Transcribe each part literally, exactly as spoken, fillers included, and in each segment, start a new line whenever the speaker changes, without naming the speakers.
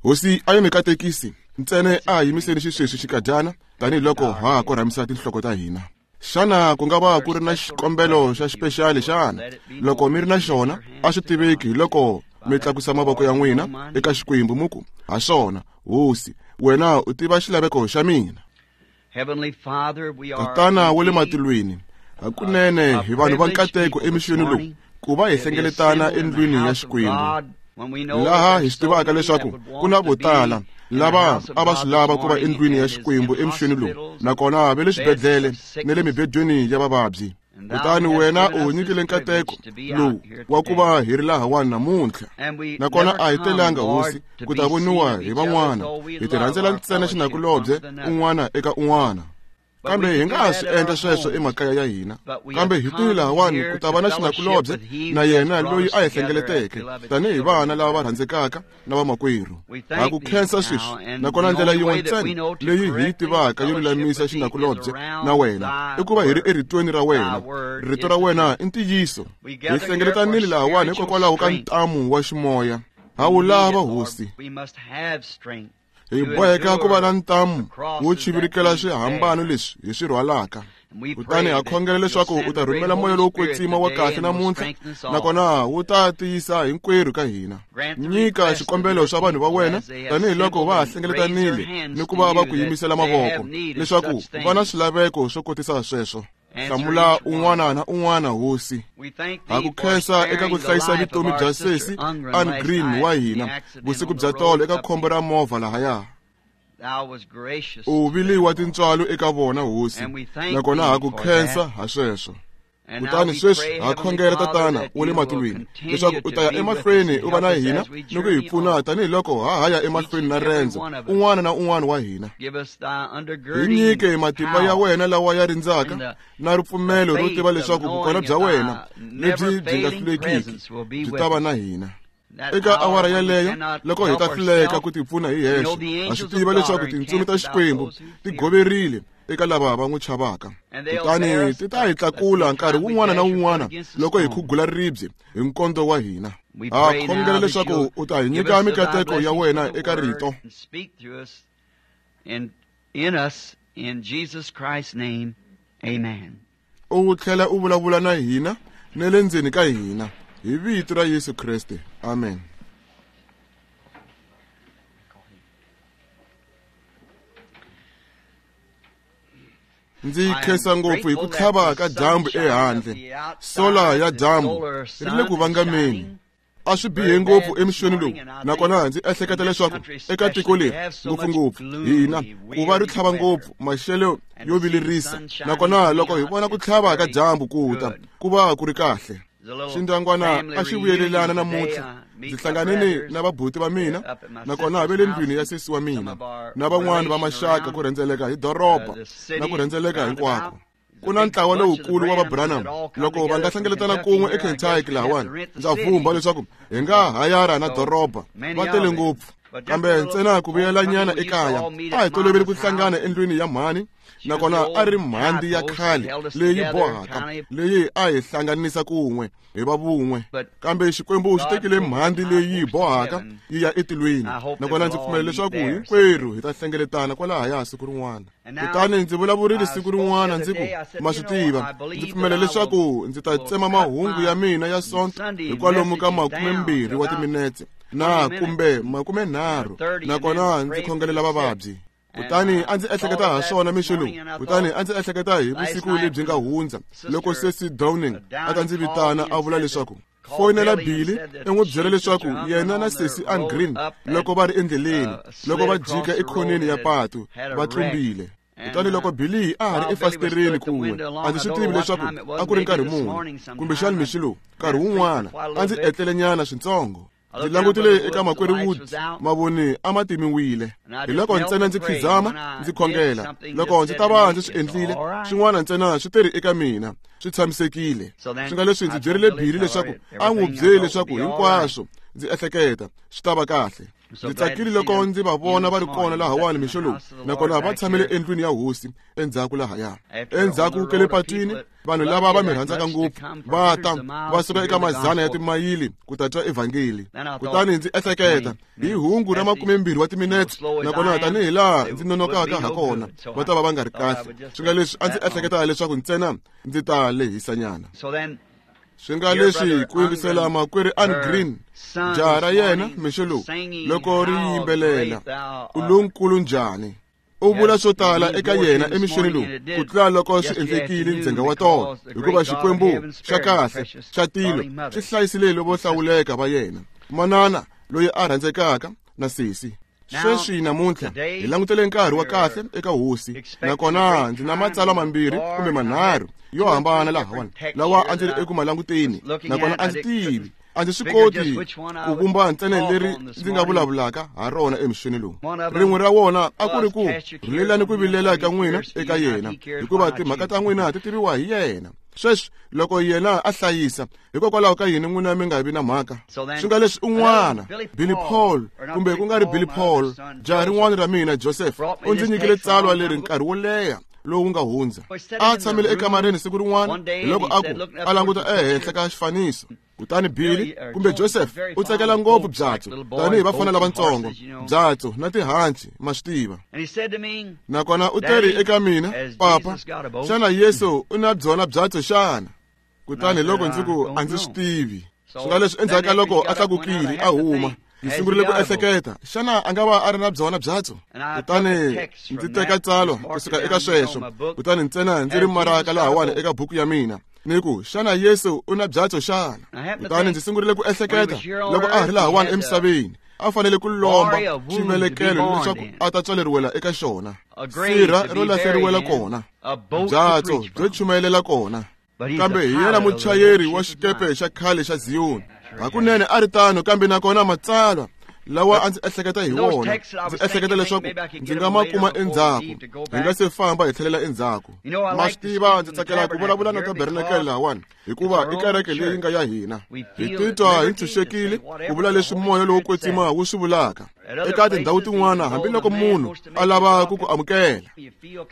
Hosi a yi mi katekisi ntsena a yimiseni xisweswi xikadyana tanihiloko ha ha korhamisa tinhloko ta hina. Xana ku nga va ku ri na xikombelo xa xipexali xana? Loko mi ri na xona, a swi tiveki hi loko mi tlakusa mavoko ya n'wina eka Xikwembu mi ku, ha swona, Hosi, wena u tiva xilaveko xa mina. Tatana wa le matilweni, hakunene hi vanhu va nkateko emixweni lowu ku va hi hlengeletana endlwini ya Xikwembu, laha hi swi tivaka leswaku ku na vo tala lava a va swi lava ku va endlwini ya Xikwembu emixweni lowu, nakona va le swibedhlele na le mibedweni ya vavabyi. Kutani wena u nyikile nkateko lowu wa ku va hi ri lahawani namuntlha, nakona a hi telanga, Hosi, ku ta voniwa hi van'wana. Hi ti rhandzela ntsena xinakulobye un'wana eka un'wana, kambe hi nga ha swi endla sweswo emakaya ya hina. Kambe hi tile lahawani ku ta va na xinakulobye na yena loyi a hi hlengeleteke tanihi vana lava va rhandzekaka na vamakwerhu. Ha ku khensa sweswi, nakona ndlela yin'we ntsena leyi hi yi tivaka yo lulamisa xinakulobye na wena i ku va hi ri eritweni ra wena. Rito ra wena i ntiyiso. Hi hlengeletanile lahawani hikokwalaho ka ntamu wa ximoya. Ha wu lava, Hosi. Hi boheka ku va na ntamu wo chivirikela swihambano leswi hi swi rhwalaka. Kutani ha khongela leswaku u ta rhumela moya lowo kwetsima wa kahle namuntlha, nakona wu ta tiyisa hinkwerhu ka hina. Nyika xikombelo xa vanhu va wena tanihiloko va ha hlengeletanile ni ku va va ku yimisela mavoko leswaku va na swilaveko swo kotisa sweswo. Hlamula un'wana na un'wana, Hosi. Ha ku khensa eka ku hlayisa vutomi bya sesi Ann Green wa hina vusiku bya tolo eka khombo ra movha lahaya. U vile wa tintswalo eka vona, Hosi, nakona ha ku khensa ha sweswo. Kutani sweswi ha khongela, Tatana wa le matilweni, leswaku u ta ya emahlweni u va na hina ni ku hi pfuna tanihiloko ha ha ya emahlweni na rendzo un'wana na un'wana wa hina. Hi nyike matimba ya wena lawa ya rindzaka na ripfumelo ro tiva leswaku vukona bya wena lebyi byi nga hlulekiki byi ta va na hina. Eka awara yeleyo, loko hi ta hluleka ku tipfuna hi hexe, ha swi tiva leswaku tintsumi ta Xikwembu ti goverile eka lava va n'wi chavaka. Kutani ti ta hi tlakula nkarhi wun'wana na wun'wana loko hi khugula ribye hi nkondzo wa hina. Ha khongela leswaku u ta hi nyika mikateko ya wena eka rito. U tlhela u vulavula na hina na le ndzeni ka hina hi vito ra Yesu Kreste. Amen. Ndzi khensa ngopfu hi ku tlhava ka dyambu ehandle. Sola ya dyambu ri le ku vangameni. A swi bihe ngopfu emixweni lowu, nakona ndzi ehleketa leswaku eka tiko leri ngopfungopfu hina ku va ri tlhava ngopfu maxelo yo vilerisa, nakona loko hi vona ku tlhava ka dyambu ku ta ku va ku ri kahle. Xindyangwana a xi vuyelelana namuntlha. Ndzi hlanganile na vabuti va mina, nakona va le ndlwini ya sesi wa mina na van'wana va maxaka ku rhendzeleka hi doroba na ku rhendzeleka hinkwako. Ku na ntlawa lowukulu wa va Branham loko va nga hlengeletana kun'we eKentucky lahawani, ndza vhumba leswaku hi nga hayara na doroba. Va tele ngopfu, kambe ntsena ku vuyelanyana ekaya. A hi toloveli ku hlangana endlwini ya mhani, nakona a ri mhandzi ya khale leyi bohaka leyi a hi hlanganisa kun'we hi va vun'we. Kambe Xikwembu xi tekile mhandzi leyi bohaka yi ya etilweni, nakona ndzi pfumela leswaku hinkwerhu hi ta hlengeletana kwalahaya siku rin'wana. Kutani ndzi vulavurile siku rin'wana ndzi ku, ma swi tiva, ndzi pfumela leswaku ndzi ta tsema mahungu ya mina ya Sonto hi kwalomu ka makumembirhi wa timinetse na kumbe makumenharhu, nakona ndzi khongelela vavabyi. Kutani a ndzi ehleketa ha swona mixo lowu. Kutani a ndzi ehleketa hi vusiku lebyi nga hundza loko sesi Downing a ta ndzi vitana a vula leswaku foyinela Billy i n'wi byela leswaku yena na sesi Ann Green loko va ri endleleni loko va jika ekhoneni ya patu va tlumbile. Kutani loko Billy a ha ri efasitereni kun'we, a ndzi swi tivi leswaku a ku ri nkarhi muni, kumbexana mixo lowu nkarhi wun'wana a ndzi etlelenyana swintsongo. Ndzi langutile eka makwerhu Woods, mavoni a ma timiwile. Hi loko ntsena ndzi khizama ndzi khongela. Loko ndzi ta va ndzi swi endlile, swin'wana ntsena swi teri eka mina, swi tshamisekile. Swi nga leswi ndzi byerile Billy leswaku a n'wi byeli leswaku hinkwaswo ndzi ehleketa swi ta va kahle. Ndzi tsakile loko ndzi va vona va ri kona lahawani mixo lowu, nakona va tshamile endlwini ya hosi endzhaku lahaya. Endzhaku ka le patwini, vanhu lava va mi rhandzaka ngopfu va ta va suka eka mazana ya timayili ku ta twa evhangeli. Kutani ndzi ehleketa hi hungu ra makumembirhi wa timinetse, nakona tanihi laha ndzi nonokaka ha kona, va ta va va nga ri kahle. Swi nga leswi a ndzi ehleketa leswaku ntsena ndzi ta lehisanyana. Swi nga leswi ku yingisela makwerhu Ann Green, jaha ra yena mixo lowu, loko ri yimbelela u lonkulu njhani. U vula swo tala eka yena emixweni lowu ku tlula loko swi endlekile ndzhenga wa tolo, hikuva Xikwembu xa kahle xa tilo xi hlayisile lavo hlawuleka va yena, manana loyi a rhandzekaka na sesi. Sweswi namuntlha hi langutele nkarhi wa kahle eka hosi, nakona ndzi na matsalwa mambirhi kumbe manharhu yo hambana lahawani lawa a ndzi ri eku malanguteni, nakona a ndzi tivi, a ndzi swi koti ku vumba ntsena leri ndzi nga vulavulaka ha rona emixweni lowu. Rin'we ra wona a ku ri ku rhulelani ku vilela ka n'wina eka yena, hikuva timhaka ta n'wina ti tiviwa hi yena. Sweswi loko yena a hlayisa, hikokwalaho ka yini n'wina mi nga vi na mhaka? Swi nga leswi un'wana, Billy Paul, kumbe ku nga ri Billy Paul, jaha rin'wana ra mina Joseph, u ndzi nyikile tsalwa leri nkarhi wo leha lowu nga hundza. A tshamile ekamareni siku rin'wana, hiloko a ku a languta ehenhla ka xifaniso. Kutani Billy kumbe Joseph u tsakela ngopfu byatso tanihi vafana lavatsongo, byatso na tihanci, ma swi tiva. Nakona u teri eka mina, papa, xana Yesu u na byona byatso xana? Kutani loko ndzi ku a ndzi swi tivi. Swi nga leswi endzhaku ka loko a tlakukile a huma, ndzi sungurile ku ehleketa, xana a nga va a ri na byona byatso? Kutani ndzi teka tsalwa kusuka eka sweswo, kutani ntsena ndzi ri maraka lahawani eka buku ya mina, ni ku xana Yesu u na byatso xana? Kutani ndzi sungurile ku ehleketa loko a ha ri lahawani emisaveni, a fanele ku lomba xivelekelo leswaku a ta tswaleriwela eka xona, sirha ro lahleriwela kona, byatso byo chumayelela kona. Kambe hi yena muchayeri wa xikepe xa khale xa Ziyoni. Hakunene a ri tano, kambe nakona matsalwa lawa a ndzi ehleketa hi wona, ndzi ehleketa leswaku ndzi nga ma kuma endzhaku, hi nga se famba hi tlhelela endzhaku. Ma swi tiva, ndzi tsakela ku vulavula na tabernakele lahawani, hikuva i kereke leyi nga ya hina. Hi titwa hi ntshunxekile ku vula leswi moya lowo kwetsima wu swi vulaka. Eka tindhawu tin'wana, hambiloko munhu a lava ku ku amukela,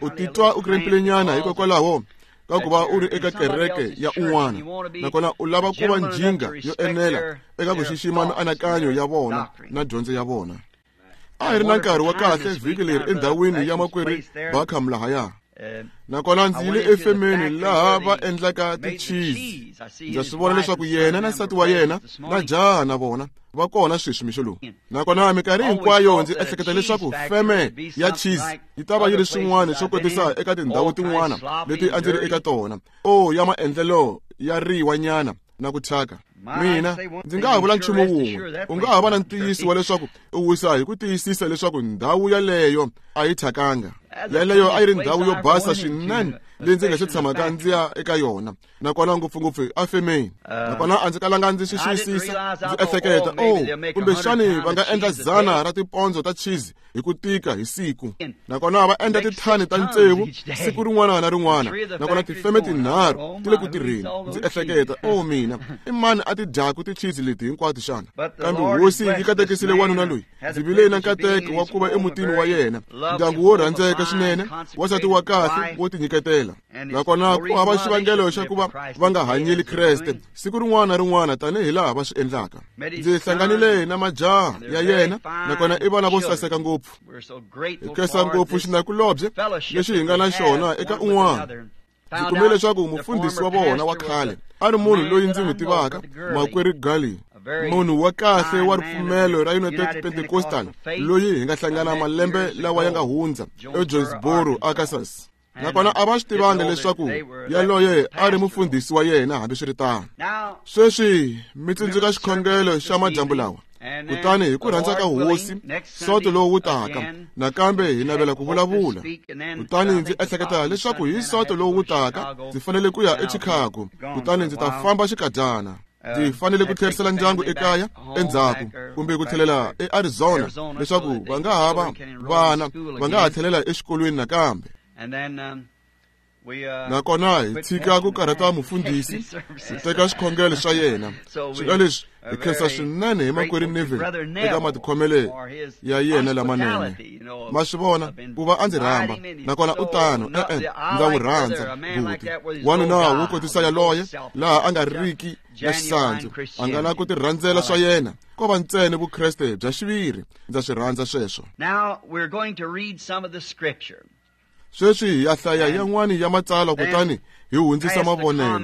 u titwa u krempilenyana hikokwalaho ka ku va u ri eka kereke ya un'wana, nakona u lava ku va njhinga yo enela eka ku xixima mianakanyo ya vona na dyondzo ya vona. A hi ri na nkarhi wa kahle vhiki leri endhawini ya makwerhu Barkham lahaya. Nakona ndzi yile efemeni laha va endlaka tichizi. Ndza swi vona leswaku yena na nsati wa yena na jaha na vona va kona sweswi mixo lowu. Nakona minkarhi hinkwayo ndzi ehleketa leswaku feme ya cheese yi ta va yi ri swin'wana swo kotisa eka tindhawu tin'wana leti a ndzi ri eka tona, o ya maendlelo ya riwanyana na ku thyaka. Mina ndzi nga ha vula nchumu wun'we, u nga ha va na ntiyiso wa leswaku u wisa hi ku tiyisisa leswaku ndhawu yaleyo a yi thyakanga. Yaleyo a yi ri ndhawu yo basa swinene leyi ndzi nga se tshamaka ndzi ya eka yona, nakona ngopfungopfu efemeni. Nakona a ndzi kalanga ndzi swi xiyisisa, ndzi ehleketa, oh, kumbexani va nga endla dzana ra tipondzo ta cheese hi ku tika hi siku, nakona va endla tithani ta tsevu siku rin'wana na rin'wana, nakona tifeme tinharhu ti le ku tirheni. Ndzi ehleketa, oh mina, i mani a ti dyaku tichizi leti hinkwato xana? Kambe hosi yi katekisile wanuna loyi. Ndzi vile na nkateko wa ku va emutini wa yena, ndyangu wo rhandzeka swinene, wansati wa kahle wo tinyiketela, nakona ku hava xivangelo xa ku va va nga hanyeli Kreste siku rin'wana na rin'wana tanihi laha va swi endlaka. Ndzi hlanganile na majaha ya yena, nakona i vana vo saseka ngopfu. Hi khensa ngopfu xinakulobye lexi hi nga na xona eka un'wana. Ndzi kumile leswaku mufundhisi wa vona wa khale a ri munhu loyi ndzi n'wi tivaka, makwerhu Gali, munhu wa kahle wa ripfumelo ra United Pentecostal loyi hi nga hlangana malembe lawa ya nga hundza eJonesboro, Arkansas. Nakona a va swi tivanga leswaku yaloye a ri mufundhisi wa yena hambiswiritano. Sweswi mi tsundzuka xikhongelo xa madyambu lawa. Kutani hi ku rhandza ka hosi, soto lowu wu taka, nakambe hi navela ku vulavula. Kutani ndzi ehleketa leswaku hi soto lowu wu taka, ndzi fanele ku ya eChicago, kutani ndzi ta famba xikadyana. Ndzi fanele ku tlherisela ndyangu ekaya endzhaku, kumbe ku tlhelela eArizona, leswaku va nga ha va vana va nga ha tlhelela exikolweni nakambe. Nakona hi tshika ku karhata mufundhisi ku teka swikhongelo swa yena. Swilo leswi hi khensa swinene hi makwerhu Neville eka matikhomelo ya yena lamanene. Ma swi vona ku va a ndzi rhamba, nakona u tano, e-e, ndza n'wi rhandza buti. Wanuna wo kotisa yaloye laha a nga riki na xisandzu, a nga na ku tirhandzela swa yena, ko va ntsena vukreste bya xiviri. Ndza swi rhandza sweswo. Sweswi hi ya hlaya yan'wani ya matsalwa kutani hi hundzisa mavonelo.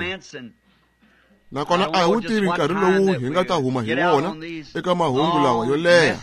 Nakona a hi wu tivi nkarhi lowu hi nga ta huma hi wona eka mahungu lawa yo leha,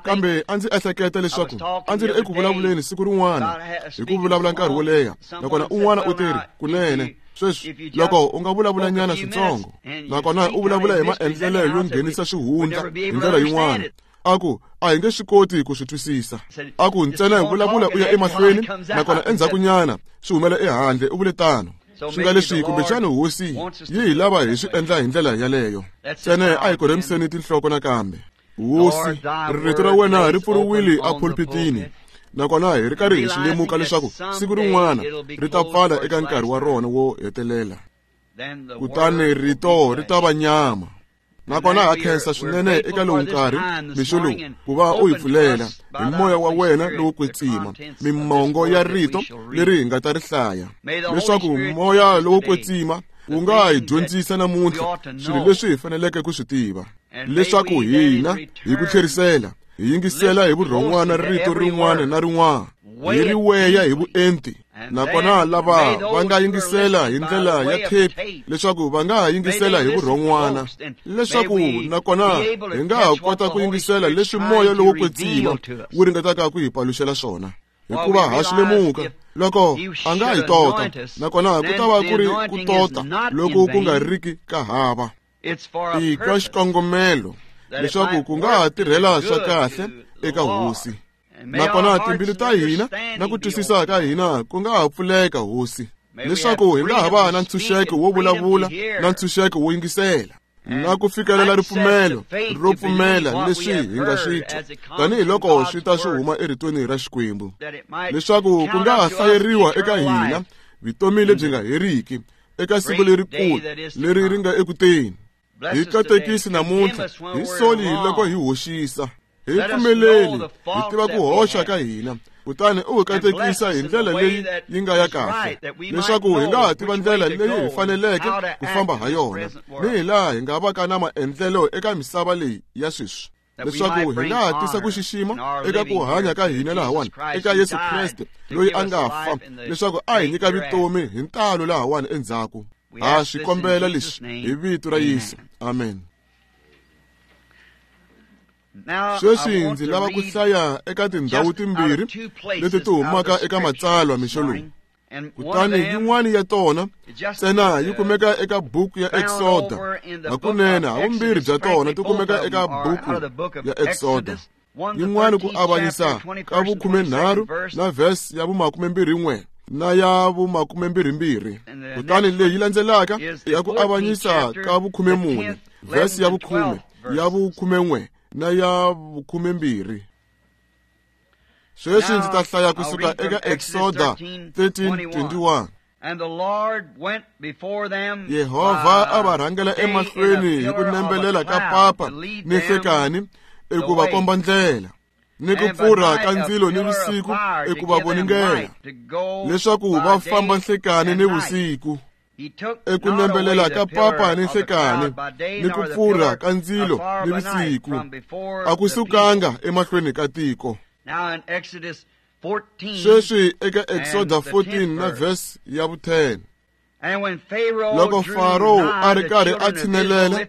kambe a ndzi ehleketa leswaku a ndzi ri eku vulavuleni siku rin'wana hi ku vulavula nkarhi wo leha, nakona un'wana u teri kunene sweswi loko u nga vulavulanyana switsongo, nakona u vulavula hi maendlelo yo nghenisa swihundla hi ndlela yin'wana, a ku a hi nge swi koti ku swi twisisa. A ku ntsena hi vulavula u ya emahlweni, nakona endzhakunyana swi humela ehandle, u vule tano. Swi nga leswi kumbexana hosi yi hi lava hi swi endla hi ndlela yaleyo. Ntsena a hi korhemiseni tinhloko nakambe. Hosi, rito ra wena ri pfuriwile epulpitini, nakona hi ri karhi hi swi lemuka leswaku siku rin'wana ri ta pfala eka nkarhi wa rona wo hetelela, kutani rito ri ta va nyama. Nakona ha khensa swinene eka lowu nkarhi mixo lowu ku va u hi pfulela hi moya wa wena lowo kwetsima mimongo ya rito leri hi nga ta ri hlaya, leswaku moya lowo kwetsima wu nga hi dyondzisa namuntlha swilo leswi hi faneleke ku swi tiva, leswaku hina hi ku tlherisela hi yingisela hi vurhon'wana rito rin'wana na rin'wana, hi ri weya hi vuenti. Nakona lava va nga yingisela hi ndlela ya thepi, leswaku va nga ha yingisela hi vurhon'wana, leswaku nakona hi nga ha kota ku yingisela leswi moya lowo kwetsima wu ringetaka ku hi paluxela swona. Hikuva ha swi lemuka loko a nga hi tota, nakona ku ta va ku ri ku tota loko ku nga riki ka hava. I ka xikongomelo leswaku ku nga ha tirhela swa kahle eka hosi. Nakona timbilu ta hina na ku twisisa ka hina ku nga ha pfuleka hosi, leswaku hi nga ha va na ntshunxeko wo vulavula na ntshunxeko wo yingisela, na ku fikelela ripfumelo ro pfumela leswi hi nga swi twa tanihiloko swi ta swi huma eritweni ra Xikwembu, leswaku ku nga ha hlayeriwa eka hina vutomi lebyi nga heriki eka siku lerikulu leri ri nga ekuteni. Hi katekisi namuntlha, hi soli loko hi hoxisa, hi pfumeleli hi tiva ku hoxa ka hina, kutani u hi katekisa hi ndlela leyi yi nga ya kahle, leswaku hi nga ha tiva ndlela leyi hi faneleke ku famba ha yona, ni hi laha hi nga vaka na maendlelo eka misava leyi ya sweswi, leswaku hi nga ha tisa ku xixima eka ku hanya ka hina lahawani eka Yesu Kreste loyi a nga fa, leswaku a hi nyika vutomi hi ntalo lahawani endzhaku. Ha swi kombela leswi hi vito ra Yesu, amen. Sweswi ndzi lava ku hlaya eka tindhawu timbirhi leti ti humaka eka matsalwa mixo lowu. Kutani yin'wana ya tona ntsena yi kumeka eka buku ya Exoda, hakunene havumbirhi bya tona ti kumeka eka buku ya Exoda. Yin'wana ku avanyisa ka vukhumenharhu na verse ya vumakumembirhi-n'we na ya vumakumembirhi-mbirhi, kutani leyi landzelaka ya ku avanyisa ka vukhumemune, verse ya vukhume, ya vukhumen'we na ya vukhumembirhi. Sweswi ndzi ta hlaya kusuka eka Exoda thirteen twenty-one. Yehovha a va rhangela emahlweni hi ku nembelela ka papa ni nhlekani eku va komba ndlela, ni ku pfurha ka ndzilo ni vusiku eku va voningela, leswaku va famba nhlekani ni vusiku. Eku nembelela ka papa ni nhlekani ni ku pfurha ka ndzilo ni vusiku a ku sukanga emahlweni ka tiko. Sweswi eka Exoda fourteen na verse ya vu-ten. Loko Faro a ri karhi a tshinelela,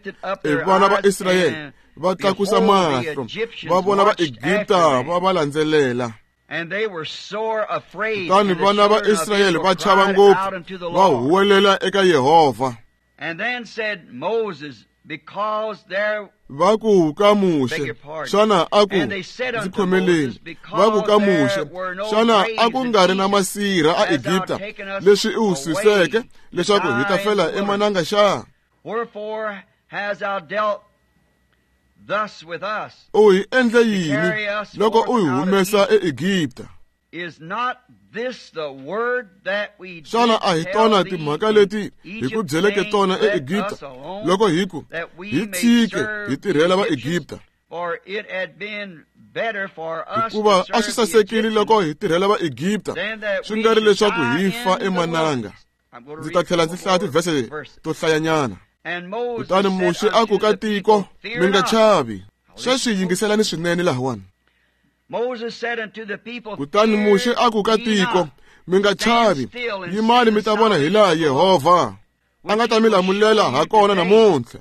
e vana va Israyele va tlakusa mahlo, va vona va Egipta va va landzelela. Kutani vana va Israyele va chava ngopfu, va huwelela eka Yehovha. Va ku ka Muxe, xana a ku ndzi khomeleni? Va ku ka Muxe, xana a ku nga ri na masirha a Egipta leswi u suseke leswaku hi ta fela emananga xa? U hi endle yini loko u hi humesa eEgipta? Xana a hi tona timhaka leti hi ku byeleke tona eEgipta, loko hi ku hi tshike hi tirhela Vaegipta? Hikuva a swi sasekile loko hi tirhela Vaegipta, swi nga ri leswaku hi fa emananga. Ndzi ta tlhela ndzi hlaya tivhese to hlayanyana. Kutani Muxe a ku ka tiko, mi nga chavi. Sweswi yingiselani swinene lahawani. Kutani Muxe a ku ka tiko, mi nga chavi, yimani mi ta vona hilaha Yehovha a nga ta mi lamulela ha kona namuntlha.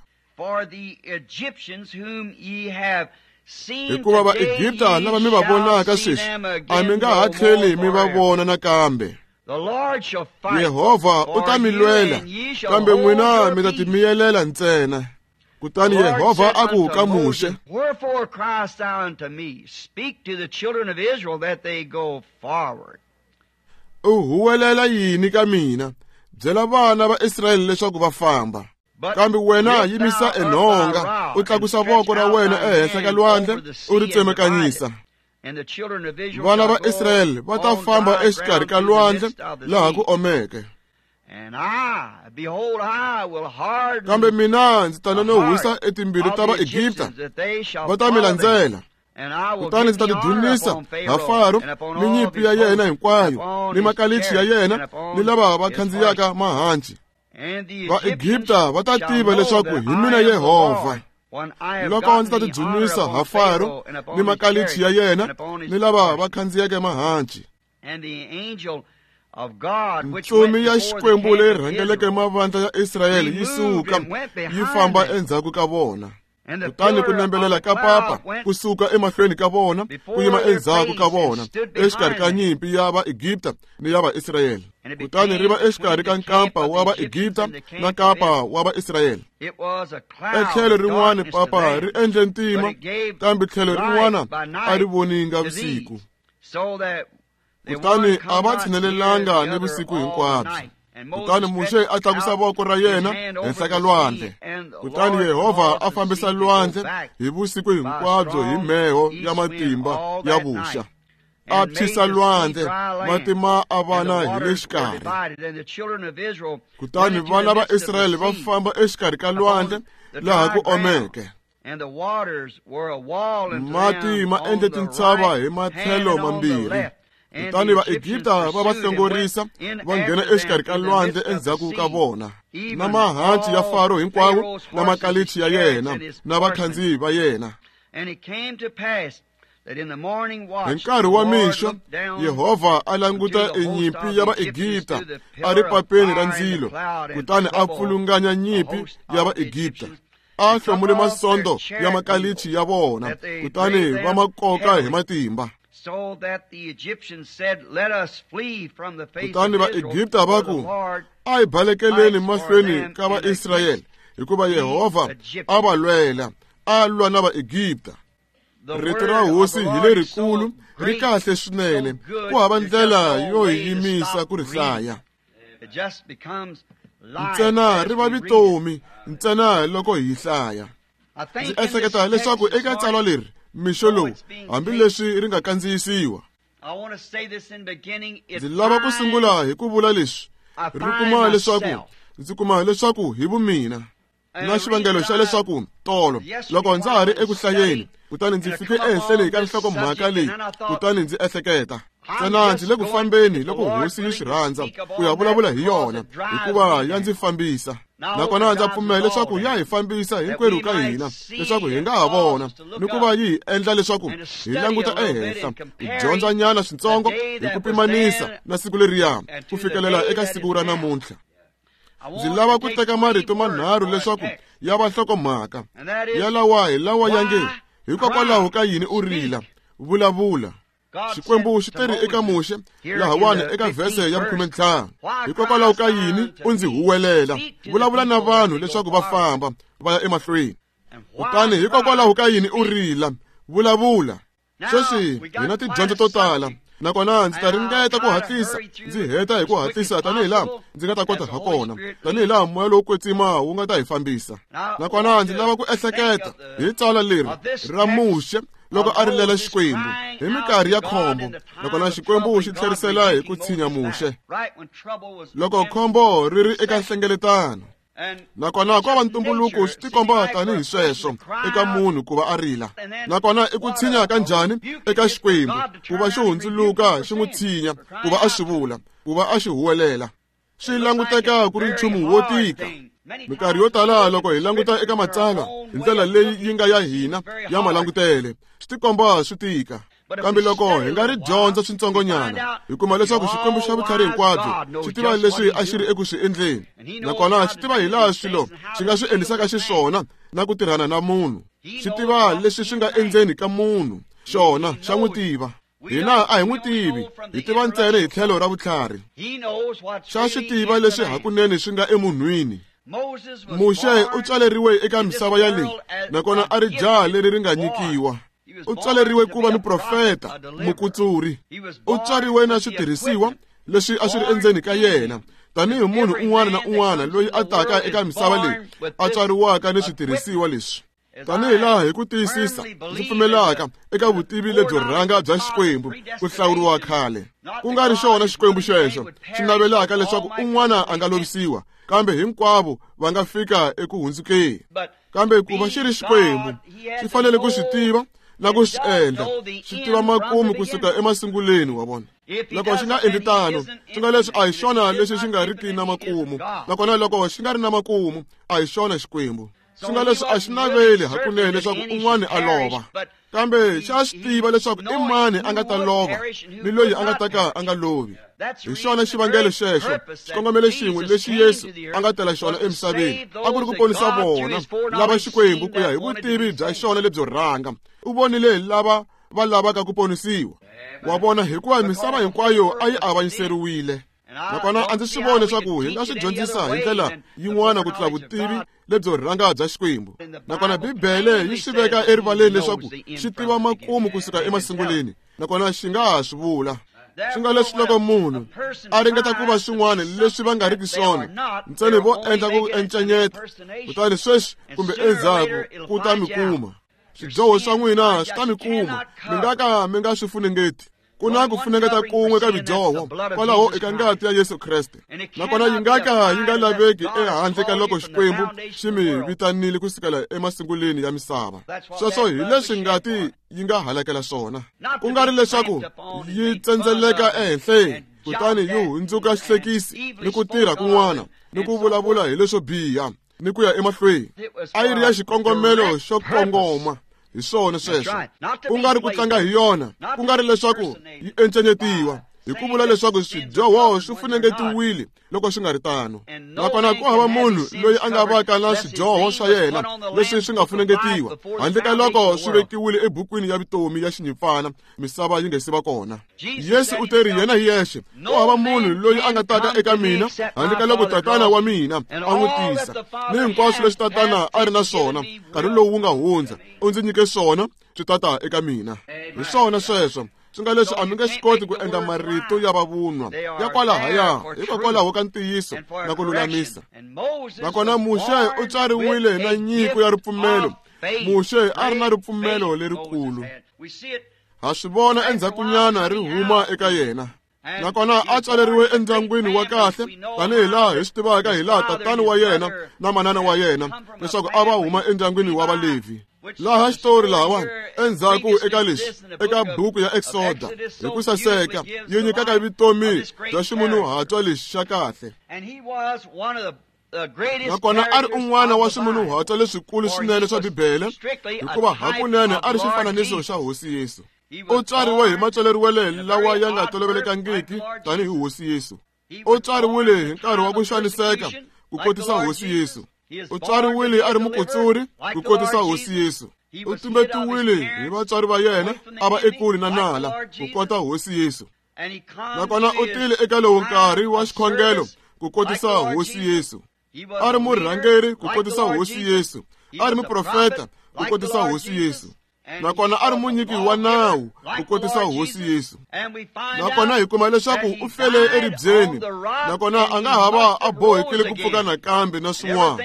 Hikuva Vaegipta lava mi va vonaka sweswi, a mi nga ha tlheli mi va vona nakambe. Yehovha u ta mi lwela, kambe n'wina mi ta timiyelela ntsena. Kutani Yehovha a ku ka Muxe,
Wherefore criest thou unto me? Speak to the children of Israel that they go forward.
U huwelela yini ka mina? Byela vana va Israyele leswaku va famba. Kambe wena yimisa enhonga, u tlakusa voko ra wena ehenhla ka lwandle, u ri tsemekanyisa. Vana va Israyele va ta famba exikarhi ka lwandle laha ku omeke. Kambe mina ndzi ta nonohisa etimbilu ta Vaegipta, va ta mi landzela. Kutani ndzi ta tidzunisa ha Faro ni nyimpi ya yena hinkwayo, ni makalichi ya yena, ni lava va khandziyaka mahanci. Vaegipta va ta tiva leswaku hi mina Yehovha. Loko ndzi ta tidzunisa ha Faro ni makalichi ya yena, ni lava va khandziyeke mahanci. Ntsumi ya Xikwembu leyi rhangeleke mavandla ya Israyele yi suka yi famba endzhaku ka vona. Kutani ku nembelela ka papa ku suka emahlweni ka vona ku yima endzhaku ka vona, exikarhi ka nyimpi ya Vaegipta ni ya Vaisrayele. Kutani ri va exikarhi ka nkampa wa Vaegipta na nkampa wa Vaisrayele. Etlhelo rin'wana papa ri endle ntima, kambe tlhelo rin'wana a ri voninga vusiku. Kutani a va tshinelelanga ni vusiku hinkwabyo. Kutani Muxe a tlakusa voko ra yena henhla ka lwandle. Kutani Yehovha a fambisa lwandle hi vusiku hinkwabyo hi mheho ya matimba ya vuxa. A phyisa lwandle, mati ma avana hi le xikarhi. Kutani vana va Israyele va famba exikarhi ka lwandle laha ku omeke. Mati ma endle tintshava hi matlhelo mambirhi. Kutani Vaegipta va va hlongorisa, va nghena exikarhi ka lwandle endzhaku ka vona, na mahanci ya Faro hinkwawo, na makalichi ya yena, na vakhandziyi va yena. Hi nkarhi wa mixo, Yehovha a languta enyimpi ya Vaegipta a ri papeni ra ndzilo, kutani a pfulunganya nyimpi ya Vaegipta. A hlomule masondo ya makalichi ya vona, kutani va ma koka hi matimba. Kutani Vaegipta va ku, a hi balekeleni mahlweni ka Vaisrayele, hikuva Yehovha a va lwela, a lwa na Vaegipta. Rito ra Hosi hi lerikulu, ri kahle swinene, ku hava ndlela yo hi yimisa ku ri hlaya. Ntsena ri va vutomi, ntsena loko hi hlaya. Ndzi ehleketa leswaku eka tsalwa leri mixo lowu, hambileswi ri nga kandziyisiwa, ndzi lava ku sungula hi ku vula leswi. Ri kuma leswaku ndzi kuma leswaku hi vumina na xivangelo xa leswaku tolo loko ndza ha ri eku hlayeni, kutani ndzi fike ehenhleni ka nhlokomhaka leyi, kutani ndzi ehleketa ntsena ndzi le ku fambeni loko Hosi yi swi rhandza ku ya vulavula hi yona, hikuva ya ndzi fambisa. Nakona ndza pfumela leswaku ya hi fambisa hinkwerhu ka hina, leswaku hi nga ha vona ni ku va yi hi endla leswaku hi languta ehenhla, hi dyondza nyana switsongo hi ku pimanisa na siku leriya ku fikelela eka siku ra namuntlha. Ndzi lava ku teka marito manharhu leswaku ya va nhlokomhaka ya lawa hi lawa ya nge, hikokwalaho ka yini u rila, vulavula. Xikwembu xi teri eka Muxe lahawani eka vhese ya khume ntlhanu, hikokwalaho ka yini u ndzi huwelela, vulavula na vanhu leswaku va famba va ya emahlweni. Kutani hikokwalaho ka yini u rila, vulavula. Sweswi hi na tidyondzo to tala, nakona ndzi ta ringeta ku hatlisa ndzi heta hi ku hatlisa tanihi laha ndzi nga ta kota ha kona, tanihi laha moya lowo kwetsima wu nga ta hi fambisa. Nakona ndzi lava ku ehleketa hi tsalwa leri ra Muxe loko a rilela Xikwembu hi minkarhi ya khombo, nakona Xikwembu xi tlherisela hi ku tshinya Muxe loko khombo ri ri eka nhlengeletano. Nakona ko va ntumbuluko swi tikomba tanihi sweswo eka munhu ku va a rila, nakona i ku tshinya ka njhani eka Xikwembu ku va xi hundzuluka xi n'wi tshinya, ku va a swi vula, ku va a xi huwelela. Swi languteka ku ri nchumu wo tika. Minkarhi yo tala loko hi languta eka matsalwa hi ndlela leyi yi nga ya hina ya malangutele, swi tikomba swi tika. Kambe loko hi nga ri dyondza swintsongonyana, hi kuma leswaku Xikwembu xa vutlhari hinkwabyo xi tiva leswi a xi ri eku swi endleni, nakona xi tiva hilaha swilo xi nga swi endlisaka xiswona na ku tirhana na munhu. Xi tiva leswi swi nga endzeni ka munhu, xona xa n'wi tiva. Hina a hi n'wi tivi, hi tiva ntsena hi tlhelo ra vutlhari. Xa swi tiva leswi hakunene swi nga emunhwini. Muxe u tswaleriwe eka misava ya leyi, nakona a ri jaha leri ri nga nyikiwa. U tswaleriwe ku va muprofeta, mukutsuri. U tswariwe na switirhisiwa leswi a swi ri endzeni ka yena, tanihi munhu un'wana na un'wana loyi a taka eka misava leyi a tswariwaka ni switirhisiwa leswi. Tanihi laha hi ku tiyisisa ndzi pfumelaka eka vutivi lebyo rhanga bya Xikwembu ku hlawuriwa khale, ku nga ri xona Xikwembu xexo xi navelaka leswaku un'wana a nga lovisiwa, kambe hinkwavo va nga fika eku hundzukeni. Kambe ku va xi ri Xikwembu, xi fanele ku swi tiva na ku swi endla, xi tiva makumu kusuka emasunguleni wa vona. Loko xi nga endli tano, swi nga leswi a hi xona lexi xi nga riki na makumu, nakona loko xi nga ri na makumu, a hi xona Xikwembu. Swi nga leswi a xi naveli hakunene leswaku un'wana a lova, kambe xa swi tiva leswaku i mani a nga ta lova ni loyi a nga ta ka a nga lovi. Hi xona xivangelo xexo, xikongomelo xin'we lexi Yesu a nga tela xona emisaveni a ku ri ku ponisa vona lava Xikwembu ku ya hi vutivi bya xona lebyo rhanga. U vonile lava va lavaka ku ponisiwa wa vona, hikuva misava hinkwayo a yi avanyiseriwile. Nakona a ndzi swi voni leswaku hi nga swi dyondzisa hi ndlela yin'wana ku tlula vutivi lebyo rhanga bya Xikwembu. Nakona Bibele yi swi veka erivaleni leswaku xi tiva makumu kusuka emasunguleni, nakona xi nga ha swi vula. Swi nga leswi loko munhu a ringeta ku va swin'wana leswi va nga riki swona, ntsena vo endla ku encenyeta, kutani sweswi kumbe endzhaku ku ta mi kuma. Swidyoho swa n'wina swi ta mi kuma, mi nga ka mi nga swi funengeti. Ku na ku funengeta kun'we ka midyoho kwalaho eka ngati ya Yesu Kreste, nakona yi nga ka yi nga laveki ehandle ka loko Xikwembu xi mi vitanile kusukela emasunguleni ya misava. Sweswo hi leswi ngati yi nga halakela swona, ku nga ri leswaku yi tsendzeleka ehenhleni kutani yi hundzuka xihlekisi ni ku tirha kun'wana ni ku vulavula hi leswo biha ni ku ya emahlweni. A yi ri ya xikongomelo xo kongoma. Hi swona sweswo, ku nga ri ku tlanga hi yona, ku nga ri leswaku yi encenyetiwa hi ku vula leswaku swidyoho swi funengetiwile loko swi nga ri tano. Nakona ku hava munhu loyi a nga vaka na swidyoho swa yena leswi swi nga funengetiwa handle ka loko swi vekiwile ebukwini ya vutomi ya xinyimpfana misava yi nga se va kona. Yesu u teri yena hi yexe, ku hava munhu loyi a nga taka eka mina handle ka loko Tatana wa mina a n'wi tisa, ni hinkwaswo leswi Tatana a ri na swona nkarhi lowu wu nga hundza u ndzi nyike swona swi tata eka mina. Hi swona sweswo. Swi nga leswi a mi nge swi koti ku endla marito ya vavunwa ya kwalahaya hikokwalaho ka ntiyiso na ku lulamisa. Nakona Muxe u tswariwile na nyiko ya ripfumelo. Muxe a ri na ripfumelo lerikulu. Ha swi vona endzhakunyana ri huma eka yena. Nakona a tswaleriwe endyangwini wa kahle, tanihi laha hi swi tivaka hi laha tatana wa yena na manana wa yena leswaku a va huma endyangwini wa Valevhi. Laha xitori lahawani endzhaku eka leswi eka buku ya Exoda hi ku saseka yi nyikaka vutomi bya ximunhuhatwa lexi xa kahle. Nakona a ri un'wana wa swimunhuhatwa leswikulu swinene swa Bibele, hikuva hakunene a ri xifananiso xa Hosi Yesu. U tswariwe hi matswaleriwele lawa ya nga tolovelekangiki tanihi Hosi Yesu. U tswariwile hi nkarhi wa ku xaniseka ku kotisa Hosi Yesu. U tswariwile a ri mukutsuri ku kotisa Hosi Yesu. U tumbetiwile hi vatswari va yena a va ekule na nala ku kota Hosi Yesu. Nakona u tile eka lowu nkarhi wa xikhongelo ku kotisa Hosi Yesu. A ri murhangeri ku kotisa Hosi Yesu. A ri muprofeta ku kotisa Hosi Yesu. Nakona a ri munyiki wa nawu ku kotisa Hosi Yesu. Nakona hi kuma leswaku u fele eribyeni, nakona a nga ha va a bohekile ku pfuka nakambe na swin'wana,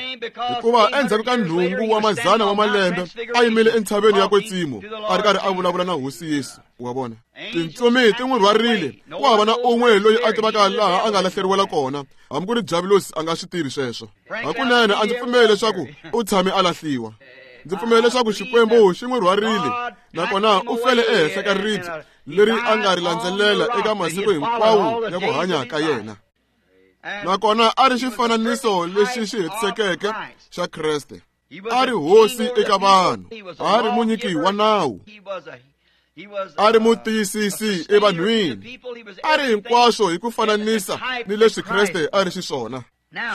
hikuva endzhaku ka nhungu wa mazana wa malembe a yimile entshaveni ya Kwetsimo a ri karhi a vulavula na Hosi Yesu. Wa vona, tintsumi ti n'wi rhwarile, ku hava na un'we loyi a tivaka laha a nga lahleriwela kona, hambi ku ri Diavulosi a nga swi tivi sweswo. Hakunene a ndzi pfumeli leswaku u tshame a lahliwa. Ndzi pfumela leswaku Xikwembu xi n'wi rhwarile, nakona u fele ehenhla ka ribye leri a nga ri landzelela eka masiku hinkwawo ya ku hanya ka yena. Nakona a ri xifananiso lexi xi hetisekeke xa Kreste. A ri hosi eka vanhu, a ri munyiki wa nawu, a ri mutiyisisi evanhwini, a ri hinkwaswo hi ku fananisa ni leswi Kreste a ri xiswona.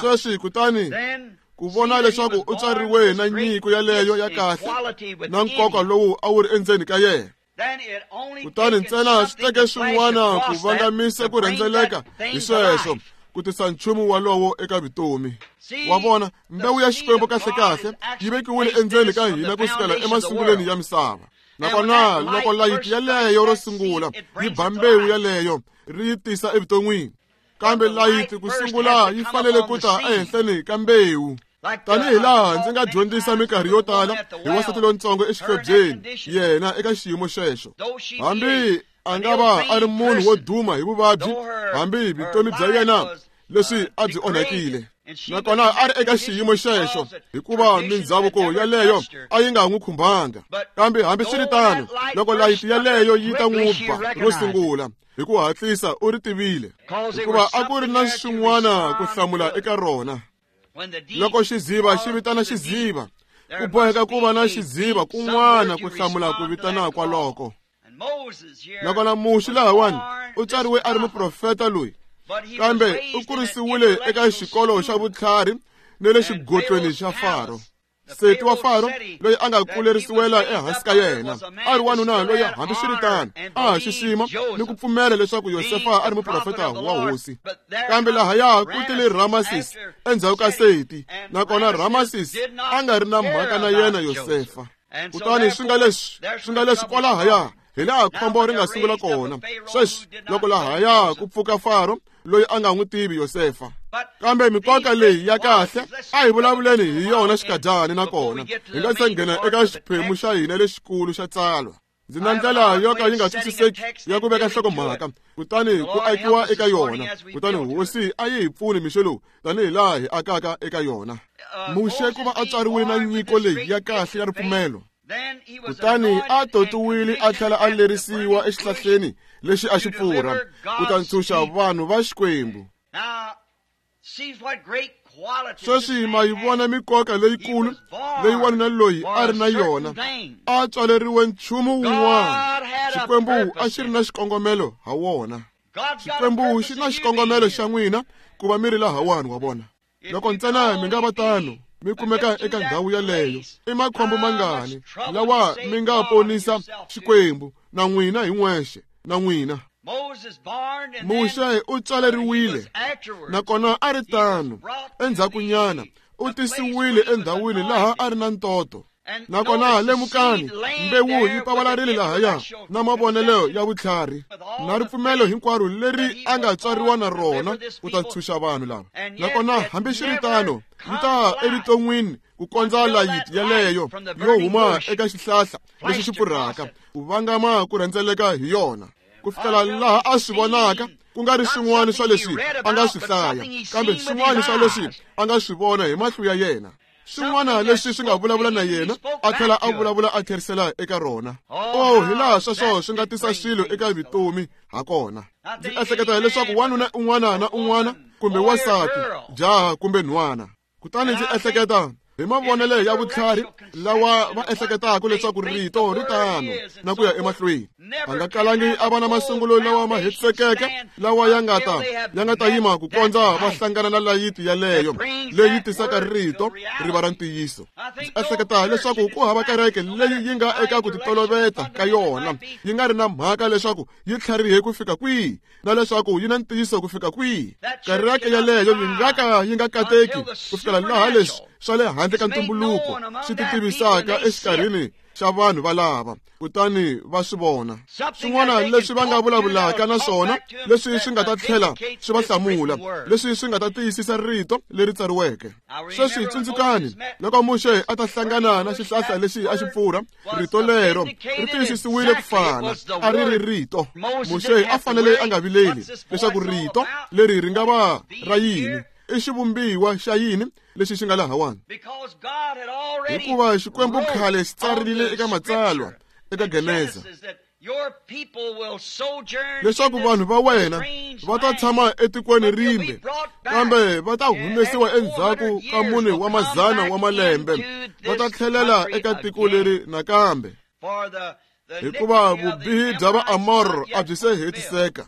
Sweswi kutani ku vona leswaku u tswariwe na nyiko yaleyo ya kahle na nkoka lowu a wu ri endzeni ka yena, kutani ntsena swi teke swin'wana ku vangamisa ku rhendzeleka hi sweswo ku tisa nchumu walowo eka vutomi. Wa vona, mbewu ya Xikwembu kahlekahle yi vekiwile endzeni ka hina kusukela emasungulweni ya misava. Nakona loko layiti yaleyo ro sungula yi ba mbewu yaleyo ri yi tisa evuton'wini, kambe layiti ku sungula yi fanele ku ta ehenhleni ka mbewu. Tanihi laha ndzi nga dyondzisa minkarhi yo tala hi wansati lontsongo exihlobyeni, yena eka xiyimo xexo, hambi a nga va a ri munhu wo duma hi vuvabyi, hambi vutomi bya yena leswi a byi onhakile, nakona a ri eka xiyimo xexo hikuva mindzhavuko yaleyo a yi nga n'wi khumbanga. Kambe hambiswiritano, loko layiti yaleyo yi ta n'wi ba ro sungula, hi ku hatlisa u ri tivile, hikuva a ku ri na swin'wana ku hlamula eka rona. Loko xiziva xi vitana xiziva, ku boheka ku va na xiziva kun'wana ku hlamula ku vitana kwaloko. Nakona Muxe lahawani u tswariwe a ri muprofeta loyi, kambe u kurisiwile eka xikolo xa vutlhari ni le xigotlweni xa Faro. Seti wa Faro loyi a nga kulerisiwela ehansi ka yena a ri wanuna loyi hambiswiritano a ha xixima ni ku pfumela leswaku Yosefa a ri muprofeta wa hosi. Kambe lahaya ku tile Ramesses endzhaku ka Seti, nakona Ramesses a nga ri na mhaka na yena Yosefa. Kutani swi nga leswi swi nga leswi kwalahaya hi laha khombo ri nga sungula kona. Sweswi loko lahaya ku pfuka Faro loyi a nga n'wi tivi Yosefa. Kambe mikoka leyi ya kahle a hi vulavuleni hi yona xikadyani, nakona hi nga se nghena eka xiphemu xa hina lexikulu xa tsalwa. Ndzi na ndlela yo ka yi nga twisiseki ya ku veka nhlokomhaka, kutani ku akiwa eka yona, kutani hosi a yi hi pfuni mixo lowu tanihi laha hi akaka eka yona. Muxe ku va a tswariwile na nyiko leyi ya kahle ya ripfumelo, kutani a totiwile a tlhela a lerisiwa exihlahleni lexi a xi pfurha ku ta ntshunxa vanhu va Xikwembu. Sweswi ma yi vona mikoka leyikulu leyi wanuna loyi a ri na yona. A tswaleriwe nchumu wun'wana. Xikwembu a xi ri na xikongomelo ha wona. Xikwembu xi na xikongomelo xa n'wina ku va mi ri lahawani, wa vona. Loko ntsena mi nga va tano, mi kumeka eka ndhawu yaleyo, i makhombo mangani lawa mi nga ponisa Xikwembu na n'wina hi n'wexe na n'wina. Muxe u tswaleriwile, nakona a ri tano. Endzhakunyana u tisiwile endhawini laha a ri na ntoto. Nakona lemukani, mbewu yi pavalarile lahaya na mavonelo ya vutlhari na ripfumelo hinkwaro leri a nga tswariwa na rona ku ta ntshunxa vanhu lava. Nakona hambiswiritano yi ta evuton'wini ku kondza layiti yaleyo yo huma eka xihlahla lexi xi pfurhaka ku vangama ku rhendzeleka hi yona, ku fikela laha a swi vonaka ku nga ri swin'wana swa leswi a nga swi hlaya, kambe swin'wana swa leswi a nga swi vona hi mahlo ya yena. Swin'wana leswi swi nga vulavula na yena a tlhela a vulavula a tlherisela eka rona. Oh, hi laha sweswo swi nga tisa swilo eka vutomi ha kona. Ndzi ehleketa leswaku wanuna un'wana na un'wana kumbe wansati, jaha kumbe nhwana, kutani ndzi ehleketa hi mavonelo ya vutlhari lawa va ehleketaka leswaku rito ri tano na ku ya emahlweni. A nga kalangi a va na masungulo lawa ma hetisekeke lawa ya nga ta ya nga ta yima ku kondza va hlangana na layiti yaleyo leyi tisaka rito ri va ra ntiyiso. Ndzi ehleketa leswaku ku hava kereke leyi yi nga eka ku titoloveta ka yona yi nga ri na mhaka leswaku yi tlharihe ku fika kwihi na leswaku yi na ntiyiso ku fika kwihi. Kereke yaleyo yi nga ka yi nga kateki ku fikela laha leswi swa le handle ka ntumbuluko swi ti tivisaka exikarhini xa vanhu valava kutani va swi vona swin'wana leswi va nga vulavulaka na swona leswi swi nga ta tlhela swi va hlamula leswi swi nga ta tiyisisa rito leri tsariweke. Sweswi tsundzukani loko Muxe a ta hlangana na xihlahla lexi a xi pfurha, rito lero ri tiyisisiwile ku fana a ri ri rito. Muxe a fanele a nga vileli leswaku rito leri ri nga va ra yini, i xivumbiwa xa yini lexi xi nga lahawani, hikuva Xikwembu khale xi tsarile eka matsalwa eka Geneza leswaku vanhu va wena va ta tshama etikweni rimbe, kambe va ta humesiwa endzhaku ka mune wa mazana wa malembe, va ta tlhelela eka tiko leri nakambe, hikuva vubihi bya Vaamor a byi se hetiseka.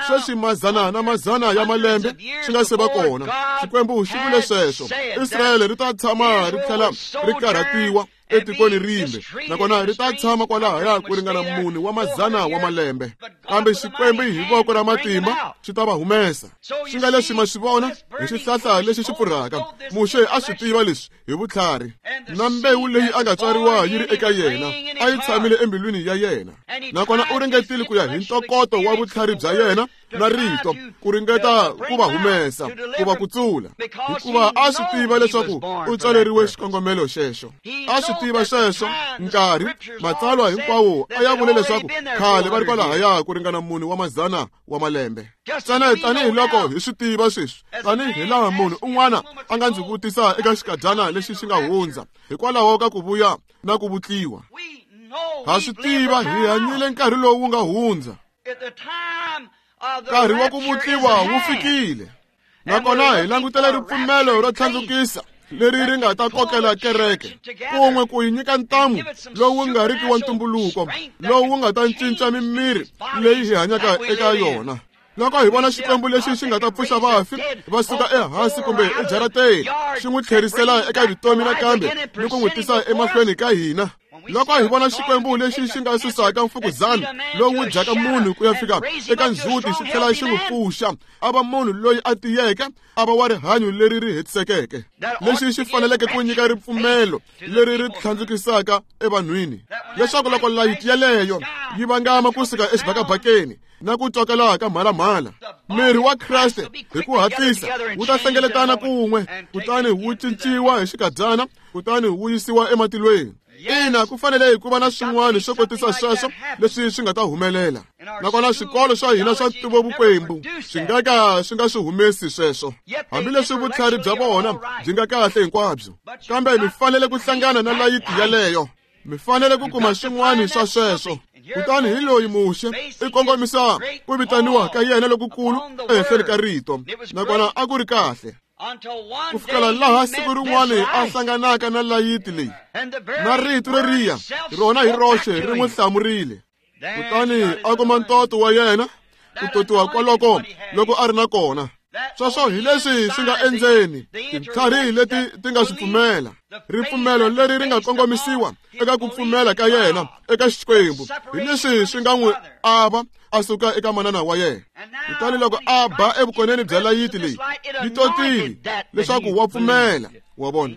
Sweswi mazana na mazana ya malembe swi nga se va kona, Xikwembu xi vule sweswo. Israyele ri ta tshama ri tlhela ri karhatiwa etikweni rimbe, nakona ri ta tshama kwalahaya ku ringana mune wa mazana wa malembe, kambe Xikwembu hi voko ra matimba xi ta va humesa. Swi nga leswi ma swi vona hi xihlahla lexi xi pfurhaka. Muxe a swi tiva leswi hi vutlhari, na mbewu leyi a nga tswariwa yi ri eka yena a yi tshamile embilwini ya yena, nakona u ringetile ku ya hi ntokoto wa vutlhari bya yena na rito ku ringeta ku va humesa, ku va kutsula, hikuva a swi tiva leswaku u tswaleriwe xikongomelo xexo. A swi tiva sweswo nkarhi matsalwa hinkwawo a ya vule leswaku khale va ri kwalahaya ku ringana mune wa mazana wa malembe. Ntsena tanihiloko hi swi tiva sweswi, tanihilaha munhu un'wana a nga ndzi vutisa eka xikadyana lexi xi nga hundza hikwalaho ka ku vuya na ku vutliwa, ha swi tiva hi hanyile nkarhi lowu wu nga hundza. Nkarhi wa ku vutliwa wu fikile, nakona hi langutela ripfumelo ro tlhandlukisa leri ri nga ta kokela kereke kun'we ku yi nyika ntamu lowu nga riki wa ntumbuluko, lowu nga ta cinca mimiri leyi hi hanyaka eka yona. Loko hi vona Xikwembu lexi xi nga ta pfuxa vafi va suka ehansi kumbe ejarateni, xi n'wi tlherisela eka vutomi nakambe ni ku n'wi tisa emahlweni ka hina. Loko hi vona Xikwembu lexi xi nga susaka mfukuzana lowu dyaka munhu ku ya fika eka ndzhuti xi tlhela xi n'wi pfuxa a va munhu loyi a tiyeke, a va wa rihanyo leri ri hetisekeke, lexi xi faneleke ku nyika ripfumelo leri ri tlhandlukisaka evanhwini, leswaku loko layiti yeleyo yi vangama kusuka exibakabakeni na ku twakala ka mhalamhala, miri wa Kreste hi ku hatlisa wu ta hlengeletana kun'we, kutani wu cinciwa hi xikadyana, kutani wu yisiwa ematilweni. Ina, ku fanele ku va na swin'wana swo kotisa sweswo leswi swi nga ta humelela, nakona swikolo swa hina swa ntivovukwembu swi nga ka swi nga swi humesi sweswo, hambileswi vutlhari bya vona byi nga kahle hinkwabyo, kambe mi fanele ku hlangana na layiti yaleyo. Mi fanele ku kuma swin'wana swa sweswo. Kutani hi loyi Muxe i kongomisa ku vitaniwa ka yena lokukulu ehenhleni ka rito, nakona a ku ri kahle ku fikela laha siku rin'wana a hlanganaka na layiti leyi, na rito leriya rona hi roxe ri n'wi hlamurile. Kutani a kuma ntoto wa yena ku totiwa kwaloko loko a ri na kona. Sweswo hi leswi swi nga endzeni tintlhari leti ti nga swi pfumela, ripfumelo leri ri nga kongomisiwa eka ku pfumela ka yena eka Xikwembu, hi leswi swi nga n'wi ava a suka eka manana wa yena. Kutani loko a ba evukoneni bya layiti leyi, yi totile leswaku wa pfumela. Wa vona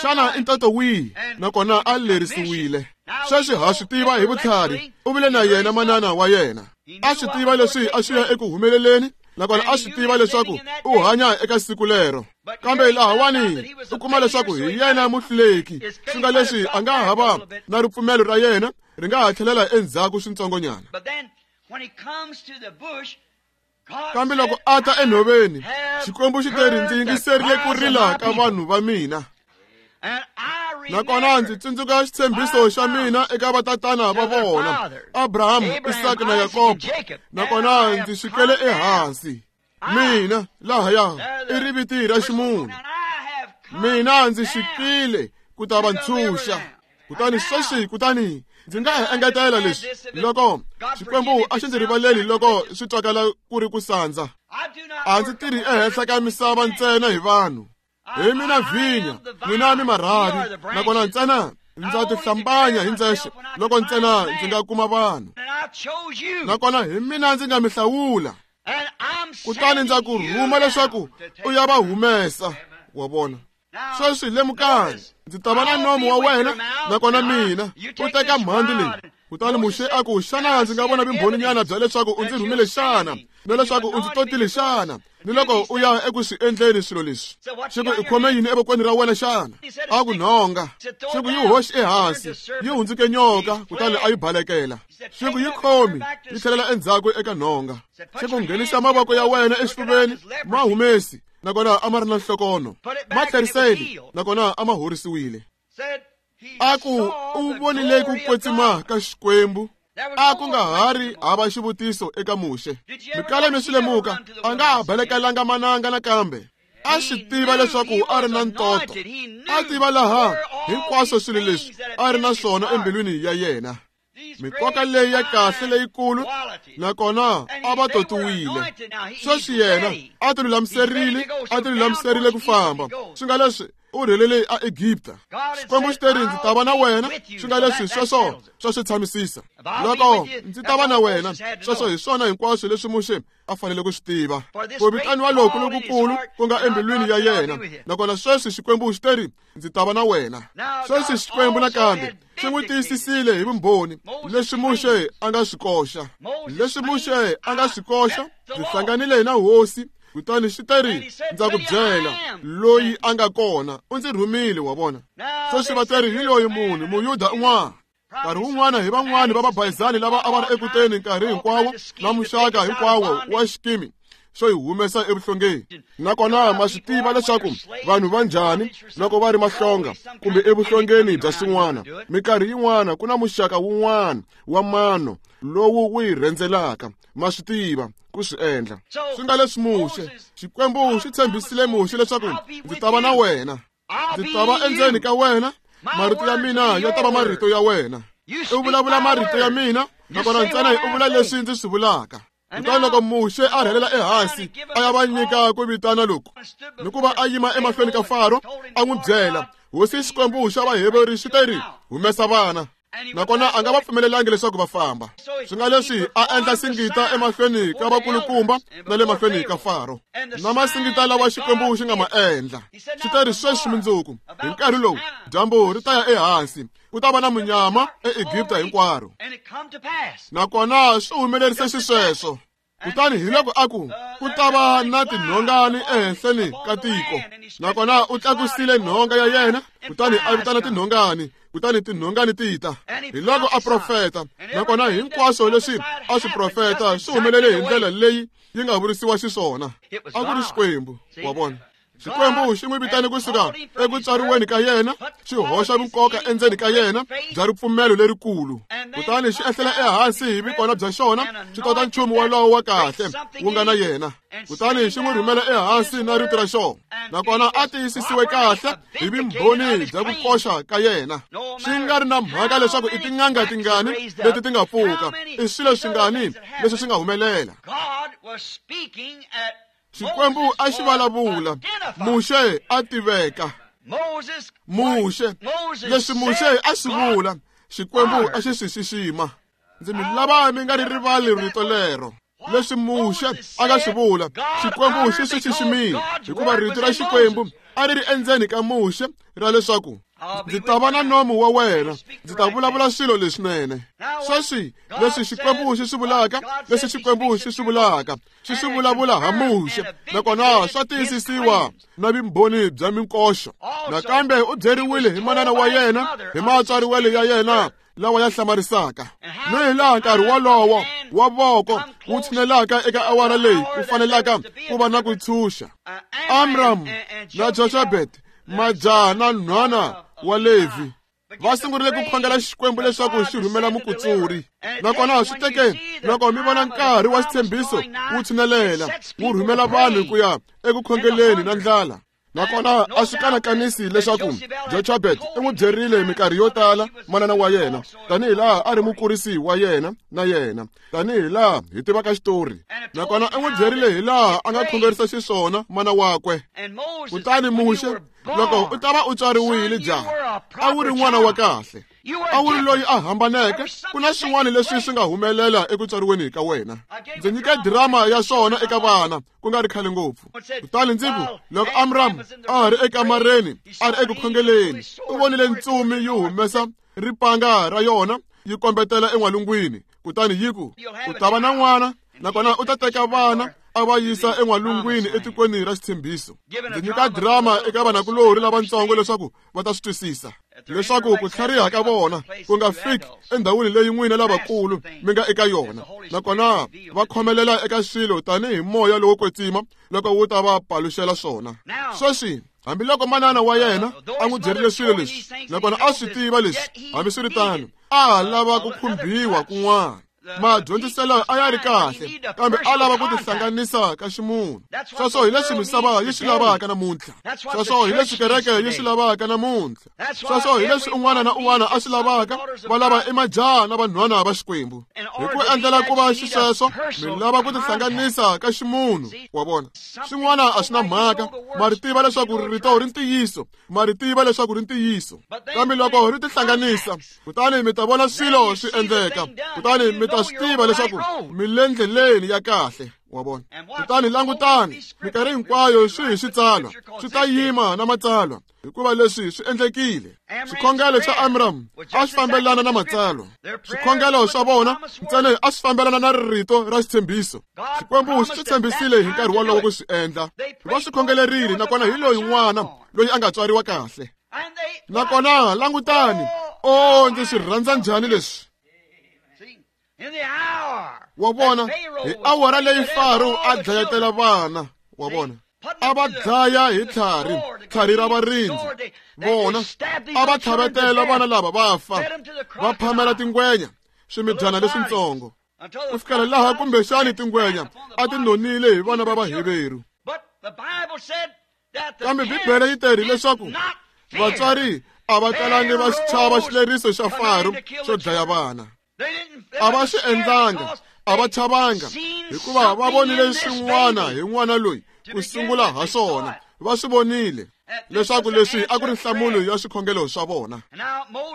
xana i ntoto wihi, nakona a lerisiwile. Sweswi ha swi tiva hi vutlhari u vile na yena manana wa yena, a swi tiva leswi a swi ya eku humeleleni, nakona a swi tiva leswaku u hanya eka siku lero. Kambe lahawani u kuma leswaku hi yena muhluleki, swi nga leswi a nga ha va na ripfumelo ra yena ri nga ha tlhelela endzhaku swintsongonyana. Kambe loko a ta enhoveni, Xikwembu xi te ri ndzi yingiserile ku rila ka vanhu va mina, nakona ndzi tsundzuka xitshembiso xa mina eka vatatana va vona, Abraham, Isaka na Yakobo, nakona ndzi xikele ehansi. Mina lahaya i riviti ra ximunhu, mina ndzi xikile ku ta va ntshunxa. Kutani sweswi, kutani ndzi nga ha engetela leswi, loko Xikwembu a xi ndzi rivaleli loko swi twakala ku ri ku sandza, a ndzi tirhi ehenhla ka misava ntsena hi vanhu. Hi mina vhinya, n'wina mi marhavi, nakona ntsena ndza tihlambanya hi ndzexe loko ntsena ndzi nga kuma vanhu, nakona hi mina ndzi nga mi hlawula, kutani ndza ku rhuma leswaku u ya va humesa. Wa vona? Sweswi lemukani, ndzi ta va na nomu wa wena nakona mina u teka mhandzi leyi. Kutani Muxe a ku, xana ndzi nga vona vumbhoninyana bya leswaku u ndzi rhumile xana, na leswaku u ndzi totile xana, ni loko u ya eku swi endleni swilo leswi? Xi ku, i khome yini evokweni ra wena xana? A ku, nhonga. Xi ku, yi hoxi ehansi, yi hundzuke nyoka, kutani a yi balekela. Xi ku, yi khomi, yi tlhelela endzhaku eka nhonga. Xi ku, nghenisa mavoko ya wena exifuveni, ma humesi, nakona a ma ri na nhlokono. Ma tlheriseli, nakona a ma horisiwile. A ku, u vonile ku kwetsima ka Xikwembu. A ku nga ha ri hava xivutiso eka Muxe. Mikala mi swi lemuka, a nga ha balekelanga mananga nakambe. A swi tiva leswaku a ri na ntoto. A tiva laha hinkwaswo swilo leswi a ri na swona embilwini ya yena. Mikoka leyi ya kahle leyikulu, nakona a va totiwile. Sweswi yena a ti lulamiserile, a ti lulamiserile ku famba. Swi nga leswi u rhelele a Egipta. Xikwembu xi te ri, ndzi ta va na wena. Swi nga leswi sweswo swa swi tshamisisa. Loko ndzi ta va na wena, sweswo hi swona hinkwaswo leswi Muxe a fanele ku swi tiva. Ku vitaniwa loku lokukulu ku nga embilwini ya yena, nakona sweswi Xikwembu xi te ri, ndzi ta va na wena. Sweswi Xikwembu nakambe xi n'wi tiyisisile hi vumbhoni leswi Muxe a nga swi koxa. Leswi Muxe a nga swi koxa, ndzi hlanganile na hosi. Kutani xi te ri, ndza ku byela loyi a nga kona, u ndzi rhumile, wa vona. Sweswi va te ri, hi loyi munhu Muyuda un'wana. Nkarhi wun'wana hi van'wani va vabayizani lava a va ri ekuteni nkarhi hinkwawo na muxaka hinkwawo wa xikimi xo hi humesa evuhlongeni. Nakona ma swi tiva leswaku vanhu va njhani loko va ri mahlonga kumbe evuhlongeni bya swin'wana. Minkarhi yin'wana ku na muxaka wun'wana wa mano lowu wu hi rhendzelaka. Ma swi tiva ku swi endla. Swi nga leswi Muxe, Xikwembu xi tshembisile Muxe leswaku ndzi ta va na wena, ndzi ta va endzeni ka wena, marito ya mina ya ta va marito ya wena. U vulavula marito ya mina, nakona ntsena u vula leswi ndzi swi vulaka. Kutani loko Muxe a rhelela ehansi a ya va nyika ku vitana loku, ni ku va a yima emahlweni ka Faro, a n'wi byela, hosi Xikwembu xa Vaheberi xi te ri, humesa vana. Nakona a nga va pfumelelangi leswaku va famba. Swi nga leswi a endla singita emahlweni ka vakulukumba na le mahlweni ka Faro, na masingita lawa Xikwembu xi nga ma endla. Xi te ri, sweswi mundzuku hi nkarhi lowu dyambu ri ta ya ehansi, ku ta va na munyama eEgipta hinkwaro. Nakona swi humelerise xisweswo. Kutani hi loko a ku, ku ta va na tinhongani ehenhleni ka tiko. Nakona u tlakusile nhonga ya yena, kutani a vitana tinhongani, kutani tinhongani ti ta. Hi loko a profeta, nakona hinkwaswo leswi a swi profeta swi humelele hi ndlela leyi yi nga vurisiwa xiswona. A ku ri Xikwembu, wa vona. Xikwembu xi n'wi vitane kusuka eku tswariweni ka yena, xi hoxa vunkoka endzeni ka yena bya ripfumelo lerikulu. Kutani xi ehlela ehansi hi vukona bya xona, xi tota nchumu wolowo wa kahle wu nga na yena. Kutani xi n'wi rhumela ehansi na rito ra xona, nakona a tiyisisiwe kahle hi vumbhoni bya ku koxa ka yena. Swi nga ri na mhaka leswaku i tin'anga tingani leti ti nga pfuka, i swilo swingani leswi swi nga humelela. Xikwembu a xi vulavula, Muxe a tiveka. Muxe, leswi Muxe a swi vula, Xikwembu a xi swi xixima. Ndzi mi lava mi nga ri rivali rito lero. Leswi Muxe a nga swi vula, Xikwembu xi swi xiximile, hikuva rito ra Xikwembu a ri ri endzeni ka Muxe ra leswaku ndzi ta va na nomu wa wena, ndzi ta vulavula swilo leswinene. Sweswi leswi Xikwembu xi swi vulaka, leswi Xikwembu xi swi vulaka, xi swi vulavula ha Muxe, nakona swa tiyisisiwa na vumbhoni bya minkoxo. Nakambe u byeriwile hi manana wa yena, hi matswariwelo ya yena lawa ya hlamarisaka, ni hi laha nkarhi wolowo wa voko wu tshinelaka eka awara leyi ku fanelaka ku va na ku tshunxa. Amram na Jochebed, majaha na nhwana wa Levi, va sungurile ku khongela Xikwembu leswaku xi rhumela mukutsuri. Nakona swi teke loko mi vona nkarhi wa xitshembiso wu tshinelela, wu rhumela vanhu ku ya eku khongeleni na ndlala. Nakona a swi kanakanisi leswaku Jochebed u n'wi byerile minkarhi yo tala manana wa yena, tanihi laha a ri mukurisi wa yena na yena, tanihi laha hi tivaka xitori. Nakona u n'wi byerile hi laha a nga khongerisa xiswona mana wakwe. Kutani Muxe, loko u ta va u tswariwile jaha, a wu ri n'wana wa kahle. A wu ri loyi a hambaneke, ku na swin'wana leswi swi nga humelela eku tswariweni ka wena. Ndzi nyike drama ya swona eka vana ku nga ri khale ngopfu. Kutani ndzi ku, loko Amram a ha ri ekamareni, a ri eku khongeleni, u vonile ntsumi yi humesa ripanga ra yona yi kombetela en'walungwini, kutani yi ku, u ta va na n'wana, nakona u ta teka vana a va yisa en'walungwini etikweni ra xitshembiso. Ndzi nyika drama eka vanakulorhi lavatsongo leswaku va ta swi twisisa, leswaku ku tlhariha ka vona ku nga fiki endhawini leyi n'wina lavakulu mi nga eka yona, nakona va khomelela eka swilo tanihi moya lowo kwetsima loko wu ta va paluxela swona. Sweswi, hambiloko manana wa yena a n'wi byerile swilo leswi, nakona a swi tiva leswi, hambiswiritano a ha lava ku khumbiwa kun'wana. Madyondziselo a ya ri kahle, kambe a lava ku tihlanganisa ka ximunhu. Sweswo hi leswi misava yi swi lavaka namuntlha. Sweswo hi leswi kereke yi swi lavaka namuntlha. Sweswo hi leswi un'wana na un'wana a swi lavaka, va lava i majaha na vanhwana va Xikwembu. Hi ku endlela ku va xisweswo, mi lava ku tihlanganisa ka ximunhu, wa vona. Swin'wana a swi na mhaka, ma ri tiva leswaku rito ri ntiyiso, ma ri tiva leswaku ri ntiyiso. Kambe loko ri tihlanganisa, kutani mi ta vona swilo swi endleka, kutani mi ta swi tiva leswaku mi le ndleleni ya kahle, wa vona. Kutani langutani, minkarhi hinkwayo swi hi switsalwa, swi ta yima na matsalwa, hikuva leswi swi endlekile. Swikhongelo swa Amram a swi fambelana na matsalwa. Swikhongelo swa vona ntsena a swi fambelana na rito ra xitshembiso. Xikwembu xi tshembisile hi nkarhi wolowo ku swi endla. Va swi khongelerile, nakona hi loyi n'wana loyi a nga tswariwa kahle. Nakona langutani, o ndzi swi rhandza njhani leswi. Wa vona, hi awara leyi Faro a dlayetela vana, wa vona, a va dlaya hi tlhari, tlhari ra varindzi. Vona, a va tlhavetela vana lava va fa, va phamela tingwenya, swimidyana leswitsongo, ku fikela laha kumbexani tingwenya a ti nonile hi vana va Vaheveru. Kambe Bibele yi teri leswaku vatswari a va talangi va chava xileriso xa Faro xo dlaya vana. A va swi endlanga, a va chavanga, hikuva va vonile swin'wana hi n'wana loyi ku sungula ha swona. Va swi vonile leswaku leswi a ku ri nhlamulo ya swikhongelo swa vona.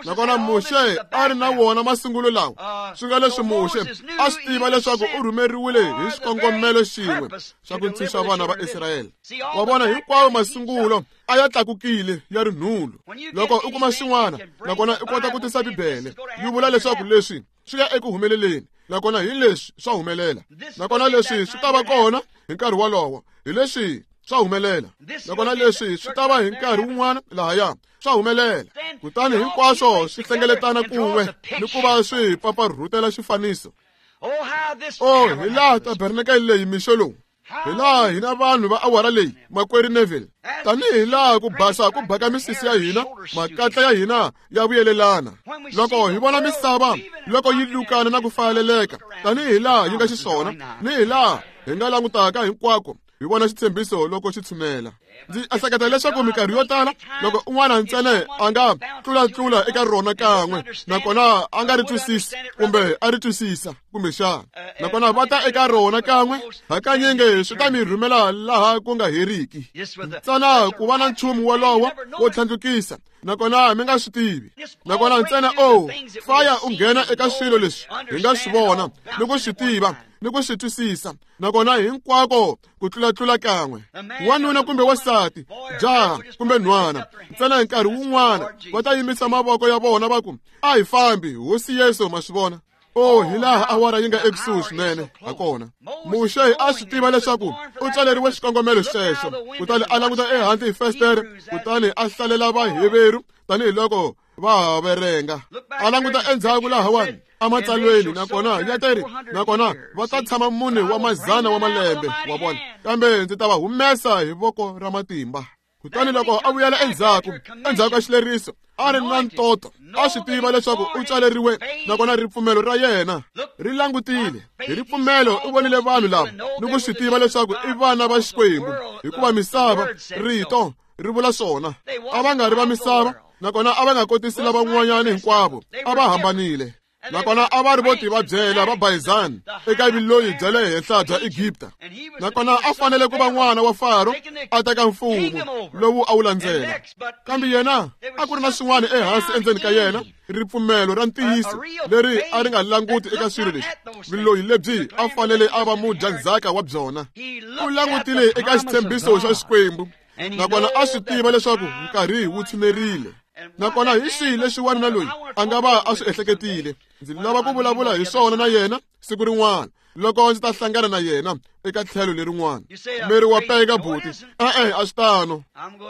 Nakona Muxe a ri na wona masungulo lawa, swi nga leswi Muxe a swi tiva leswaku u rhumeriwile hi xikongomelo xin'we xa ku ntshunxa vana va Israyele. Wa vona, hinkwawo masungulo a ya tlakukile ya ri nhulu. Loko u kuma xin'wana, nakona u kota ku tisa Bibele yi vula leswaku leswi swi ya eku humeleleni, nakona hi leswi swa humelela, nakona leswi swi ta va kona hi nkarhi wolowo, hi leswi swa humelela, nakona leswi swi ta va hi nkarhi wun'wana lahaya swa humelela. Kutani hinkwaswo swi hlengeletana kun'we ni ku va swi paparhutela xifaniso. O, hi laha tabernakele leyi mixo lowu, hi laha hina vanhu va awara leyi, makwerhu Neville, tanihi laha ku basa ku baka misisi ya hina, makatla ya hina ya vuyelelana. Loko hi vona misava loko yi lukana na ku fayeleleka, tanihi laha yi nga xiswona, ni hi laha hi nga langutaka hinkwako, hi vona xitshembiso loko xi tshunela. Ndzi ehleketa leswaku minkarhi yo tala loko un'wana ntsena a nga tlulatlula eka rona kan'we, nakona a nga ri twisisi kumbe a ri twisisa kumbexana, nakona va ta eka rona kan'we, hakanyingi swi ta mi rhumela laha ku nga heriki. Ntsena ku va na nchumu wolowo wo tlhandlukisa, nakona mi nga swi tivi. Nakona ntsena o faya u nghena eka swilo leswi hi nga swi vona ni ku swi tiva ni ku swi twisisa, nakona hinkwako ku tlulatlula kan'we, wanuna kumbe wansati, jaha kumbe nhwana, ntsena hi nkarhi wun'wana va ta yimisa mavoko ya vona va ku, a hi fambi, Hosi Yesu, ma swi vona. O, hi laha awara yi nga ekusuhi swinene hakona. Muxe a swi tiva leswaku u tswaleriwe xikongomelo xexo, kutani a languta ehandle hi festere, kutani a hlalela Vaheveru tanihiloko va ha verenga. A languta endzhaku lahawani ematsalweni, nakona ya teri, nakona va ta tshama mune wa mazana wa malembe, wa vona, kambe ndzi ta va humesa hi voko ra matimba. Kutani loko a vuyela endzhaku, endzhaku ka xileriso, a ri na ntoto, a swi tiva leswaku u tswaleriwe, nakona ripfumelo ra yena ri langutile. Hi ripfumelo u vonile vanhu lava ni ku swi tiva leswaku i vana va Xikwembu, hikuva misava, rito ri vula swona. A va nga ri va misava, nakona a va nga kotisi lavan'wanyana hinkwavo, a va hambanile. Nakona a va ri vo tivabyela va bayizani eka vuloyi bya le henhla bya Egipta. Nakona a fanele ku va n'wana wa Faro a teka mfumo lowu a wu landzela. Kambe yena a ku ri na swin'wana ehansi endzeni ka yena, ripfumelo ra ntiyiso leri a ri nga languti eka swilo leswi, vuloyi lebyi a fanele a va mudyandzhaka wa byona. U langutile eka xitshembiso xa Xikwembu, nakona a swi tiva leswaku nkarhi wu tshinerile. Nakona hi xihi lexi wanuna loyi a nga va a swi ehleketile? Ndzi lava ku vulavula hi swona na yena siku rin'wana loko ndzi ta hlangana na yena eka tlhelo lerin'wana. Meri wa peka buti, e-e a swi tano.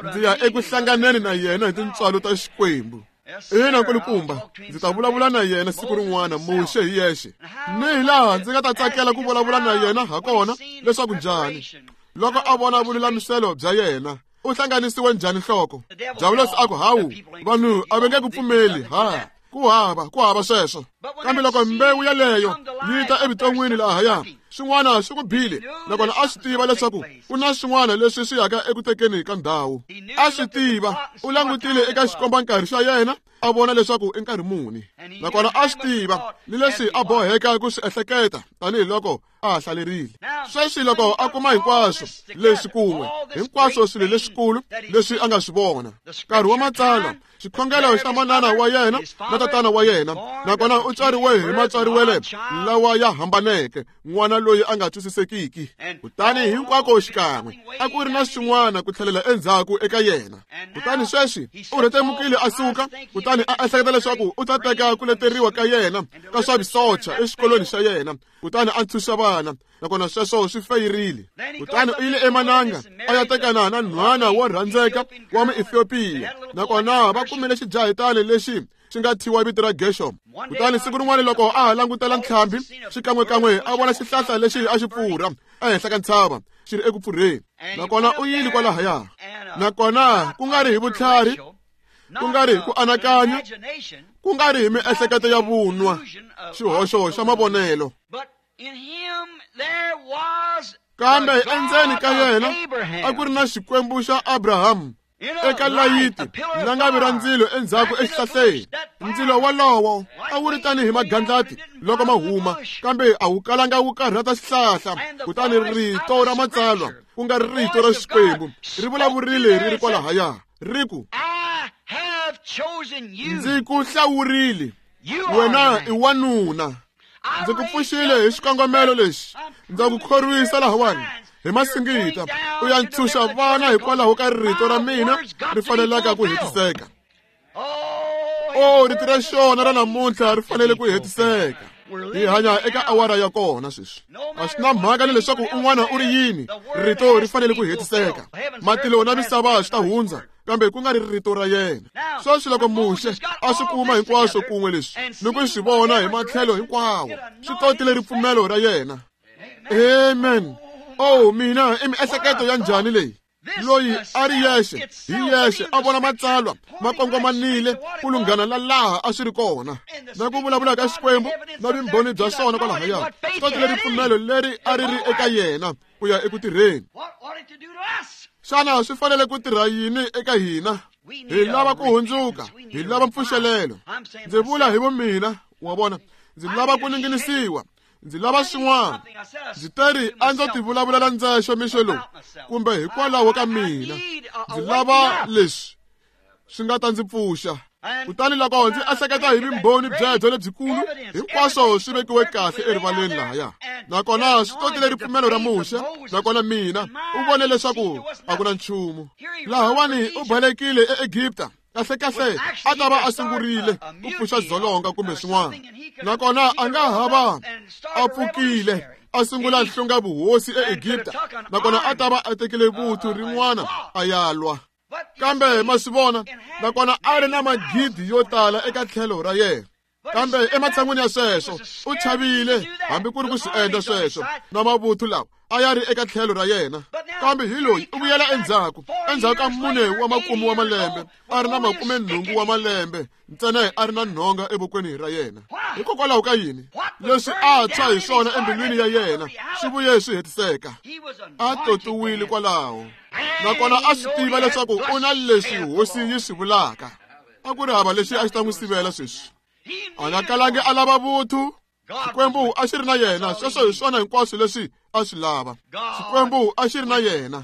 Ndzi ya eku hlanganeni na yena hi tintswalo ta Xikwembu. Ina nkulukumba, ndzi ta vulavula na yena siku rin'wana, Muxe hi yexe. Ni hi laha ndzi nga ta tsakela ku vulavula na yena ha kona leswaku njhani loko a vona vululamiselo bya yena. U hlanganisiwe njhani nhloko? Diabulosi a ku, hawu, vanhu a va nge ku pfumeli, ha ku hava ku hava sweswo. Kambe loko mbewu yaleyo yi ta evuton'wini lahaya, swin'wana swi ku bile. Nakona a swi tiva leswaku ku na swin'wana leswi swi yaka eku tekeni ka ndhawu. A swi tiva, u langutile eka xikombankarhi xa yena a vona leswaku i nkarhi muni. Nakona a swi tiva ni leswi a boheka ku swi ehleketa tanihiloko a ha hlalerile. Sweswi loko a kuma hinkwaswo leswi kun'we, hinkwaswo swilo leswikulu leswi a nga swi vona, nkarhi wa matsalwa, xikhongelo xa manana wa yena na tatana wa yena, nakona u tswariwe hi matswariwele lawa ya hambaneke, n'wana loyi a nga twisisekiki. Kutani hinkwako xikan'we a ku ri na swin'wana ku tlhelela endzhaku eka yena. Kutani sweswi u rhetemukile a suka, kutani a ehleketa leswaku u ta teka ku leteriwa ka yena ka swa visocha exikolweni xa yena, kutani a ntshunxa vana. Nakona sweswo swi feyirile. Kutani u yile emananga a ya tekana na nhwana wo rhandzeka wa Muethiopia, nakona va kumile xijahitani lexi xi nga thyiwa vito ra Gershom. Kutani siku rin'wana loko a ha langutela ntlhambi, xikan'wekan'we a vona xihlahla lexi a xi pfurha ehenhla ka ntshava xi ri eku pfurheni. Nakona u yile kwalahaya. Nakona ku nga ri hi vutlhari, ku nga ri hi ku anakanya, ku nga ri hi miehleketo ya vunwa, xihoxo xa mavonelo, kambe endzeni ka yena a ku ri na Xikwembu xa Abrahamu eka layiti langavi ra ndzilo endzhaku exihlahleni. Ndzilo walowo a wu ri tanihi magandlati loko ma huma, kambe a wu kalanga wu karhata xihlahla. Kutani rito ra matsalwa, ku nga ri rito ra Xikwembu, ri vulavurile ri ri kwalahaya, ri ku, ndzi ku hlawurile, wena i wanuna. Ndzi ku pfuxile hi xikongomelo lexi, ndza ku khorwisa lahawani hi masingita, u ya ntshunxa vana hikwalaho ka rito ra mina ri fanelaka ku hetiseka. O, rito ra xona ra namuntlha ri fanele ku hetiseka. Hi hanya eka awara ya kona sweswi. A swi na mhaka ni leswaku un'wana u ri yini, rito ri fanele ku hetiseka. Matilo na misava swi ta hundza, kambe ku nga ri rito ra yena. Sweswi loko Muxe a swi kuma hinkwaswo kun'we leswi ni ku swi vona hi matlhelo hinkwawo, swi totile ripfumelo ra yena. Amen. Oh, mina i miehleketo ya njhani leyi? Loyi a ri yexe, hi yexe a vona matsalwa ma kongomanile ku lunghana la laha a swi ri kona, na ku vulavula ka Xikwembu na vumbhoni bya swona kwalahaya. Swi totile ripfumelo leri a ri ri eka yena ku ya eku tirheni. Xana swi fanele ku tirha yini eka hina? Hi lava ku hundzuka, hi lava mpfuxelelo. Ndzi vula hi vumina, wa vona, ndzi lava ku ninginisiwa, ndzi lava swin'wana. Ndzi teri a ndzo tivulavulela ndzexe mixo lowu, kumbe hikwalaho ka mina, ndzi lava leswi swi nga ta ndzi pfuxa. Kutani loko ndzi ehleketa hi vumbhoni byebyo lebyikulu, hinkwaswo swi vekiwe kahle erivaleni lahaya. Nakona swi totile ripfumelo ra Muxe. Nakona mina u vone leswaku a ku na nchumu lahawani. U balekile eEgipta, kahlekahle a ta va a sungurile ku pfuxa dzolonga kumbe swin'wana. Nakona a nga ha va a pfukile a sungula nhlunga vuhosi eEgipta, nakona a ta va a tekile vuthu rin'wana a ya lwa. Kambe ma swi vona, nakona a ri na magidi yo tala eka tlhelo ra yena. Kambe ematshan'wini ya sweswo u chavile hambi ku ri ku swi endla sweswo na mavuthu lawa a ya ri eka tlhelo ra yena. Kambe hi loyi u vuyela endzhaku, endzhaku ka mune wa makume wa malembe, a ri na makume nhungu wa malembe ntsena, a ri na nhonga evokweni ra yena. Hikokwalaho ka yini? Leswi a tshwa hi swona embilwini ya yena swi vuye swi hetiseka. A totiwile kwalaho, nakona a swi tiva leswaku u na leswi hosi yi swi vulaka. A ku ri hava lexi a xi ta n'wi sivela sweswi. A nga kalangi a lava vuthu. Xikwembu a xi ri na yena. Sweswo hi swona hinkwaswo leswi a swi lava. Xikwembu a xi ri na yena.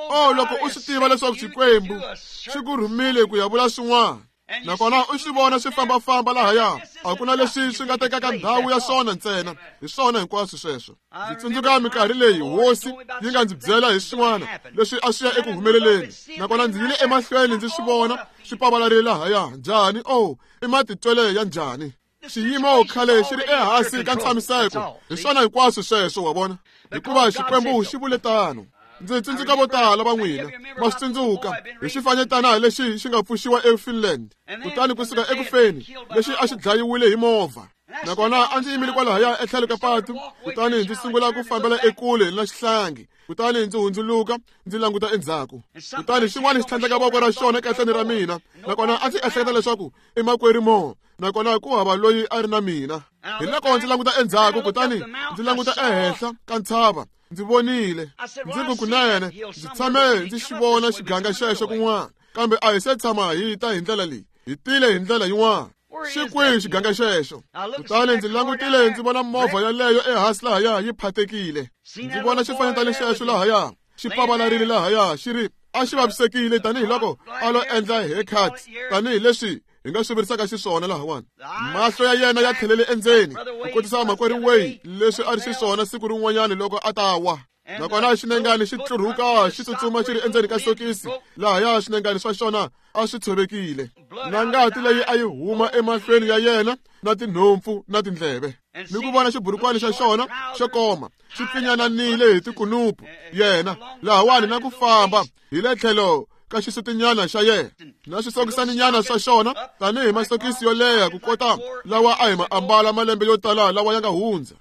Oh, loko u swi tiva leswaku Xikwembu xi ku rhumile ku ya vula swin'wana, nakona u swi vona swi fambafamba lahaya, a ku na leswi swi nga tekaka ndhawu ya swona ntsena. Hi swona hinkwaswo sweswo. Ndzi tsundzuka minkarhi leyi hosi yi nga ndzi byela hi swin'wana leswi a swi ya eku humeleleni, nakona ndzi yile emahlweni ndzi swi vona swi pavalarile lahaya. Njhani? Oh, i matitwele ya njhani? Xiyimo khale xi ri ehansi ka ntshamiseko. Hi swona hinkwaswo sweswo, wa vona, hikuva Xikwembu xi vule tano. Ndzi tsundzuka vo tala va n'wina ma swi tsundzuka hi xifanyetana lexi xi nga pfuxiwa eFinland, kutani kusuka ekufeni lexi a xi dlayiwile hi movha. Nakona a ndzi yimile kwalahaya etlhelo ka patu, kutani ndzi sungula ku fambela ekule na xihlangi, kutani ndzi hundzuluka ndzi languta endzhaku, kutani xin'wana xi tlhandleka voko ra xona ekahleni ra mina. Nakona a ndzi ehleketa leswaku i makwerhu Mo, nakona ku hava loyi a ri na mina. Hi loko ndzi languta endzhaku, kutani ndzi languta ehenhla ka ntshava, ndzi vonile. Ndzi ku kunene ndzi tshame ndzi xi vona xiganga xexo kun'wana, kambe a hi se tshama hi ta hi ndlela leyi, hi tile hi ndlela yin'wana. Xi kwihi xiganga xexo? Kutani ndzi langutile ndzi vona movha yaleyo ehansi lahaya yi phatekile. Ndzi vona xifanyetana xexo lahaya xi pavalarile lahaya, xi ri a xi vavisekile tanihiloko a lo endla haircut, tanihileswi hi nga swi vurisaka xiswona lahawani. Mahlo ya yena ya tlhelele endzeni ku kotisa makwerhu Way leswi a ri xiswona siku rin'wanyana loko a ta wa. Nakona xinengani xi tlurhuka xi tsutsuma xi ri endzeni ka sokisi lahaya, xinengani swa xona a swi tshovekile, na ngati leyi a yi huma emahlweni ya yena na tinhompfu na tindleve, ni ku vona xiburukwani xa xona xo koma xi pfinyananile hi tikunupu yena lahawani, na ku famba hi le tlhelo ka xisutinyana xa yena na swisokisaninyana swa xona tanihi masokisi yo leha ku kota lawa a hi ma ambala malembe yo tala lawa ya nga hundza.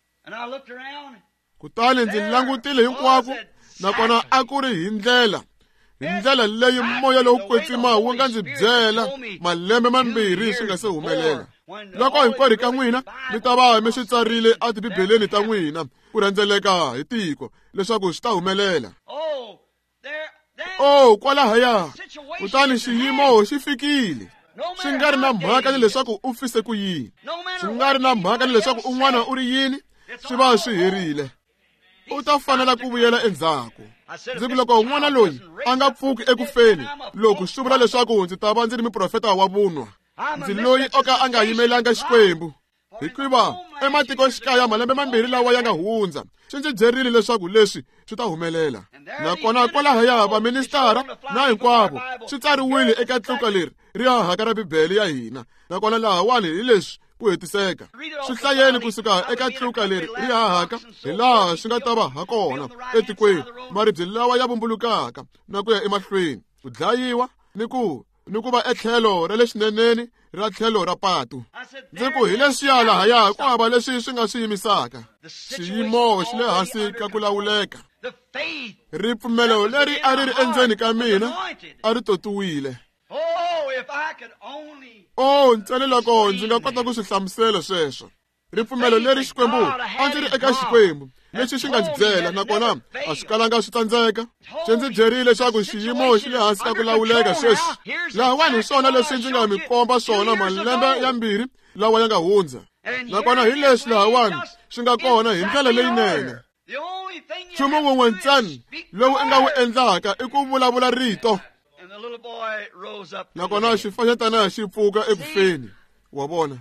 Kutani ndzi langutile hinkwako, nakona a ku ri hi ndlela hi ndlela leyi moya lowu kwetsima wu nga ndzi byela malembe mambirhi swi nga se humelela. Loko hinkwerhu ka n'wina mi ta va mi swi tsarile etibibeleni ta n'wina ku rhendzeleka hi tiko leswaku swi ta humelela. Oh, kwalahaya kutani xiyimo xi fikile. Swi nga ri na mhaka ni leswaku u fise ku yini, swi nga ri na mhaka ni leswaku un'wana u ri yini, swi va swi herile. U ta fanela ku vuyela endzhaku. Ndzi ku loko un'wana loyi a nga pfuki ekufeni, loko swi vula leswaku ndzi ta va ndzi ri muprofeta wa vunwa, ndzi loyi o ka a nga yimelanga Xikwembu. Hikuva ematikoxikaya malembe mambirhi lawa ya nga hundza swi ndzi byerile leswaku leswi swi ta humelela. Nakona kwalahaya vaministara na hinkwavo swi tsariwile eka tluka leri ri hahaka ra Bibele ya hina. Nakona lahawani hi leswi ku hetiseka. Swi hlayeni kusuka eka tluka leri ri hahaka hi laha swi nga ta va ha kona etikweni, maribye lawa ya vumbulukaka na ku ya emahlweni, ku dlayiwa ni ku ni ku va etlhelo ra le xineneni ra tlhelo ra patu. Ndzi ku hi leswiya lahaya ku hava leswi swi nga swi yimisaka. Xiyimo xi le hansi ka ku lawuleka. Ripfumelo leri a ri ri endzeni ka mina a ri totiwile. Oh, ntsena loko ndzi nga kota ku swi hlamusela sweswo. Ripfumelo leri Xikwembu a ndzi ri eka Xikwembu lexi xi nga ndzi byela, nakona a swi kalanga swi tsandzeka. Xi ndzi byerile leswaku xiyimo xi le hansi ka ku lawuleka sweswi. Lahawani hi swona leswi ndzi nga mi komba swona malembe ya mbirhi lawa ya nga hundza. Nakona hi leswi lahawani swi nga kona hi ndlela leyinene. Nchumu wun'we ntsena lowu i nga wu endlaka i ku vulavula rito. Nakona xifanyetana xi pfuka ekufeni, wa vona.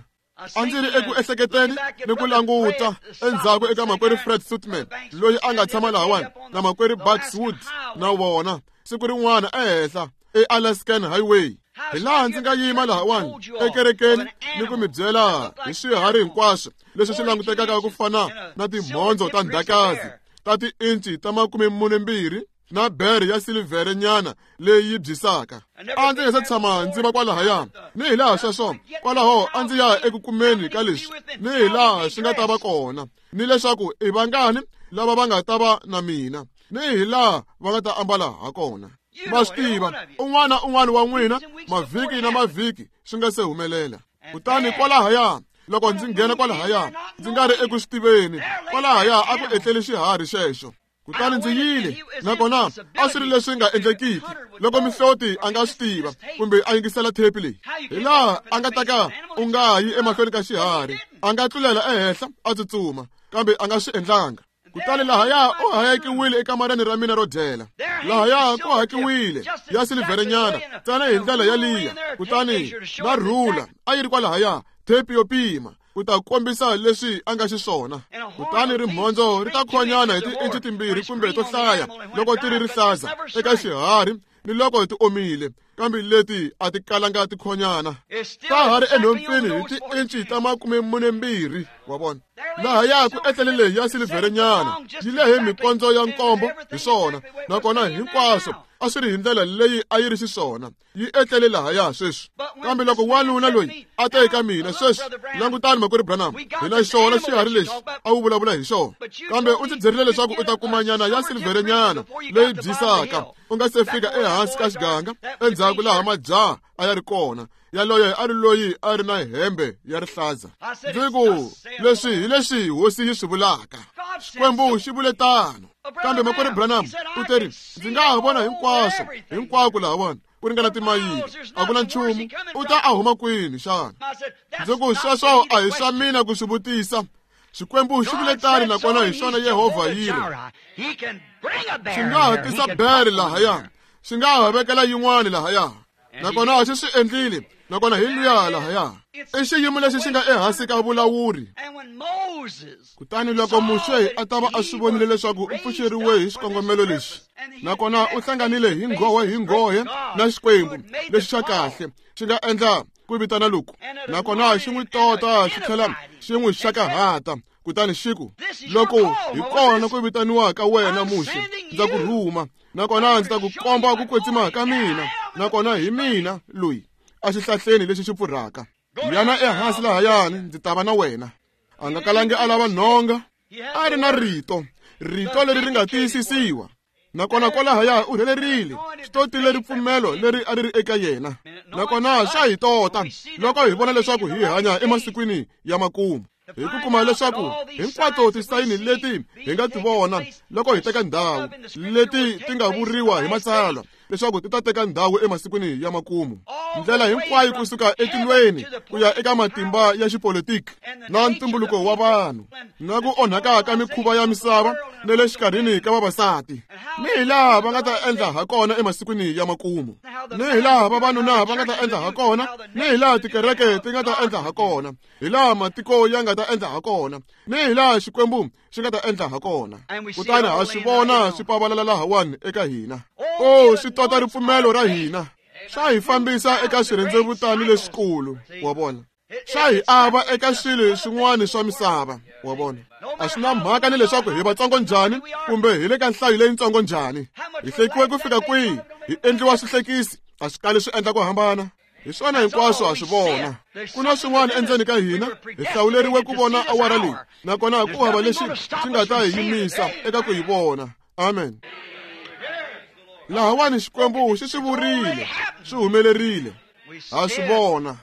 A ndzi ri eku ehleketeni ni ku languta endzhaku eka makwerhu Fred Sutman loyi a nga tshama lahawani na makwerhu Bucks Wood na vona siku rin'wana ehenhla eAlaskan Highway. Hi laha ndzi nga yima lahawani ekerekeni ni ku mi byela hi swiharhi hinkwaswo leswi swi langutekaka ku fana na timhondzo ta ndhakazi ta tiinci ta makume mune mbirhi na bere ya silivhere nyana leyi yi byisaka. A ndzi nga se tshama ndzi va kwalahaya, ni hi laha sweswo kwalaho a ndzi ya eku kumeni ka leswi, ni hi laha swi nga ta va kona, ni leswaku i vangani lava va nga ta va na mina, ni hi laha va nga ta ambala ha kona. Ma swi tiva, un'wana un'wana wa n'wina mavhiki na mavhiki swi nga se humelela. Kutani kwalahaya loko ndzi nghena kwalahaya ndzi nga ri eku swi tiveni, kwalahaya a ku etleli xiharhi xexo. Kutani ndzi yile, nakona a swi ri leswi nga endlekiki loko mihloti a nga swi tiva kumbe a yingisela thepi leyi. Hi laha a nga ta ka u nga yi emahlweni ka xiharhi, a nga tlulela ehenhla a tsutsuma, kambe a nga swi endlanga. Kutani lahaya u hayekiwile ekamareni ra mina ro dyela. Lahaya ku hakiwile ya silivherenyana ntsena hi ndlela yaliya. Kutani na rhula a yi ri kwalahaya, thepi yo pima ku ta kombisa leswi a nga xiswona. Kutani rimhondzo ri ta khonyana hi tiinci timbirhi kumbe to hlaya loko ti ri rihlaza eka xiharhi ni loko ti omile, kambe leti a ti kalanga ti khonyana. Ta ha ri enhompfini hi tiinci ta makume mune mbirhi, wa vona. Lahaya ku etlele leyi ya silivherenyana yi lehe mikondzo ya nkombo hi swona, nakona hinkwaswo a swi ri hi ndlela leyi a yi ri xiswona. Yi etlele lahaya sweswi. Kambe loko wanuna loyi a ta eka mina sweswi, langutani makwerhu Branham, hi na xona xiharhi lexi a wu vulavula hi xona, kambe u ndzi byerile leswaku u ta kuma nyana ya silivherenyana leyi byisaka u nga se fika ehansi ka xiganga, endzhaku laha majaha a ya ri kona. Yaloye a ri loyi a ri na hembe ya rihlaza. Ndzi ku leswi hi leswi hosi yi swi vulaka. Xikwembu xi vule tano. Kambe makwerhu Branham u teri, ndzi nga ha vona hinkwaswo hinkwako lahawani ku ringana timayili, a ku na nchumu. U ta a huma kwini xana? Ndzi ku sweswo a hi swa mina ku swi vutisa. Xikwembu xi vule tano, nakona hi xona Yehovha yi ri. Xi nga ha tisa bere lahaya, xi nga ha vekela yin'wana lahaya, nakona xi swi endlile, nakona hi luya lahaya. I xiyimo lexi xi nga ehansi ka vulawuri. Kutani loko Muxe a ta va a swi vonile leswaku u pfuxeriwe hi xikongomelo lexi, nakona u hlanganile hi nghohe hi nghohe na Xikwembu lexi xa kahle xi nga endla ku vitana loku, nakona xi n'wi tota xi tlhela xi n'wi xakahata. Kutani xi ku, loko hi kona ku vitaniwa ka wena Muxe, ndza ku rhuma, nakona ndzi ta ku komba ku kwetsima ka mina, nakona hi mina loyi a xihlahleni lexi xi pfurhaka. Yana ehansi lahayani, ndzi ta va na wena. A nga kalangi a lava nhonga, a ri na rito, rito leri ri nga tiyisisiwa. Nakona kwalahaya u rhelerile, swi totile ripfumelo leri a ri ri eka yena. Nakona swa hi tota loko hi vona leswaku hi hanya emasikwini ya makumu, hi ku kuma leswaku hinkwato tisayini leti hi nga ti vona loko hi teka ndhawu leti ti nga vuriwa hi matsalwa leswaku ti ta teka ndhawu emasikwini ya makumu, ndlela hinkwayo kusuka etilweni ku ya eka matimba ya xipolitiki na ntumbuluko wa vanhu na ku onhaka ka mikhuva ya misava na le xikarhini ka vavasati, ni hi laha va nga ta endla ha kona emasikwini ya makumu, ni hi laha vavanuna va nga ta endla ha kona, ni hi laha tikereke ti nga ta endla ha kona, hi laha matiko ya nga ta endla ha kona, ni hi laha Xikwembu xi nga ta endla ha kona. Kutani ha swi vona swi pavalala lahawani eka hina. O, swi tota ripfumelo ra hina, swa hi fambisa eka swirhendzevutani leswikulu, wa vona. Swa hi ava eka swilo swin'wana swa misava, wa vona. A swi na mhaka ni leswaku hi vatsongo njhani kumbe hi le ka nhlayo leyitsongo njhani, hi hlekiwe ku fika kwihi, hi endliwa swihlekisi, a swi kali swi endla ku hambana. Hi swona hinkwaswo ha swi vona. Ku na swin'wana endzeni ka hina, hi hlawuleriwe ku vona awara leyi, nakona ku hava lexi xi nga ta hi yimisa eka ku hi vona. Amen. Lahawani Xikwembu xi swi vurile, swi humelerile, ha swi vona.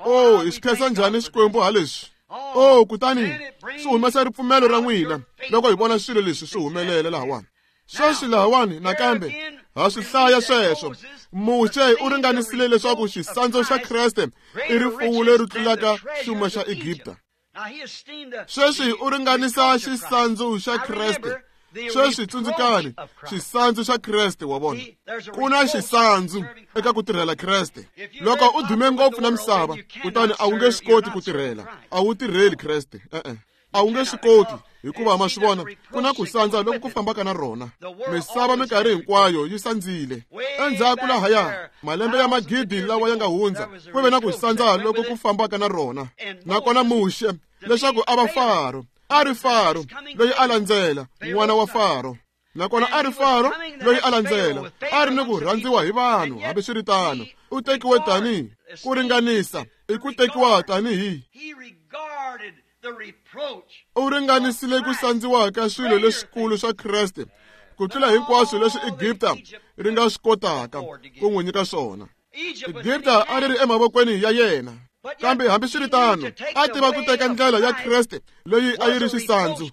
O, hi swi khensa njhani Xikwembu ha leswi. O, kutani swi humesa ripfumelo ra n'wina loko hi vona swilo leswi swi humelela lahawani. Sweswi lahawani nakambe ha swi hlaya sweswo. Muxe u ringanisile leswaku xisandzu xa Kreste i rifuwo leri tlulaka xuma xa Egipta. Sweswi u ringanisa xisandzu xa Kreste. Sweswi tsundzukani, xisandzu xa Kreste, wa vona. Ku na xisandzu eka ku tirhela Kreste. Loko u dume ngopfu na misava, kutani a wu nge swi koti ku tirhela, a wu tirheli Kreste. E-e, a wu nge swi koti, hikuva ma swi vona ku na ku sandza loko ku fambaka na rona. Misava minkarhi hinkwayo yi sandzile. Endzhaku lahaya, malembe ya magidi lawa ya nga hundza, ku ve na ku sandza loko ku fambaka na rona. Nakona Muxe, leswaku a va Faro, a ri Faro loyi a landzela n'wana wa Faro, nakona a ri Faro loyi a landzela, a ri ni ku rhandziwa hi vanhu. Hambiswiritano, u tekiwe tanihi ku ringanisa, i ku tekiwa tanihi u ringanisile ku sandziwa ka swilo leswikulu swa Kreste ku tlula hinkwaswo leswi Egipta ri nga swi kotaka ku n'wi nyika swona. Egipta a ri ri emavokweni ya yena, kambe hambiswiritano a tiva ku teka ndlela ya Kreste leyi a yi ri xisandzu.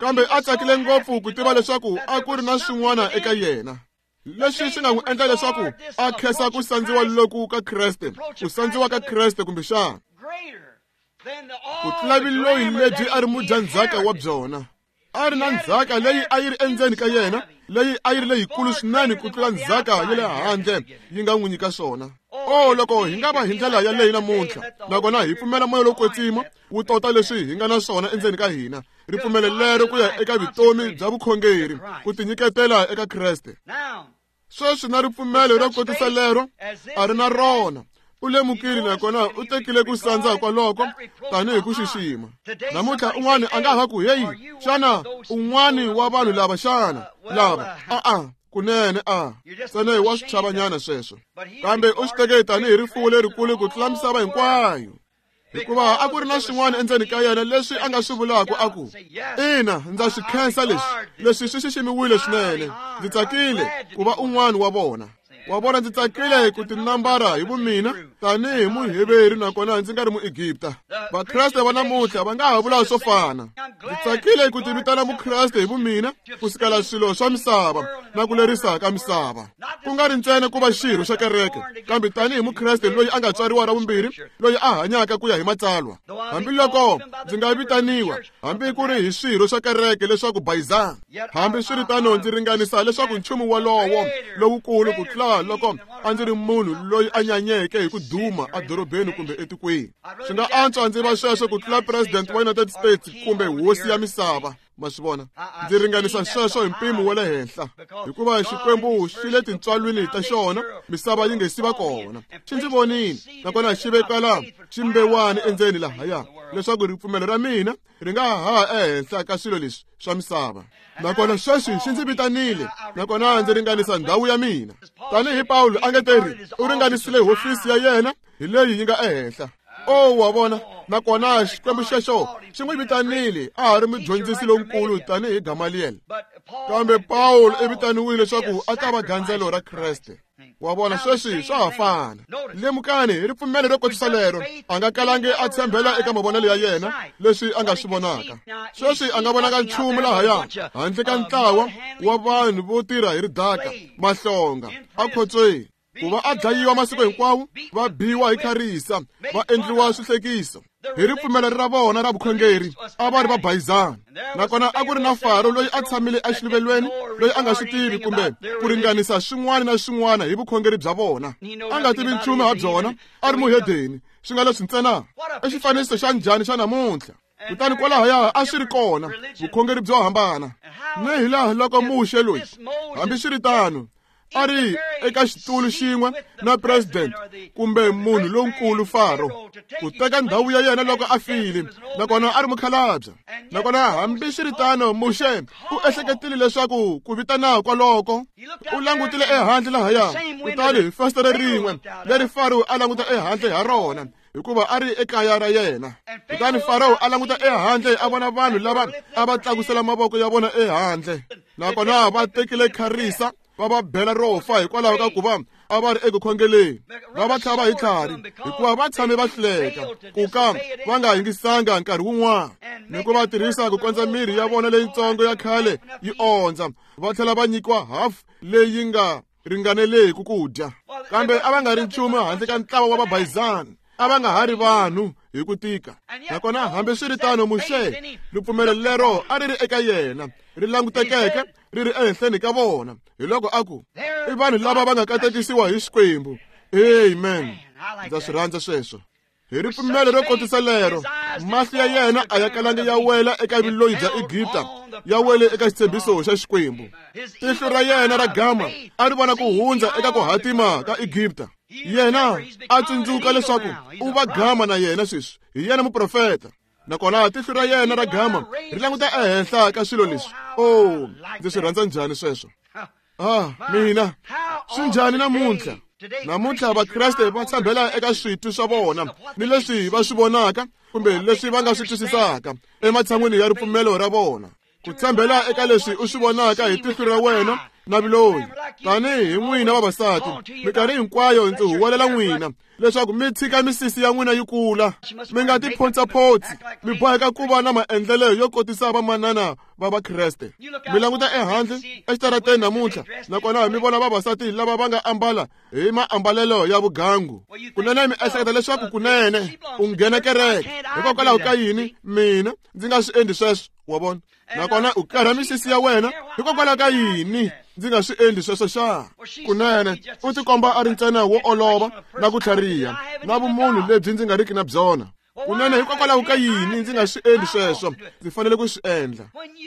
Kambe a tsakile ngopfu ku tiva leswaku a ku ri na swin'wana eka yena. Leswi swi nga n'wi endla leswaku a khensa ku sandziwa loku ka Kreste, ku sandziwa ka Kreste kumbexana. Ku tlula vuloyi lebyi a ri mudyandzhaka wa byona. A ri na ndzhaka leyi a yi ri endzeni ka yena, leyi a yi ri leyikulu swinene ku tlula ndzhaka ya le handle yi nga n'wi nyika swona. O loko hi nga va hi ndlela yaleyo namuntlha, nakona hi pfumela moya lowo kwetsima wu tota leswi hi nga na swona endzeni ka hina, ripfumelo lero ku ya eka vutomi bya vukhongeri, ku tinyiketela eka Kreste. Sweswi na ripfumelo ro kotisa lero a ri na rona. U lemukile nakona u tekile ku sandza kwaloko tanihi ku xixima. Namuntlha un'wana a nga ha ku, heyi, xana un'wana wa vanhu lava xana lava a-a kunene a ntsena hi wa swichavanyana sweswo. Kambe u swi teke tanihi rifuwo lerikulu ku tlula misava hinkwayo, hikuva a ku ri na swin'wana endzeni ka yena leswi a nga swi vulaka a ku, ina, ndza swi khensa leswi, leswi swi xiximiwile swinene, ndzi tsakile ku va un'wana wa vona. Wa vona, ndzi tsakile ku tinambara hi vumina tanihi muheveri nakona ndzi nga ri muegipta. Vakreste va namuntlha va nga ha vula swo fana. Ndzi tsakile ku tivitana mukreste hi vumina ku sukela swilo swa misava na ku lerisa ka misava, ku nga ri ntsena ku va xirho xa kereke, kambe tanihi mukreste loyi a nga tswariwa ra vumbirhi, loyi a hanyaka ku ya hi matsalwa. Hambiloko ndzi nga vitaniwa hambi ku ri hi swirho swa kereke leswaku bayizana, hambiswiritano ndzi ringanisa leswaku nchumu wolowo lowukulu ku tlula loko a ndzi ri munhu loyi a nyanyeke hi ku duma edorobeni kumbe etikweni. Swi nga antswa ndzi va sweswo ku tlula president wa United States kumbe hosi ya misava. Ma swi vona, ndzi ringanisa sweswo hi mpimo wa le henhla, hikuva Xikwembu xi le tintswalweni ta xona, misava yi nge si va kona. Xi ndzi vonile nakona xi vekala ximbewani endzeni lahaya, leswaku ripfumelo ra mina ri nga ha ehenhla ka swilo leswi swa misava. Nakona sweswi xi ndzi vitanile, nakona ndzi ringanisa ndhawu ya mina. Tanihi Pawulo a nge teri u ringanisile hofisi ya yena hi leyi yi nga ehenhla. O wa vona, nakona Xikwembu xexo xi n'wi vitanile a ha ri mudyondzisi lonkulu tanihi Gamaliel. Kambe Pawulo i vitaniwile leswaku a ta va gandzelo ra Kreste. Wa vona, sweswi swa ha fana. Lemukani hi ripfumelo ro kotisa lero, a nga kalangi a tshembela eka mavonelo ya yena leswi a nga swi vonaka. Sweswi a nga vonaka nchumu lahaya handle ka ntlawa wa vanhu vo tirha hi ridaka, mahlonga, akhotsweni, ku va a dlayiwa masiku hinkwawo, va biwa hi kharisa, va endliwa swihlekiso. Hi ripfumelo ra vona ra vukhongeri a va ri va bayizana. Nakona a ku ri na Faro loyi a tshamile exiluvelweni, loyi a nga swi tivi kumbe ku ringanisa swin'wana na swin'wana hi vukhongeri bya vona. A nga tivi nchumu ha byona, a ri muhedeni, swi nga leswi ntsena. I xifaniso xa njhani xa namuntlha? Kutani kwalahaya a swi ri kona vukhongeri byo hambana. Ni hi laha loko Muxe loyi, hambiswiritano, a ri eka xitulu xin'we na president kumbe munhu lonkulu Faro, ku teka ndhawu ya yena loko a file, nakona a ri mukhalabye. Nakona hambiswiritano Muxe u ehleketile leswaku ku vitana kwaloko, u langutile ehandle lahaya, kutani hi fasitere rin'we leri Faro a languta ehandle ha rona, hikuva a ri ekaya ra yena. Kutani Faro a languta ehandle a vona vanhu lava a va tlakusela mavoko ya vona ehandle, nakona va tekile kharisa va va bela ro fa hikwalaho ka ku va a va ri eku khongeleni, va va tlhava hi tlhari hikuva va tshame va hluleka ku ka va nga yingisanga nkarhi wun'wana, ni ku va tirhisa ku kondza mirhi ya vona leyitsongo ya khale yi ondza, va tlhela va nyikiwa hafu leyi nga ringaneleki ku dya. Kambe a va nga ri nchumu handle ka ntlawa wa vabayizani, a va nga ha ri vanhu hi ku tika. Nakona hambiswiritano Muxe ripfumelo lero a ri ri eka yena, ri langutekeke ri ri ehenhleni ka vona. Hi loko a ku, i vanhu lava va nga katekisiwa hi Xikwembu. Amen. Ndza swi rhandza sweswo. Hi ripfumelo ro kotisa lero, mahlo ya yena a ya kalangi ya wela eka vuloyi bya Egipta, ya wele eka xitshembiso xa Xikwembu. Tihlo ra yena ra gama a ri vona ku hundza eka ku hatima ka Egipta. Yena a tsundzuka leswaku u va gama na yena sweswi, hi yena muprofeta. Nakona tihlo ra yena ra gama ri languta ehenhla ka swilo leswi. Oh, ndzi swi rhandza njhani sweswo? Ah, mina swi njhani namuntlha? Namuntlha Vakreste va tshembela eka switwi swa vona ni leswi va swi vonaka kumbe leswi va nga swi twisisaka ematshan'wini ya ripfumelo ra vona. Ku tshembela eka leswi u swi vonaka hi tihlo ra wena na vuloyi. Tanihi n'wina vavasati, minkarhi hinkwayo ndzi huwelela n'wina leswaku mi tshika misisi ya n'wina yi kula, mi nga ti phontsaphontsi, mi boheka ku va na maendlelo yo kotisa vamanana va Vakreste. Mi languta ehandle exitarateni namuntlha, nakona mi vona vavasati lava va nga ambala hi maambalelo ya vugangu. Kunene mi ehleketa leswaku kunene u nghena kereke, hikokwalaho ka yini mina ndzi nga swi endli sweswo, wa vona? Nakona u karha misisi ya wena, hikokwalaho ka yini ndzi nga swi endli sweswo xa? Kunene u tikomba a ri ntsena wo olova na ku tlhariha na vumunhu lebyi ndzi nga riki na byona. Kunene hikokwalaho ka yini ndzi nga swi endli sweswo? Ndzi fanele ku swi endla.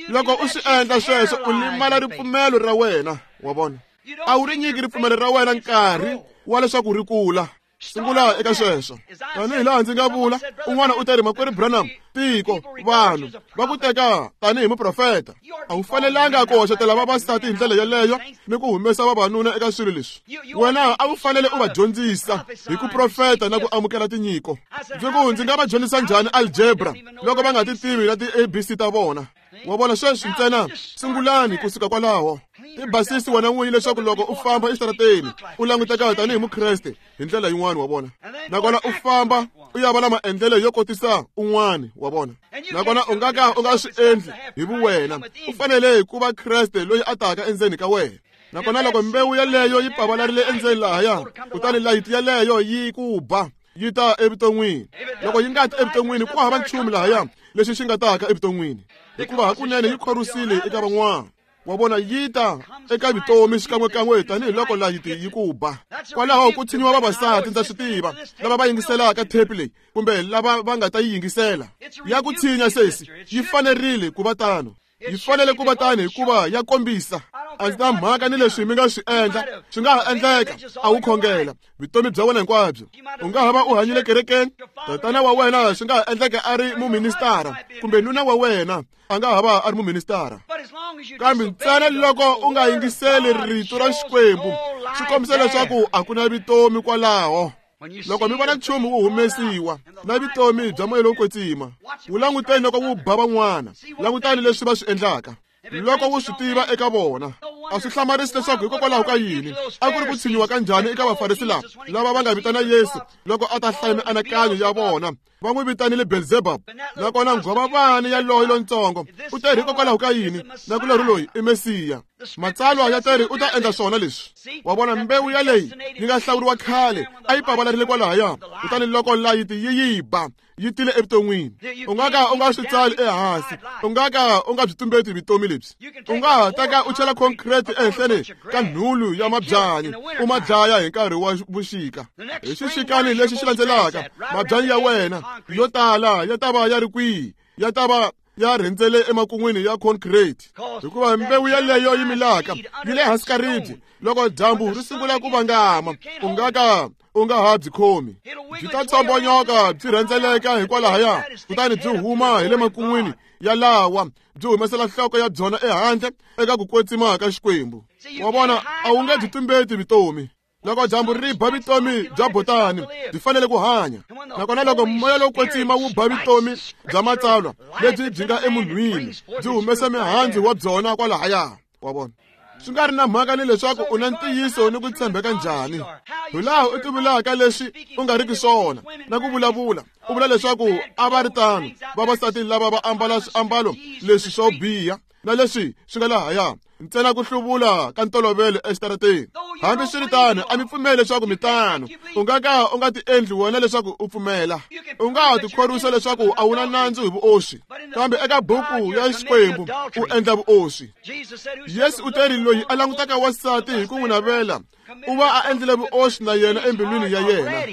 Loko u swi endla sweswo, u limala ripfumelo ra wena, wa vona? A wu ri nyiki ripfumelo ra wena nkarhi wa leswaku ri kula. Sungula eka sweswo. Tanihi laha ndzi nga vula, un'wana u ta ri, Makwerhu Branham, tiko, vanhu va ku teka tanihi muprofeta. A wu fanelanga ku hoxetela vavasati hi ndlela yeleyo ni ku humesa vavanuna eka swilo leswi. Wena a wu fanele u va dyondzisa hi ku profeta na ku amukela tinyiko. Ndzi ku ndzi nga va dyondzisa njhani algebra loko va nga ti tivi na ti-A B C ta vona? Wa vona, sweswi ntsena sungulani kusuka kwalaho. Ti basisi wena n'winyi leswaku loko u famba exitarateni u languteka tanihi Mukreste hi ndlela yin'wana, wa vona? Nakona u famba u ya va na maendlelo yo kotisa un'wana, wa vona? Nakona u nga ka u nga swi endli hi vuwena. U fanele ku va Kreste loyi a taka endzeni ka wena. Nakona loko mbewu yeleyo yi pavalarile endzeni lahaya, kutani layiti yeleyo yi ku ba, yi ta evuton'wini. Loko yi nga ti evuton'wini, ku hava nchumu lahaya lexi xi nga taka evuton'wini, hikuva hakunene yi khorwisile eka van'wana. Wa vona, yi ta eka vutomi xikan'wekan'we tanihiloko layiti yi ku ba. Kwalaho ku tshinyiwa vavasati, ndza swi tiva, lava va yingiselaka thepi leyi kumbe lava va nga ta yi yingisela. Ya ku tshinya sesi, yi fanerile ku va tano. Yi fanele ku va tano hikuva ya kombisa. A ndzi na mhaka ni leswi mi nga swi endla, swi nga ha endleka a wu khongela vutomi bya wena hinkwabyo. U nga ha va u hanyile kerekeni, tatana wa wena swi nga ha endleka a ri muministara, kumbe nuna wa wena a nga ha va a ri muministara. Kambe ntsena loko u nga yingiseli rito ra Xikwembu, swi kombisa leswaku a ku na vutomi kwalaho. Loko mi vona nchumu wu humesiwa na vutomi bya moya lowo kwetsima, wu languteni loko wu ba van'wana, langutani leswi va swi endlaka. Loko wu swi tiva eka vona, a swi hlamarisi leswaku hikokwalaho ka yini a ku ri ku tshinyiwa ka njhani eka Vafarisi lava, lava va nga vitana Yesu loko a ta hlaya mianakanyo ya vona. Va n'wi vitanile Belzebub. Nakona nghwavavani yaloye lontsongo u teri hikokwalaho ka yini nakulorhi loyi i Mesiya. Matsalwa ya teri u ta endla swona leswi. Wa vona, mbewu yaleyi yi nga hlawuriwa khale a yi pavalarile kwalahaya, kutani loko layiti yi yi ba, yi tile evuton'wini. U nga ka u nga swi tsali ehansi, u nga ka u nga byi tumbeti vutomi lebyi. U nga ha teka u chela concrete ehenhleni ka nhulu ya mabyanyi, u ma dlaya hi nkarhi wa vuxika. Hi xixikani lexi xi landzelaka, mabyanyi ya wena yo tala ya ta va ya ri kwihi? Ya ta va ya rhendzele emakun'wini ya concrete, hikuva mbewu yeleyo yi milaka yi le hansi ka ribye. Loko dyambu ri sungula ku vangama, u nga ka u nga ha byi khomi, byi ta tsombonyoka byi rhendzeleka hikwalahaya, kutani byi huma hi le makun'wini ya lawa, byi humesela nhloko ya byona ehandle eka ku kwetsima ka Xikwembu. Wa vona, a wu nge byi tumbeti vutomi. Loko dyambu ri ba vutomi bya botani, byi fanele ku hanya. Nakona loko moya lowo kwetsima wu ba vutomi bya matsalwa lebyi byi nga emunhwini, byi humesa mihandzu wa byona kwalahaya. Wa vona, swi nga ri na mhaka ni leswaku u na ntiyiso ni ku tshembeka njhani, hi laha u tivulaka leswi u nga riki swona na ku vulavula u vula leswaku a va ri tano vavasati lava va ambala swiambalo leswi swo biha na leswi swi nga lahaya, ntsena ku hluvula ka ntolovelo exitarateni. Hambi swi ri tano, a mi pfumeli leswaku mi tano. U nga ka u nga ti endli wena leswaku u pfumela. U nga ha tikhorwisa leswaku a wu na nandzu hi vuoswi, kambe eka buku ya Xikwembu u endla vuoswi. Yesu u teri loyi a langutaka wansati hi ku n'wi navela, u va a endlile vuoswi na yena embilwini ya yena.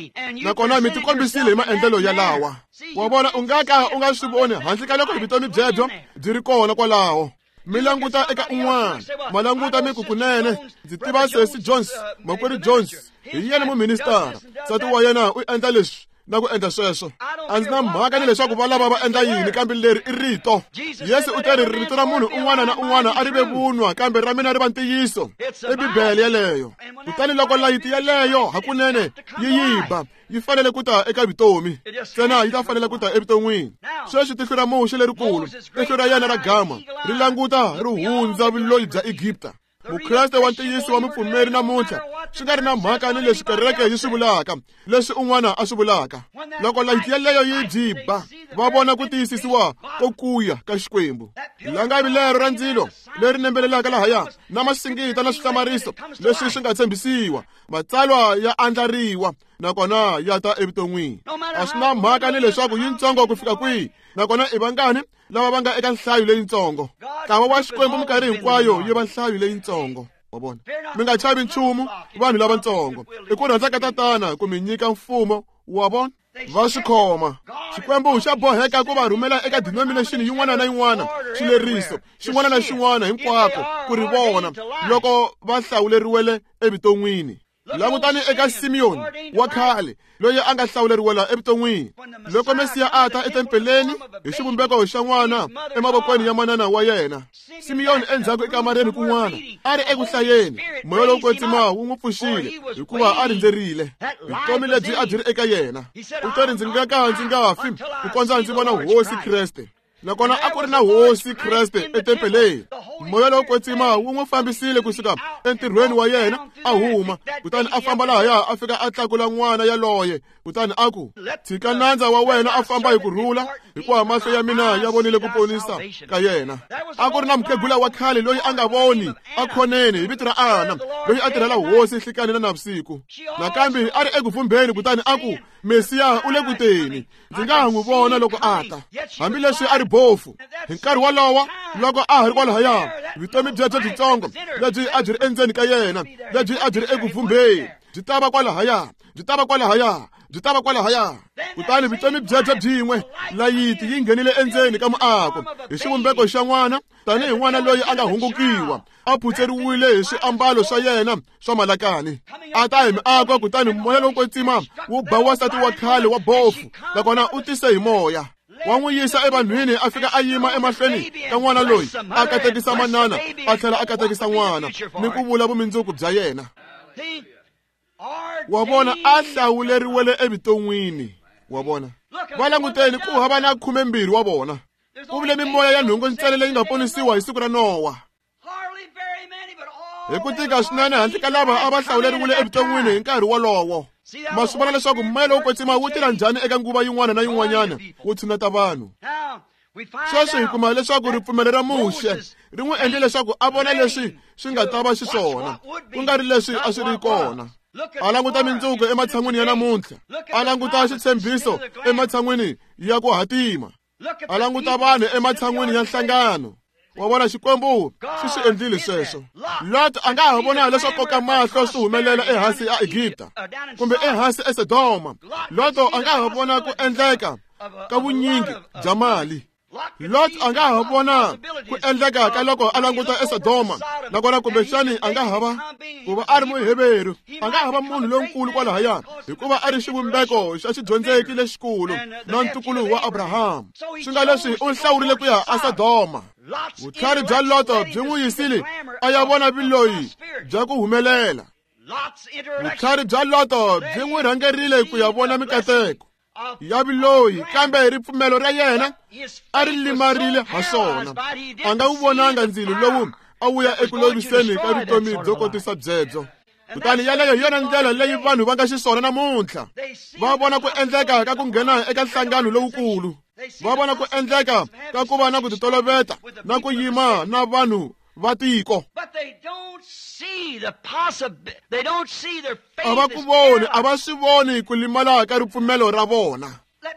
Nakona mi tikombisile hi maendlelo yalawa. Wa vona, u nga ka u nga swi voni handle ka loko vutomi byebyo byi ri kona kwalaho. Mi languta eka un'wana, ma languta mi ku kunene ndzi tiva Sesi Jones, Makwerhu Jones, hi yena muministara, nsati wa yena u endla leswi na ku endla sweswo. A ndzi na mhaka ni leswaku va lava va endla yini, kambe leri i rito. Yesu u teri rito ra munhu un'wana na un'wana a ri ve vunwa, kambe ra mina ri va ntiyiso. I Bibele yeleyo. Kutani loko layiti yeleyo hakunene yi yi ba, yi fanele ku ta eka vutomi. Ntsena yi ta fanele ku ta evuton'wini. Sweswi tihlo ra Muxe lerikulu, tihlo ra yena ra gama, ri languta ri hundza vuloyi bya Egipta. Mukreste wa ntiyiso wa mupfumeri namuntlha swi nga ri na mhaka ni leswi kereke yi swi vulaka, leswi un'wana a swi vulaka. Loko layiti yeleyo yi byi ba, va vona ku tiyisisiwa ko kuya ka Xikwembu. Langavi lero ra ndzilo leri nembelelaka lahaya na masingita na swihlamariso leswi swi nga tshembisiwa, matsalwa ya andlariwa nakona ya ta evuton'wini. A swi na mhaka ni leswaku yintsongo ku fika kwihi, nakona i vangani lava va nga eka nhlayo leyintsongo. Ntlawa wa Xikwembu minkarhi hinkwayo yi va nhlayo leyintsongo. Wa vona, mi nga chavi nchumu vanhu lavatsongo. I ku rhandza ka Tatana ku mi nyika mfumo wa vona. Va swi khoma. Xikwembu xa boheka ku va rhumela eka denomination yin'wana na yin'wana, xileriso xin'wana na xin'wana hinkwako ku ri vona loko va hlawuleriwele evuton'wini. Langutani eka Simiyoni wa khale loyi a nga hlawuleriwela evuton'wini. Loko Mesiya a ta etempeleni hi xivumbeko xa n'wana emavokweni ya manana wa yena, Simiyoni endzhaku ekamareni kun'wana a ri eku hlayeni, moya lowo kwetsima wu n'wi pfuxile hikuva a rindzerile vutomi lebyi a byi ri eka yena. U te, ndzi nga ka ndzi nga fi ku kondza ndzi vona Hosi Kreste. Nakona a ku ri na Hosi Kreste etempeleni. Moya lowo kwetsima wu n'wi fambisile kusuka entirhweni wa yena a huma, kutani a famba lahaya a fika a tlakula n'wana yaloye, kutani a ku, tshika nandza wa wena a famba hi ku rhula, hikuva mahlo ya mina ya vonile ku ponisa ka yena. A ku ri na mukhegula wa khale loyi a nga voni a khoneni hi vito ra Ana, loyi a tirhela Hosi nhlikani na navusiku. Nakambe a ri eku vumbeni, kutani a ku, Mesiya u le ku teni, ndzi nga ha n'wi vona loko a ta. Hambileswi a ri bofu hi nkarhi wolowo, loko a ha ri kwalahaya, vutomi byebyo byitsongo lebyi a byi ri endzeni ka yena, lebyi a byi ri eku vumbeni, byi ta va kwalahaya, byi ta va kwalahaya, byi ta va kwalahaya. Kutani vutomi byebyo byin'we, layiti yi nghenile endzeni ka muako hi xivumbeko xa n'wana, tanihi n'wana loyi a nga hungukiwa, a phutseriwile hi swiambalo swa yena swa malakani. A ta hi miako, kutani moya lowo kwetsima wu ba wansati wa khale wa bofu, nakona u tise hi moya wa n'wi yisa evanhwini, a fika a yima emahlweni ka n'wana loyi, a katekisa manana a tlhela a katekisa n'wana ni ku vula vumundzuku bya yena. Wa vona, a hlawuleriwele evuton'wini. Wa vona, va languteni ku hava na khumembirhi wa vona. Ku vule mimoya ya nhungu ntsena leyi nga ponisiwa hi siku ra Nowa. Hi ku tika swinene handle ka lava a va hlawuleriwile evuton'wini hi nkarhi wolowo. Ma swi vona leswaku moya lowo kwetsima wu tirha njhani eka nguva yin'wana na yin'wanyana wu tshuneta vanhu. Sweswi hi kuma leswaku ripfumelo ra Muxe ri n'wi endle leswaku a vona leswi swi nga ta va xiswona, ku nga ri leswi a swi ri kona. A languta mindzuku ematshan'wini ya namuntlha, a languta xitshembiso ematshan'wini ya ku hatima, a languta vanhu ematshan'wini ya nhlangano. Wa vona, Xikwembu xi swi endlile sweswo. Lot a nga ha vona leswo koka mahlo swi humelela ehansi a Egipta kumbe ehansi eSodoma. Lot a nga ha vona ku endleka ka vunyingi bya mali. Lot a nga ha vona ku endleka ka loko a languta eSodoma, nakona kumbexani a nga ha va ku va a ri Muheveru, a nga ha va munhu lonkulu kwalahaya, hikuva a ri xivumbeko xa xidyondzeki lexikulu na ntukulu wa Abraham. Swi nga leswi u hlawurile ku ya eSodoma. Vutlhari bya Loto byi n'wi yisile a ya vona vuloyi bya ku humelela. Vutlhari bya Loto byi n'wi rhangerile ku ya vona mikateko ya vuloyi, kambe ripfumelo ra yena a ri limarile ha swona. A nga wu vonanga ndzilo lowu a wu ya eku loviseni ka vutomi byo kotisa byebyo. Kutani yaleyo hi yona ndlela leyi vanhu va nga xiswona namuntlha. Va vona ku endleka ka ku nghena eka nhlangano lowukulu, va vona ku endleka ka ku va na ku titoloveta na ku yima na vanhu va tiko. A va ku voni, a va swi voni ku limala ka ripfumelo ra vona.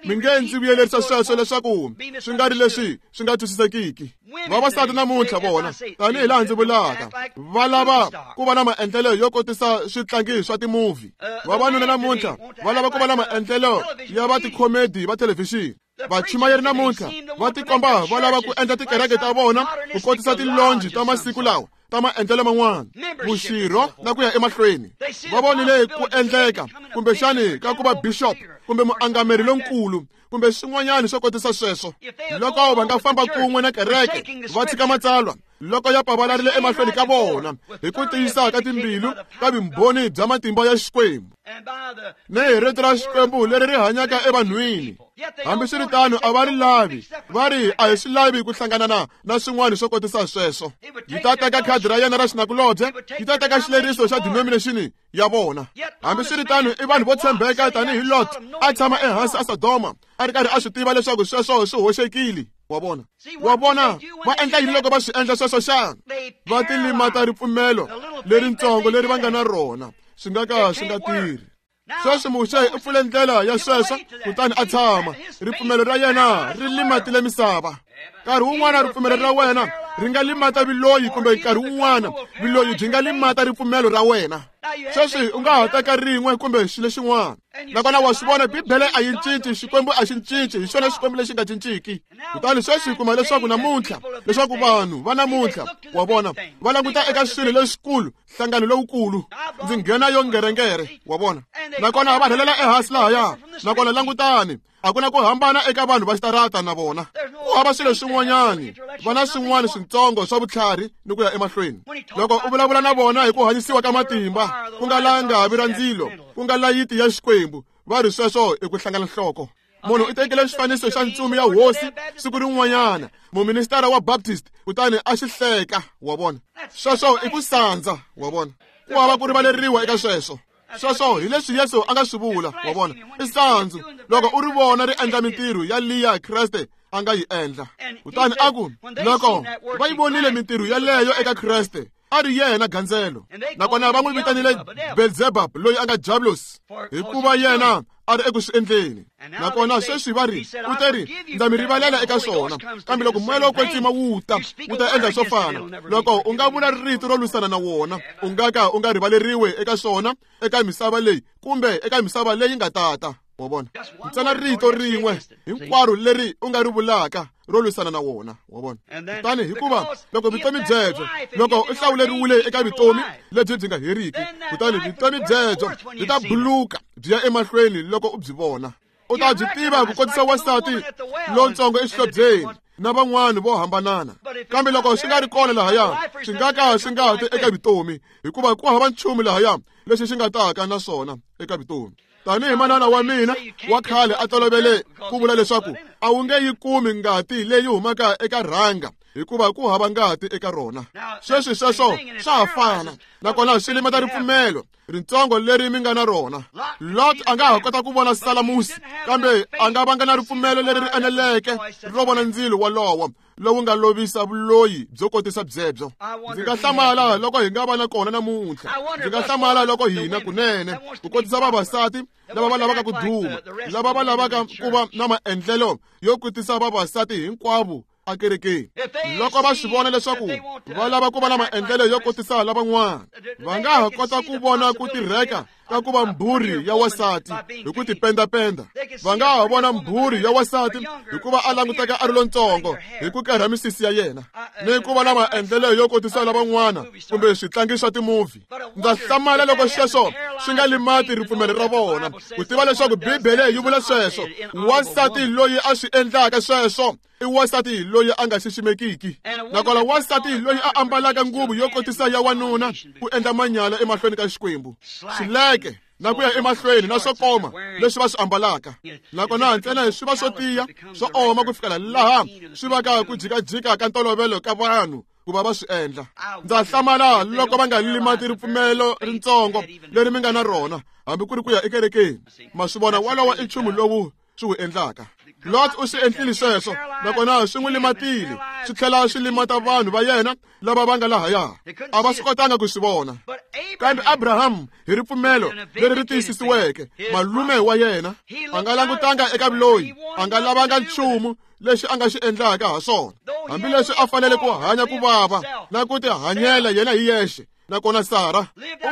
Mi nge ndzi vuyelerisa sweswo leswaku swi nga ri leswi swi nga twisisekiki. Vavasati namuntlha vona, tanihi laha ndzi vulaka, va lava ku va na maendlelo yo kotisa switlangi swa timovhi. Vavanuna namuntlha va lava ku va na maendlelo ya va tikhomedi va thelevhixini. Vachumayeri namuntlha va tikomba va lava ku endla tikereke ta vona ku kotisa tilonji ta masiku lawa ta maendlelo man'wana, vuxirho na ku ya emahlweni. Va vonile ku endleka kumbexani ka ku va bishop kumbe muangameri lonkulu kumbe swin'wanyana swo kotisa sweswo. Loko va nga famba kun'we na kereke va tshika matsalwa, loko ya pavalarile emahlweni ka vona hi ku tiyisa ka timbilu ka vumbhoni bya matimba ya Xikwembu ni hi rito ra Xikwembu leri ri hanyaka evanhwini. Hambiswiritano a va ri lavi, va ri a hi swi lavi ku hlangana na na swin'wana swo kotisa sweswo. Yi ta teka khadi ra yena ra xinakulobye, yi ta teka xileriso xa denomination ya vona. Hambiswiritano i vanhu vo tshembeka tanihi Lot a tshama ehansi a Sodoma a ri karhi a swi tiva leswaku sweswo swi hoxekile. Wa vona, wa vona va endla yini loko va swi endla sweswo xana? Va tilimata ripfumelo leritsongo leri va nga na rona, swi nga ka swi nga tirhi. Sweswi Muxe u pfule ndlela ya sweswo kutani a tshama. Ripfumelo ra yena ri limatile misava. Nkarhi wun'wana ripfumelo ra wena ri nga limata viloyi, kumbe nkarhi wun'wana viloyi byi nga limata ripfumelo ra wena. Sweswi u nga ha teka rin'we kumbe xilo xin'wana. Nakona wa swi vona, Bibele a yi cinci, Xikwembu a xi cinci, hi xona Xikwembu lexi nga cinciki. Kutani sweswi hi kuma leswaku namuntlha, leswaku vanhu va namuntlha, wa vona, va languta eka swilo leswikulu, nhlangano lowukulu, ndzi nghena yo ngerengere, wa vona. Nakona va rhelela ehansi lahaya. Nakona langutani, a ku na ku hambana eka vanhu va xitarata na vona. Ku hava swilo swin'wanyani, va na swin'wana swintsongo swa vutlhari ni ku ya emahlweni. Loko u vulavula na vona hi ku hanyisiwa ka matimba, ku nga langavi ra ndzilo, ku nga layiti ya Xikwembu, va ri sweswo i ku hlangana nhloko. Munhu u tekile xifaniso xa ntsumi ya hosi siku rin'wanyana, muministara wa Baptist, kutani a xi hleka, wa vona. Sweswo i ku sandza, wa vona. Ku hava ku rivaleriwa eka sweswo. Sweswo hi leswi Yesu a nga swi vula, wa vona. I sandzu loko u ri vona ri endla mintirho ya liya Kreste a nga yi endla. Kutani a ku, loko va yi vonile mintirho yaleyo eka Kreste, a ri yena gandzelo. Nakona va n'wi vitanile Beelzebub, loyi a nga Diablos, hikuva yena a ri eku swi endleni. Nakona sweswi va ri, u te ri, ndza mi rivalela eka swona, kambe loko moya lowo kwetsima wu ta, wu ta endla swo fana. Loko u nga vula rito ro lwisana na wona, u nga ka u nga rivaleriwe eka swona, eka misava leyi kumbe eka misava leyi nga tata. Wa vona, ntsena rito rin'we hinkwaro leri u nga ri vulaka ro lwisana na wona, wa vona. Kutani hikuva loko vutomi byebyo, loko u hlawuleriwile eka vutomi lebyi byi nga heriki, kutani vutomi byebyo byi ta buluka byi ya emahlweni loko u byi vona. U ta byi tiva ku kotisa wansati lontsongo exihlobyeni na van'wana vo hambanana. Kambe loko swi nga ri kona lahaya, swi nga ka swi nga ti eka vutomi, hikuva ku hava nchumu lahaya lexi xi nga taka na swona eka vutomi. Tanihi manana wa mina wa khale a tolovele ku vula leswaku a wu nge yi kumi ngati leyi humaka eka rhanga, hikuva ku hava ngati eka rona. Sweswi sweswo swa ha fana, nakona swi limata ripfumelo rintsongo leri mi nga na rona. Lot a nga ha kota ku vona Salamusi, kambe a nga vanga na ripfumelo leri ri eneleke ro vona ndzilo wolowo lowu nga lovisa vuloyi byo kotisa byebyo. Ndzi nga hlamala loko hi nga va na kona namuntlha. Ndzi nga hlamala loko hina kunene ku kotisa vavasati lava va lavaka ku duma, lava va lavaka ku va na maendlelo yo kotisa vavasati hinkwavo akerekeni. Loko va swi vona leswaku va lava ku va na maendlelo yo kotisa lavan'wana, va nga ha kota ku vona ku tirheka ka ku va mbhuri ya wasati hi ku tipendapenda. Va nga ha vona mbhuri ya wasati hikuva a languteka a ri lontsongo hi ku kerha misisi ya yena, ni ku va na maendlelo yo kotisa lavan'wana kumbe switlangi swa timovhi. Ndza hlamala loko sweswo swi nga limati ripfumelo ra vona, ku tiva leswaku Bibele yi vula sweswo. Wansati loyi a swi endlaka sweswo i wansati loyi a nga xiximekiki. Nakona wansati loyi a ambalaka nguvu yo kotisa ya wanuna ku endla manyala emahlweni ka Xikwembu, xileke na ku ya emahlweni na swo koma leswi va swi ambalaka, nakona ntsena swi va swo tiya swo oma ku fikela laha swi vaka ku jikajika ka ntolovelo ka vanhu ku va va swi endla. Ndza hlamala loko va nga limati ripfumelo rintsongo leri mi nga na rona, hambi ku ri ku ya ekerekeni. Ma swi vona, walowo i nchumu lowu swi wu endlaka. Lot u swi endlile sweswo, nakona swi n'wi limatile, swi tlhela swi limata vanhu va yena lava va nga lahaya. A va swi kotanga ku swi vona. Kambe Abraham hi ripfumelo leri ri tiyisisiweke, malume wa yena a nga langutanga eka vuloyi, a nga lavanga nchumu lexi a nga xi endlaka ha swona, hambileswi a fanele ku hanya ku vava na ku tihanyela yena hi yexe. Nakona Sara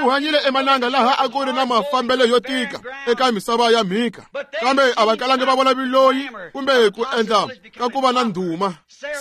u hanyile emananga laha a ku ri na mafambelo yo tika eka misava ya mhika, kambe a va kalangi va vona viloyi kumbe ku endla ka ku va na ndhuma.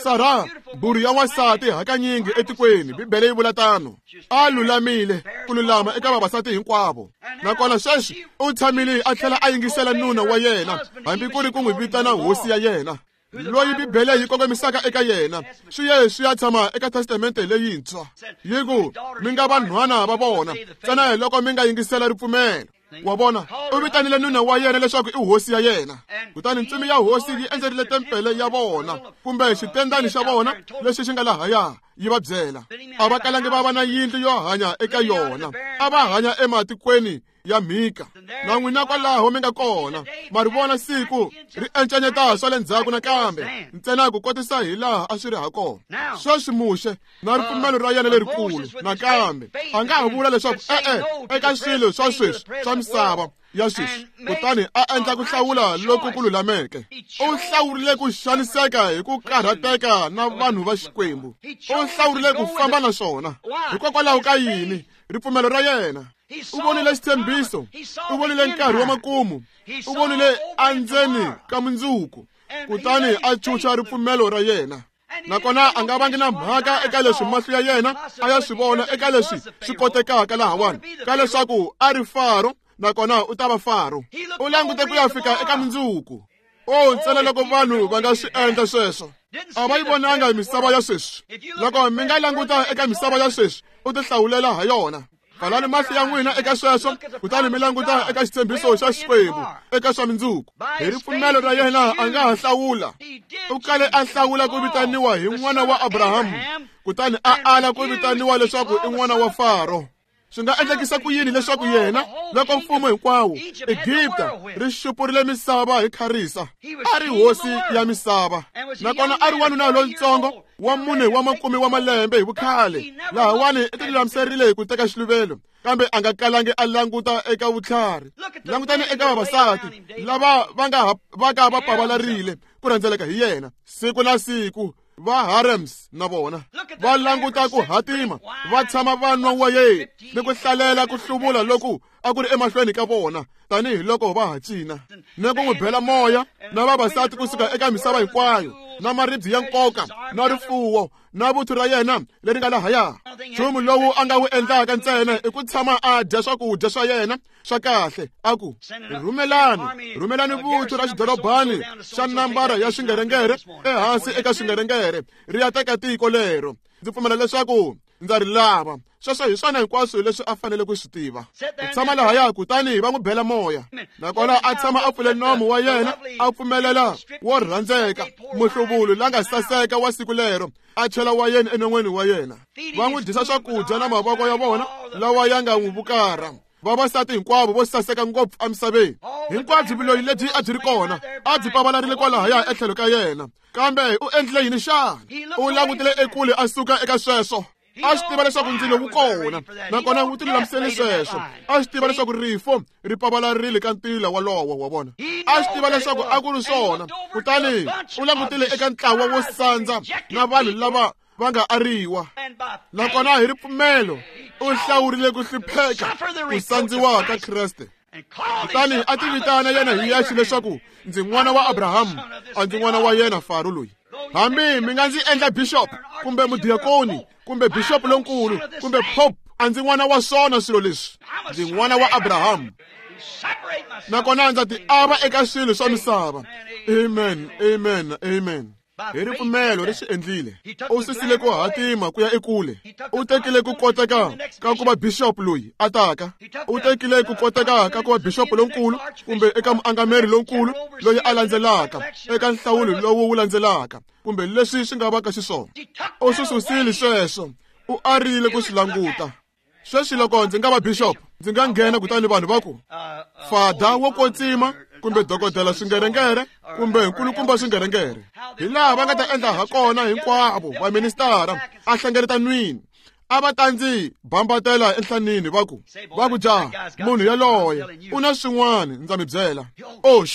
Sara, mbhuri ya wansati hakanyingi etikweni, Bibele yi vula tano, a lulamile ku lulama eka vavasati hinkwavo. Nakona sweswi u tshamile a tlhela a yingisela nuna wa yena, hambi ku ri ku n'wi vitana hosi ya yena. loyi Bibele yi kongomisaka eka yena swi ye swi ya tshama eka testamente leyintshwa yi ku mi nga vanhwana va vona ntsena loko mi nga yingisela ripfumelo. Wa vona, u vitanile nuna wa yena leswaku i hosi ya yena. Kutani ntsumi ya hosi yi endzerile tempele ya vona kumbe xitendani xa vona lexi xi nga lahaya yi va byela. A va kalangi va va na yindlu yo hanya eka yona, a va hanya ematikweni ya mhika. Na n'wina kwalaho mi nga kona, ma ri vona siku ri encanyeta swa le ndzhaku nakambe ntsena ku kotisa hi laha a swi ri ha kona. Sweswi Muxe na ripfumelo ra yena lerikulu nakambe a nga ha vula leswaku e-e eka swilo swa sweswi swa misava ya sweswi, kutani a endla ku hlawula loku ku lulameke. U hlawurile ku xaniseka hi ku karhateka na vanhu va Xikwembu. U hlawurile ku famba na swona. Hikokwalaho ka yini? Ripfumelo ra yena. U vonile xitshembiso, u vonile nkarhi wa makumu, u vonile andzeni ka mundzuku, kutani a chucha ripfumelo ra yena. Nakona a nga vangi na mhaka eka leswi mahlo ya yena a ya swi vona eka leswi swi kotekaka lahawani, ka leswaku a ri Faro nakona u ta va Faro. U langute ku ya fika eka mundzuku. O ntsena loko vanhu va nga swi endla sweswo. A va yi vonanga misava ya sweswi. Loko mi nga languta eka misava ya sweswi, u ti hlawulela ha yona. Pfalani mahlo ya n'wina eka sweswo, kutani mi languta eka xitshembiso xa Xikwembu eka swa mundzuku. Hi ripfumelo ra yena a nga ha hlawula. U kale a hlawula ku vitaniwa hi n'wana wa Abrahamu, kutani a ala ku vitaniwa leswaku i n'wana wa Faro. Swi nga endlekisa ku yini leswaku yena loko mfumo hinkwawo Egipta ri xupurile misava hi kharisa, a ri hosi ya misava, nakona a ri wanuna lontsongo wa mune wa makume wa malembe hi vukhale, lahawani i tilulamiserile hi ku teka xiluvelo, kambe a nga kalangi a languta eka vutlhari. Langutani eka vavasati lava va nga va ka va pavalarile ku rhendzeleka hi yena siku na siku, va harems na vona va languta ku hatima, va tshama va nwa wayeni ni ku hlalela ku hluvula loku a ku ri emahlweni ka vona tanihiloko va ha cina, ni ku n'wi bela moya na vavasati kusuka eka misava hinkwayo, na maribye ya nkoka na rifuwo na vuthu ra yena leri nga lahaya. Nchumu lowu a nga wu endlaka ntsena i ku tshama a dya swakudya swa yena swa kahle, a ku rhumelani rhumelani vuthu ra xidorobani xa nambara ya swingerengere ehansi eka swingerengere ri ya teka tiko lero. Ndzi pfumela leswaku ndza ri lava. Sweswo hi swona hinkwaswo leswi a fanele ku swi tiva. U tshama lahaya kutani va n'wi bela moya, nakona a tshama a pfule nomu wa yena a pfumelela wo rhandzeka muhluvulu la nga saseka wa siku lero a chela wa yena enon'weni wa yena. Va n'wi dyisa swakudya na mavoko ya vona lawa ya nga n'wi vukara. Vavasati hinkwavo vo saseka ngopfu emisaveni, hinkwabyo vuloyi lebyi a byi ri kona a byi pavalarile kwalahaya etlhelo ka yena. Kambe u endlile yini xana? U langutile ekule a suka eka sweswo. A swi tiva leswaku ndzilo wu kona, nakona wu tilulamisele sweswo. A swi tiva leswaku rifo ri pavalarile ka ntila walowo wa vona. A swi tiva leswaku a ku ri swona, kutani u langutile eka ntlawa wo sandza na vanhu lava va nga ariwa, nakona hi ripfumelo u hlawurile ku hlupheka ku sandziwa ka Kreste. Kutani a ti vitana yena hi yexe leswaku ndzi n'wana wa Abrahamu, a ndzi n'wana wa yena Faro loyi. Hambi mi nga ndzi endla bishop kumbe mudiakoni kumbe bishop lonkulu kumbe pope, a ndzi n'wana wa swona swilo leswi. Ndzi n'wana wa Abrahamu, nakona ndza ti ava eka swilo swa misava. Amen, amen, amen. Hi ripfumelo ri swi endlile. U susile ku hatima ku ya ekule. U tekile ku koteka ka ku va bishop loyi a taka. U tekile ku koteka ka ku va bishop lonkulu kumbe eka muangameri lonkulu loyi a landzelaka eka nhlawulo lowu wu landzelaka kumbe leswi swi nga va ka xiswona. U swi susile sweswo. U arile ku swi languta. Sweswi loko ndzi nga va bishop, ndzi nga nghena kutani vanhu va ku fada wo kwetsima kumbe dokodela swingerengere kumbe nkulukumba swingerengere, hi laha va nga ta endla ha kona hinkwavo va ministara a hlengeletanwini, a va ta ndzi bambatela enhlanini va ku va ku ja munhu yaloye u na swin'wana ndza mi byela. Oh,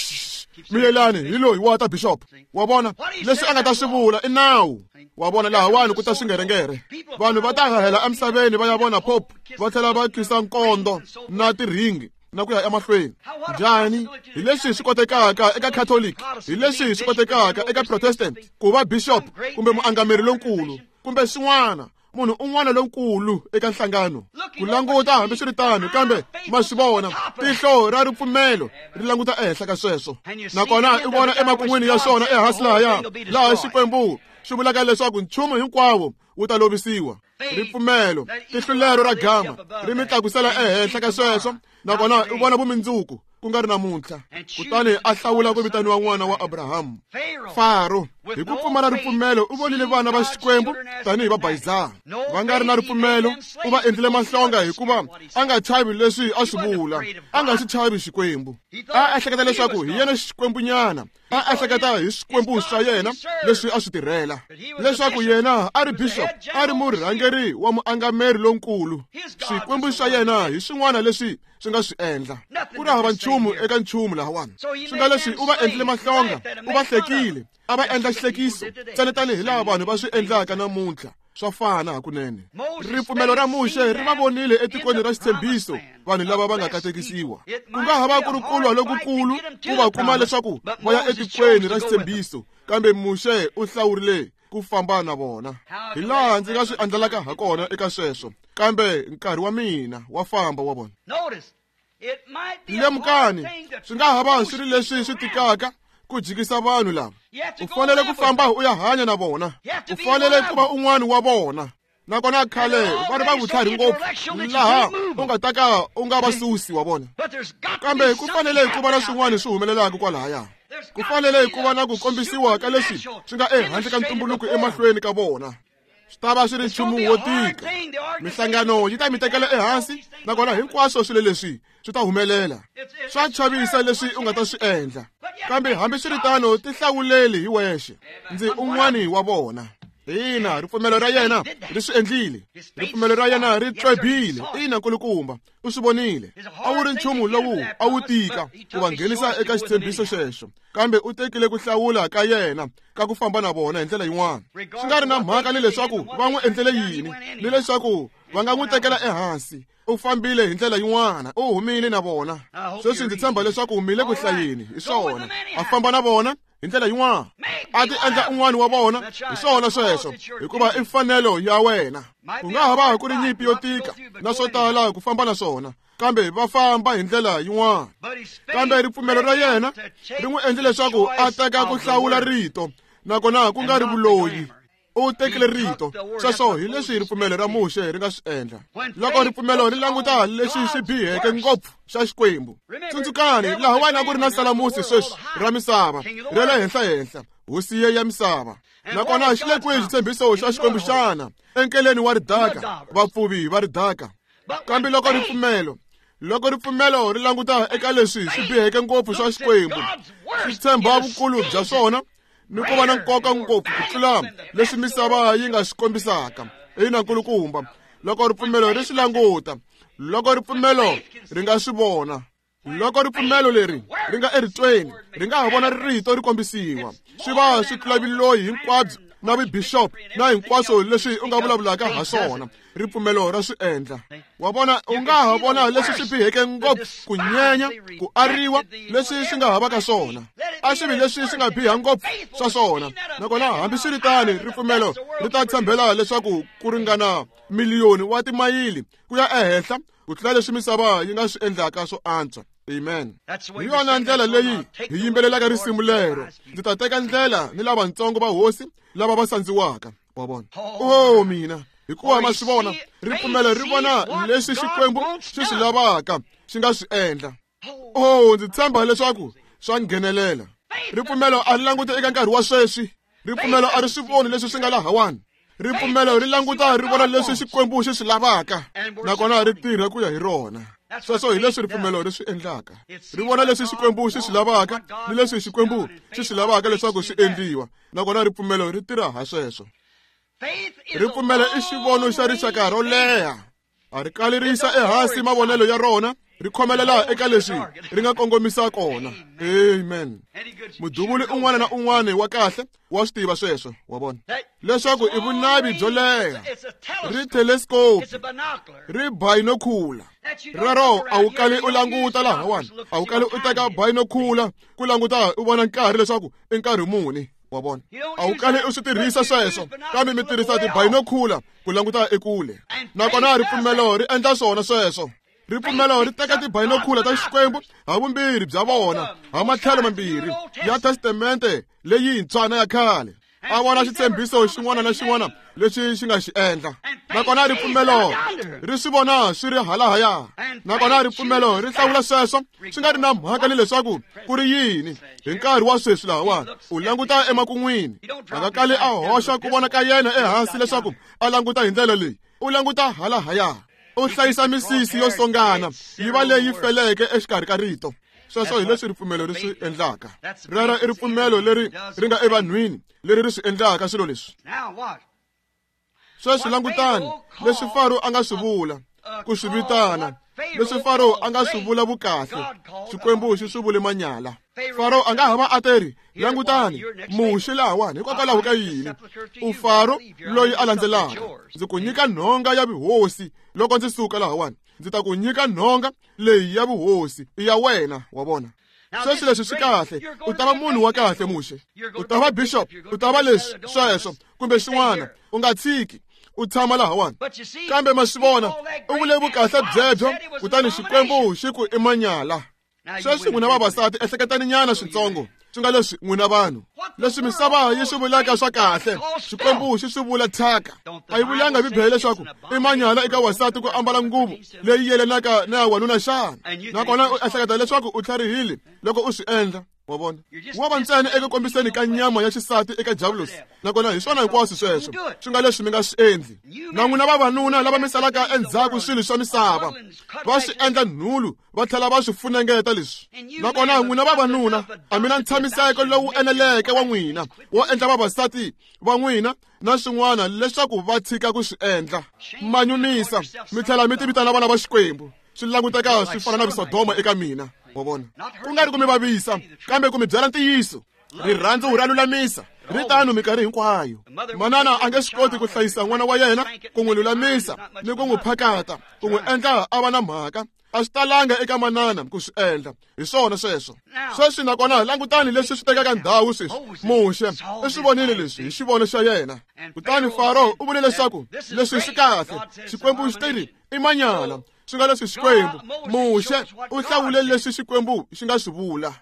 miyelani hi loyi wa ta bishop. Wa vona leswi a nga ta swi vula i nawu. Wa vona lahawani ku ta swingerengere, vanhu va ta hahela emisaveni va ya vona pope, va tlhela va khisa nkondo na tiringi na ku ya emahlweni. Njhani? Hi leswi swi kotekaka eka Catholic, hi leswi swi kotekaka eka Protestant ku va bishop kumbe muangameri lonkulu kumbe swin'wana. munhu un'wana lonkulu eka nhlangano ku languta hambiswiritano kambe ma swi vona tihlo ra ripfumelo ri languta ehenhla ka sweswo nakona i vona emakun'wini ya swona ehansi lahaya laha Xikwembu xi vulaka leswaku nchumu hinkwawo wu ta lovisiwa ripfumelo tihlo lero ra gama ri mi tlakusela ehenhla ka sweswo nakona i vona vumundzuku ku nga ri namuntlha kutani a hlawula ku vitaniwa n'wana wa Abrahamu Faro hi ku pfumala ripfumelo u vonile vana va Xikwembu tanihi vabayizana va nga ri na ripfumelo u va endlile mahlonga hikuva a nga chavi leswi a swi vula a nga xi chavi Xikwembu a ehleketa leswaku hi yena Xikwembunyana a ehleketa hi Xikwembu xa yena leswi a swi tirhela leswaku yena a ri bishop a ri murhangeri wa muangameri lonkulu Xikwembu xa yena hi swin'wana leswi swi nga swi endla ku ri hava nchumu eka nchumu lahawani swi nga leswi u va endlile mahlonga u va hlekile a va endla xihlekiso ntsena tanihi laha vanhu va swi endlaka namuntlha swa fana hakunene ripfumelo ra Muxe ri va vonile etikweni ra xitshembiso vanhu lava va nga katekisiwa ku nga ha va ku ri kulwa lokukulu ku va kuma leswaku va ya etikweni ra xitshembiso kambe Muxe u hlawurile ku famba na vona hi laha ndzi nga swi andlalaka ha kona eka sweswo kambe nkarhi wa mina wa famba wa vona lemukani swi nga ha va swi ri leswi swi tikaka ku jikisa vanhu lava u fanele ku famba u ya hanya na vona u fanele ku va un'wana wa vona nakona khale va ri va vutlhari ngopfu laha u nga ta ka u nga va susi wa vona kambe ku fanele ku va na swin'wana swi humelelaka kwalahaya ku fanele ku va na ku kombisiwa ka leswi swi nga ehandle ka ntumbuluko emahlweni ka vona swi ta va swi ri nchumu wo tika mihlangano yi ta mi tekela ehansi nakona hinkwaswo swilo leswi swi ta humelela swa chavisa leswi u nga ta swi endla kambe hambiswiritano tihlawuleli hi wexe ndzi un'wani wa vona ina ripfumelo ra yena ri swi endlile ripfumelo ra yena ri tlwebile ina nkulukumba u swi vonile a wu ri nchumu lowu a wu tika ku va nghenisa eka xitshembiso xexo kambe u tekile ku hlawula ka yena ka ku famba na vona hi ndlela yin'wana swi nga ri na mhaka ni leswaku va n'wi endlele yini ni leswaku va nga n'wi tekela ehansi u fambile hi ndlela yin'wana u humile na vona sweswi ndzi tshemba leswaku mi le ku hlayeni hi swona a famba na vona hi ndlela yin'wana a ti endla un'wana wa vona hi swona sweswo hikuva i mfanelo ya wena ku nga ha va ku ri nyimpi yo tika na swo tala ku famba na swona kambe va famba hi ndlela yin'wana kambe ripfumelo ra yena ri n'wi endle leswaku a teka ku hlawula rito nakona ku nga ri vuloyi u tekile rito sweswo hi leswi ripfumelo ra Muxe ri nga swi endla loko ripfumelo ri languta leswi swi biheke ngopfu xa Xikwembu tsundzukani laha wena ku ri na salamusi sweswi ra misava ra le henhlahenhla hosi ya misava nakona xi le kwihi xitshembiso xa Xikwembu xana enkeleni wa ridaka vapfuvi va ridaka kambe loko ripfumelo loko ripfumelo ri languta eka leswi swi biheke ngopfu swa Xikwembu swi tshemba vukulu bya swona ni ku va na nkoka ngopfu ku tlula leswi misava yi nga swi kombisaka ina nkulukumba loko ripfumelo ri swi languta loko ripfumelo ri nga swi vona loko ripfumelo leri ri nga eritweni ri nga ha vona rito ri kombisiwa swi va swi tlula vuloyi hinkwabyo na vubishop na hinkwaswo leswi u nga vulavulaka ha swona ripfumelo ra swi endla wa vona u nga ha vona leswi swi biheke ngopfu ku nyenya ku ariwa leswi swi nga ha va ka swona a swi vi leswi swi nga biha ngopfu swa swona nakona hambiswiritano ripfumelo ri ta tshembela leswaku ku ringana miliyoni wa timayili ku ya ehenhla ku tlula leswi misava yi nga swi endlaka swo antswa amen hi yona ndlela leyi hi yimbelelaka risimu lero ndzi ta teka ndlela ni lavatsongo va hosi lava va sandziwaka wa vona o mina hikuva ma swi vona ripfumelo ri vona leswi Xikwembu xi swi lavaka xi nga swi endla o ndzi tshemba leswaku swa nghenelela ripfumelo a ri languti eka nkarhi wa sweswi ripfumelo a ri swi voni leswi swi nga lahawani ripfumelo ri languta ri vona leswi Xikwembu xi swi lavaka nakona ri tirha ku ya hi rona sweswo hi leswi ripfumelo ri swi endlaka ri vona leswi Xikwembu xi swi lavaka ni leswi Xikwembu xi swi lavaka leswaku swi endliwa nakona ripfumelo ri tirha ha sweswo ripfumelo i xivono xa rixaka ro leha a ri kali ri yisa ehansi mavonelo ya rona ri khomelela eka leswi ri nga kongomisa kona amen muduvuli un'wana na un'wana wa kahle wa swi tiva sweswo wa vona leswaku i vunavi byo leha ri telescope ri binocular rero a wu kali u languta lahawani a wu kali u teka binocular ku languta u vona nkarhi leswaku i nkarhi muni Wa vona, a wu kali u swi tirhisa sweswo, kambe mi tirhisa tibayinokhula ku languta ekule. Nakona ripfumelo ri endla swona sweswo. Ripfumelo ri teka tibayinokhula ta Xikwembu ha vumbirhi bya vona, ha matlhelo mambirhi ya testamente leyintshwa na ya khale. A vona xitshembiso xin'wana na xin'wana lexi xi nga xi endla. Nakona ripfumelo ri swi vona swi ri halahaya. Nakona ripfumelo ri hlawula sweswo swi nga ri na mhaka ni leswaku ku ri yini. Hi nkarhi wa sweswi lahawani u languta emakun'wini. A nga kali a hoxa ku vona ka yena ehansi leswaku a languta hi ndlela leyi. U languta halahaya. U hlayisa misisi yo songana yi va leyi feleke exikarhi ka rito. Sweswo hi leswi ripfumelo ri swi endlaka. Rero i ripfumelo leri ri nga evanhwini leri ri swi endlaka swilo leswi. Sweswi langutani leswi Faro a nga swi vula, ku swi vitana, leswi Faro a nga swi vula vukahle, Xikwembu xi swi vule manyala. Faro a nga ha va a teri, langutani, Muxe lahawani, hikokwalaho ka yini? U Faro loyi a landzelaka. Ndzi ku nyika nhonga ya vuhosi loko ndzi suka lahawani. Ndzi ta ku nyika nhonga leyi ya vuhosi i ya wena, wa vona. Sweswi leswi swi kahle. U ta va munhu wa kahle, Muxe. U ta va bishop, u ta va leswi, sweswo, kumbe xin'wana. U nga tshiki, u tshama lahawani. Kambe ma swi vona, u vule vukahle byebyo, kutani Xikwembu xi ku i manyala. Sweswi n'wina vavasati ehleketani nyana switsongo, swi nga leswi n'wina vanhu leswi misava yi swi vulaka swa kahle, Xikwembu xi swi vula thyaka. A yi vulanga Bibele leswaku i manyala eka wasati ku ambala nguvu leyi yelanaka na ya wanuna xana? Nakona u ehleketa leswaku u tlharihile loko u swi endla. Wa vona, wa va ntsena eku kombiseni ka nyama ya xisati eka Diabolos. Nakona hi swona hinkwaswo sweswo swi nga leswi mi nga swi endli. Na n'wina vavanuna lava mi salaka endzhaku swilo swa misava, va swi endla nhulu va tlhela va swi funengeta leswi. Nakona n'wina vavanuna a mi na ntshamiseko lowu eneleke wa n'wina wo endla vavasati va n'wina na swin'wana leswaku va tshika ku swi endla. Manyumisa mi tlhela mi ti vitana vana va Xikwembu. Swi languteka swi fana na Visodoma eka mina. Wa vona, ku nga ri ku mi vavisa, kambe ku mi byela ntiyiso. Rirhandzu ra lulamisa, ri tano minkarhi hinkwayo. Manana a nge swi koti ku hlayisa n'wana wa yena, ku n'wi lulamisa ni ku n'wi phakata, ku n'wi endla a va na mhaka. A swi talanga eka manana ku swi endla. Hi swona sweswo. Sweswi nakona langutani leswi swi tekaka ndhawu sweswi. Muxe u swi vonile leswi hi xivono xa yena. Kutani Faro u vule leswaku leswi swi kahle. Xikwembu xi teri i manyala. Swi nga leswi Xikwembu. Muxe u hlawule leswi Xikwembu xi nga swi vula.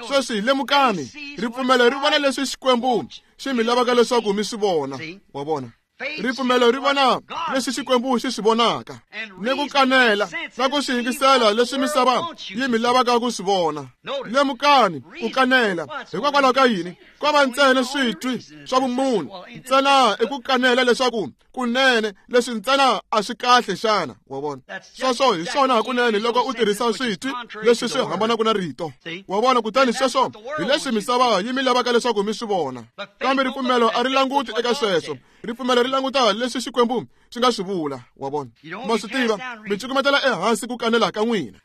Sweswi lemukani, ripfumelo ri vona leswi Xikwembu xi mi lavaka leswaku mi swi vona. Wa vona, ripfumelo ri vona leswi Xikwembu xi swi vonaka, ni ku kanela na ku swi yingisela leswi misava yi mi lavaka ku swi vona. Lemukani ku kanela. Hikokwalaho ka yini? Ko va ntsena switwi swa vumunhu ntsena i ku kanela leswaku kunene leswi ntsena a swi kahle xana. Wa vona, sweswo hi swona hakunene loko u tirhisa switwi leswi swi hambanaka na rito. Wa vona, kutani sweswo hi leswi misava yi mi lavaka leswaku mi swi vona. Kambe ripfumelo a ri languti eka sweswo. Ripfumelo ri languta leswi Xikwembu xi nga swi vula. Wa vona, ma swi tiva, mi cukumetela ehansi ku kanela ka n'wina.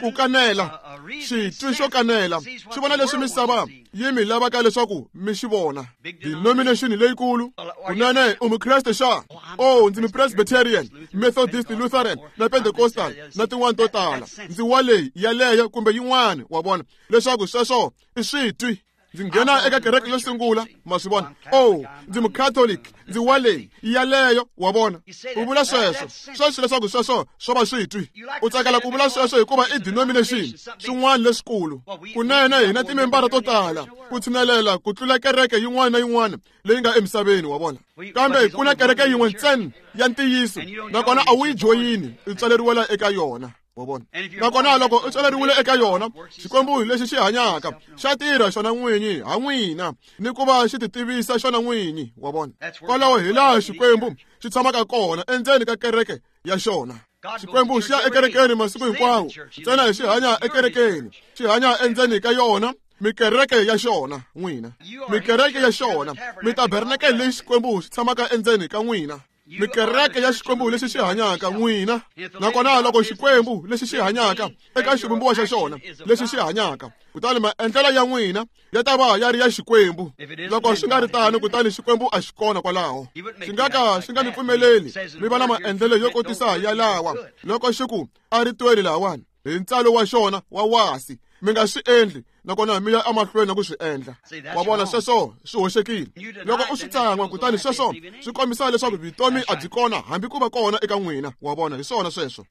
Ku kanela, xitwi xo kanela xi vona leswi misava yi mi lavaka leswaku mi xi vona. Denomination leyikulu, kunene u mukreste xa? Oh, ndzi mupresbyterian, Methodist, Lutheran na Pentecostal na tin'wana to tala. Ndzi wa leyi yaleyo kumbe yin'wana. Wa vona leswaku sweswo i switwi. Ndzi nghena eka kereke yo sungula, ma swi vona. Oh, ndzi mucatholic, ndzi wa leyi yaleyo. Wa vona, u vula sweswo sweswo leswaku sweswo swo va switwi. U tsakela ku vula sweswo hikuva i denomination swin'wana leswikulu. Kunene hina timembara to tala ku tshinelela ku tlula kereke yin'wana na yin'wana leyi nga emisaveni. Wa vona, kambe ku na kereke yin'we ntsena ya ntiyiso, nakona a wu yi joyini, u tswaleriwela eka yona. Wa vona, nakona loko u tswaleriwile eka yona, Xikwembu lexi xi hanyaka xa tirha xona n'winyi ha n'wina ni ku va xi ti tivisa xona n'winyi. Wa vona, kwalaho hi laha Xikwembu xi tshamaka kona, endzeni ka kereke ya xona. Xikwembu xi ya ekerekeni masiku hinkwawo, ntsena hi xi hanya ekerekeni, xi hanya endzeni ka yona. Mikereke ya xona n'wina, mikereke ya xona, mitabernakele leyi Xikwembu xi tshamaka endzeni ka n'wina. Mikereke ya Xikwembu lexi xi hanyaka n'wina. Nakona loko Xikwembu lexi xi hanyaka eka xivumbiwa xa xona lexi xi hanyaka, kutani maendlelo ya n'wina ya ta va ya ri ya Xikwembu. Loko swi nga ri tano, kutani Xikwembu a xi kona kwalaho. Xi nga ka xi nga mi pfumeleli mi va na maendlelo yo kotisa yalawa loko xi ku a ri tweli lahawani hi ntsalo wa xona wa wasi. Mi nga swi endli nakona mi ya emahlweni na ku swi endla. Wa vona, sweswo swi hoxekile. Loko u swi tsan'wa, kutani sweswo swi kombisa leswaku vutomi a byi kona hambi ku va kona eka n'wina. Wa vona, hi swona sweswo.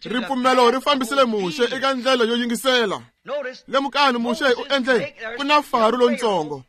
Ripfumelo ri fambisile Muxe eka ndlela yo yingisela. Lemukani, Muxe u endle ku na Faro lontsongo,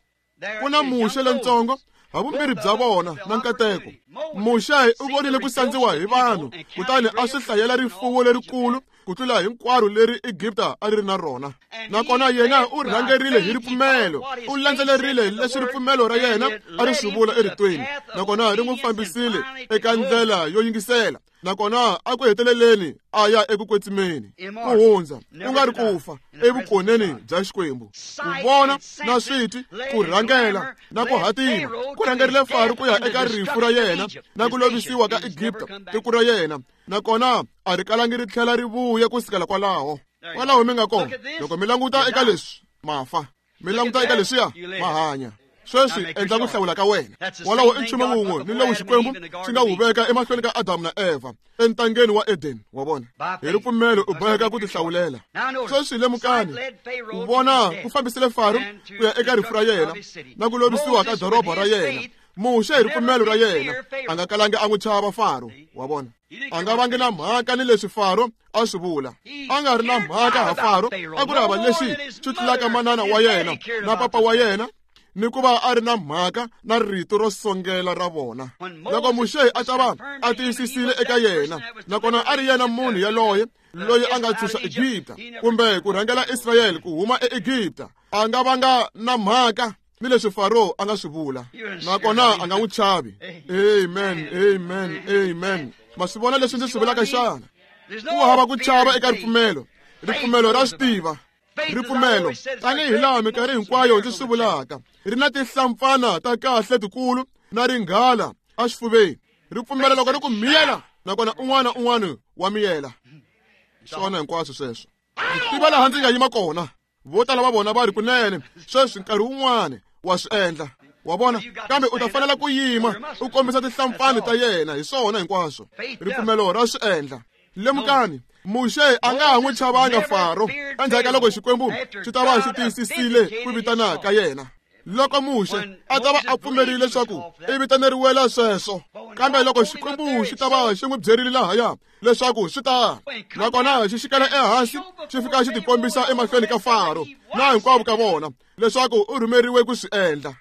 ku na Muxe lontsongo, havumbirhi bya vona na nkateko. Muxe u vonile ku sandziwa hi vanhu, kutani a swi hlayela rifuwo lerikulu ku tlula hinkwaro leri Egipta a ri ri na rona. Nakona yena u rhangerile hi ripfumelo, u landzelerile leswi ripfumelo ra yena a ri swi vula eritweni, nakona ri n'wi fambisile eka ndlela yo yingisela. Nakona a ku heteleleni a ya eku kwetsimeni, ku hundza ku nga ri ku fa evukoneni bya Xikwembu. Ku vona na switi, ku rhangela na ku hatima, ku rhangerile Faro ku ya eka rifu ra yena na ku lovisiwa ka Egipta, tiko ra yena. Nakona a ri kalangi ri tlhela ri vuya ku sukela kwalaho. Kwalaho mi nga kona, loko mi languta eka leswi, ma fa. Mi languta eka leswiya, ma hanya. Sweswi endla ku hlawula ka wena. Walawo i nchumu wun'we ni lowu Xikwembu xi nga wu veka emahlweni ka Adamu na Eva entangeni wa Eden. Wa vona, hi ripfumelo u boheka ku tihlawulela. Sweswi lemukani, ku vona ku fambisile Faro ku ya eka rifu ra yena na ku lovisiwa ka doroba ra yena. Muxe hi ripfumelo ra yena a nga kalangi a n'wi chava Faro. Wa vona, a nga vangi na mhaka ni leswi Faro a swi vula. A nga ri na mhaka ha Faro, a ku ri hava lexi xi tlulaka manana wa yena na papa wa yena, ni ku va a ri na mhaka na rito ro songela ra vona. Loko Muxe a ta va a tiyisisile eka yena, nakona a ri yena munhu yaloye loyi a nga tshunxa Egipta kumbe ku rhangela Israyele ku huma eEgipta, a nga vanga na mhaka ni leswi Faro a nga swi vula, nakona a nga n'wi chavi. Amen, amen, amen. Ma swi vona leswi ndzi swi vulaka xana? Ku hava ku chava eka ripfumelo. Ripfumelo ra swi tiva. Ripfumelo, tanihi laha minkarhi hinkwayo ndzi swi vulaka, ri na tihlampfana ta kahle tikulu na ringhala exifuveni. Ripfumelo loko ri ku miyela, nakona un'wana un'wana wa miyela. Swona hinkwaswo sweswo. Ndzi tiva laha ndzi nga yima kona. Vo tala va vona va ri kunene sweswi nkarhi wun'wana wa swi endla. Wa vona, kambe u ta fanela ku yima u kombisa tihlampfana ta yena. Hi swona hinkwaswo. Ripfumelo ra swi endla. Lemukani, Muxe a nga ha n'wi chavanga Faro endzhaku ka loko Xikwembu xi ta va xi tiyisisile ku vitana ka yena. Loko Muxe a ta va a pfumerile leswaku i vitaneriwela sweswo, kambe loko Xikwembu xi ta va xi n'wi byerile lahaya leswaku swi ta, nakona xi xikela ehansi xi fika xi tikombisa emahlweni ka Faro na hinkwavo ka vona leswaku u rhumeriwe ku swi endla.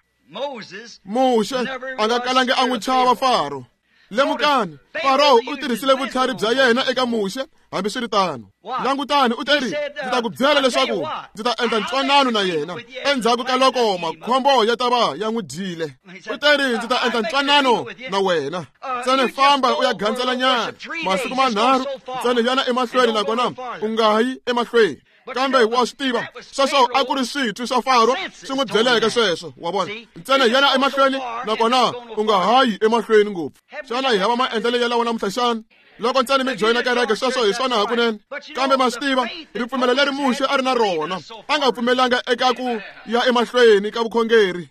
Muxe a nga kalangi a n'wi chava Faro. Lemukani, Faro u tirhisile vutlhari bya yena eka Muxe hambiswiritano. Langutani, u teri, ndzi ta ku byela leswaku ndzi ta endla ntwanano na yena endzhaku ka loko makhombo ya ta va ya n'wi dyile. U teri, ndzi ta endla ntwanano na wena. Ntsena famba u ya gandzela nyana masiku manharhu, ntsena yana emahlweni, nakona u nga yi emahlweni. Kambe wa swi tiva, sweswo a ku ri switwi swa Faro swi n'wi byeleke sweswo. Wa vona, ntsena yana emahlweni, nakona u nga hayi emahlweni ngopfu. Xana hi hava maendlelo ya lawa namuntlha xana? Loko ntsena mi joyina kereke, sweswo hi swona hakunene. Kambe ma swi tiva, ripfumelo leri Muxe a ri na rona, a nga pfumelanga eka ku ya emahlweni ka vukhongeri.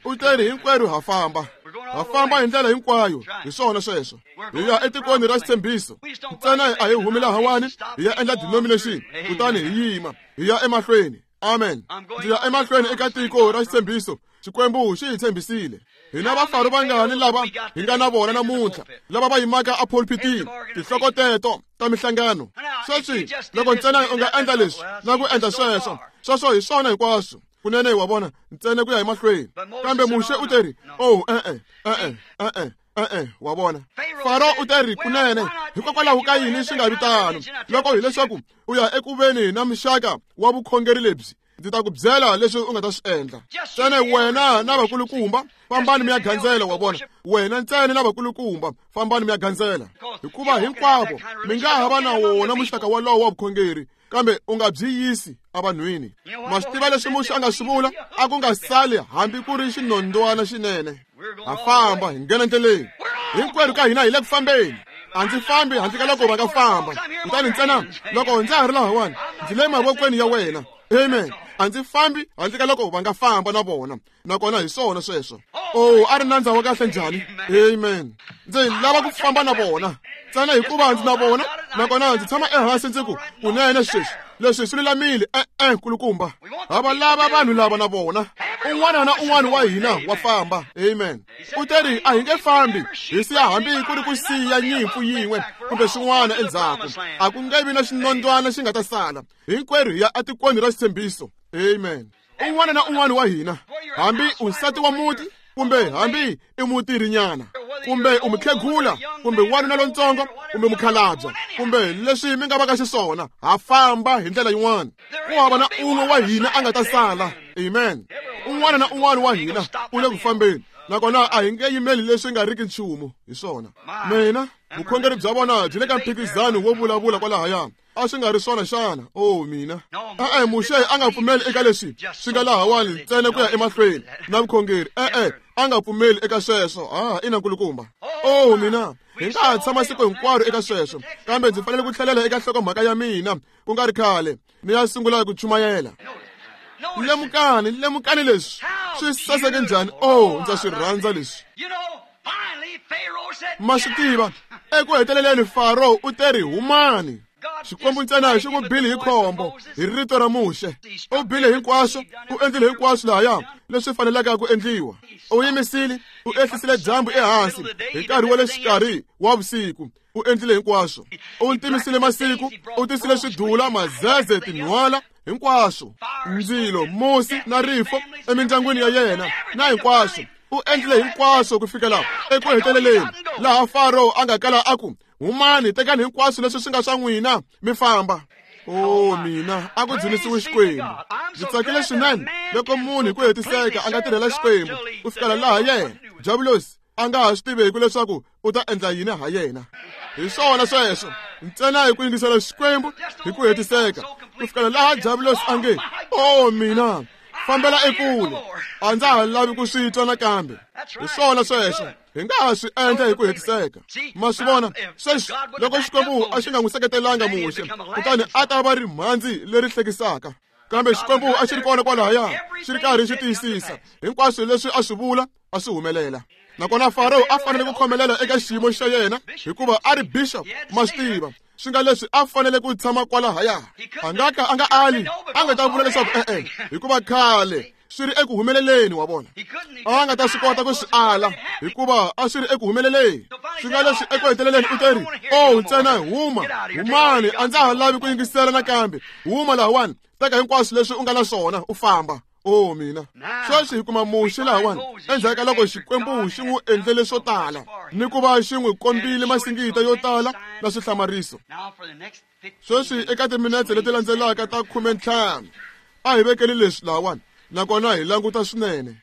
U teri, hinkwerhu ha famba, ha famba hi ndlela hinkwayo. Hi swona sweswo. Hi ya etikweni ra xitshembiso. Ntsena a hi humi lahawani hi ya endla denomination, kutani hi yima hi ya emahlweni. Amen. Ndzi ya emahlweni eka tiko ra xitshembiso. Xikwembu xi hi tshembisile. Hina vafaro vangani lava hi nga na vona namuntlha, lava va yimaka epulpitini, tinhloko teto ta mihlangano. Sweswi loko ntsena u nga endla leswi na ku endla sweswo, sweswo hi swona hinkwaswo. Kunene wa vona, ntsena ku ya emahlweni. Kambe Muxe u teri, oh, e-e, e-e, e-e, e-e, wa vona. Faro u teri, kunene, hikokwalaho ka yini swi nga vi tano? Loko hileswaku u ya ekuveni na muxaka wa vukhongeri lebyi, ndzi ta ku byela leswi u nga ta swi endla. Ntsena wena na vakulukumba fambani mi ya gandzela. Wa vona, wena ntsena na vakulukumba fambani mi ya gandzela, hikuva hinkwavo mi nga ha va na wona muxaka walowo wa vukhongeri, kambe u nga byi yisi evanhwini. Ma swi tiva leswi Muxe a nga swi vula? A ku nga sali hambi ku ri xinondwana xinene. Ha famba hi nghena ndleleni. Hinkwerhu ka hina hi le ku fambeni. A ndzi fambi handle ka loko va nga famba. Kutani ntsena loko ndza ha ri lahawani, ndzi le mavokweni ya wena. Amen. A ndzi fambi handle ka loko va nga famba na vona. Nakona hi swona sweswo. Oh, a ri nandza wa kahle njhani? Amen. Ndzi lava ku famba na vona. Ntsena hikuva ndzi na vona, nakona ndzi tshama ehansi ndzi ku, kunene sweswi Leswi swi lulamile e-e nkulukumba. Ha va lava vanhu lava na vona. Un'wana na un'wana wa hina wa famba. Amen. U teri a hi nge fambi hi siya hambi ku ri ku siya nyimpfu yin'we kumbe swin'wana endzhaku. A ku nge vi na xinondwana xi nga ta sala. Hinkwerhu hi ya etikweni ra xitshembiso. Amen. Un'wana na un'wana wa hina, hambi u nsati wa muti kumbe hambi i mutirhinyana kumbe u mukhegula kumbe wanuna lontsongo kumbe mukhalabya kumbe leswi mi nga va ka xiswona, ha famba hi ndlela yin'wana. Ku hava na un'we wa hina a nga ta sala. Amen. Un'wana na un'wana wa hina u le ku fambeni, nakona a hi nge yimeli leswi nga riki nchumu hi swona. Mina vukhongeri bya vona byi le ka mphikizano wo vulavula kwalahaya. A swi nga ri swona xana? Oh mina. E-e, Muxe a nga pfumeli eka leswi swi nga lahawani ntsena ku ya emahlweni na vukhongeri. E-e, a nga pfumeli eka sweswo. Ah, ina nkulukumba. Oh mina, hi nga ha tshama siku hinkwaro eka sweswo, kambe ndzi fanele ku tlhelela eka nhlokomhaka ya mina ku nga ri khale ni ya sungula ku chumayela. Lemukani, lemukani leswi swi saseke njhani. Oh, ndza swi rhandza leswi. Ma swi tiva, eku heteleleni Faro u teri humani. Xikwembu ntsena xi n'wi bile hi khombo hi rito ra Muxe. U bile hinkwaswo, u endlile hinkwaswo lahaya leswi faneleke ku endliwa. U yimisile, u ehlisile dyambu ehansi hi nkarhi wa le xikarhi wa vusiku. U endlile hinkwaswo. U ntimisile masiku, u tisile swidula, mazeze, tinhwala, hinkwaswo. Ndzilo, musi na rifo emindyangwini ya yena na hinkwaswo. U endlile hinkwaswo ku fikela eku heteleleni laha Faro a nga kala a ku, humani, tekani hinkwaswo leswi swi nga swa n'wina mi famba. Oh mina, a ku dzunisiwe Xikwembu. Ndzi tsakile swinene loko munhu hi ku hetiseka a nga tirhela Xikwembu ku fikela laha yena Diabulosi a nga ha swi tiveki leswaku u ta endla yini ha yena. Hi swona sweswo, ntsena hi ku yingisela Xikwembu hi ku hetiseka ku fikela laha Diabulosi a nge, oh mina, fambela ekule, a ndza ha lavi ku swi twa nakambe. Hi swona sweswo, hi nga ha swi endla hi ku hetiseka. Ma swi vona sweswi, loko Xikwembu a xi nga n'wi seketelanga Muxe, kutani a ta va rimhandzi leri hlekisaka. Kambe Xikwembu a xi ri kona kwalahaya, xi ri karhi xi tiyisisa hinkwaswo leswi a swi vula a swi humelela. Nakona Faro a fanele ku khomelela eka xiyimo xa yena hikuva a ri bishop, ma swi tiva, swi nga leswi a fanele ku tshama kwalahaya. A nga ka a nga ali, a nga ta vula leswaku e-e, hikuva khale swi ri eku humeleleni wa vona. A nga ta swi kota ku swi ala hikuva a swi ri eku humeleleni. Swi nga leswi eku heteleleni u teri, oh ntsena huma, humani, a ndza ha lavi ku yingisela nakambe. Huma lahawani, teka hinkwaswo leswi u nga na swona u famba. Oh mina, sweswi hi kuma Muxe lahawani endzhaku ka loko Xikwembu xi n'wi endlele swo tala ni ku va xi n'wi kombile masingita yo tala na swihlamariso. Sweswi eka timinetse leti landzelaka ta khumentlhanu a hi vekeli leswi lahawani, nakona hi languta swinene.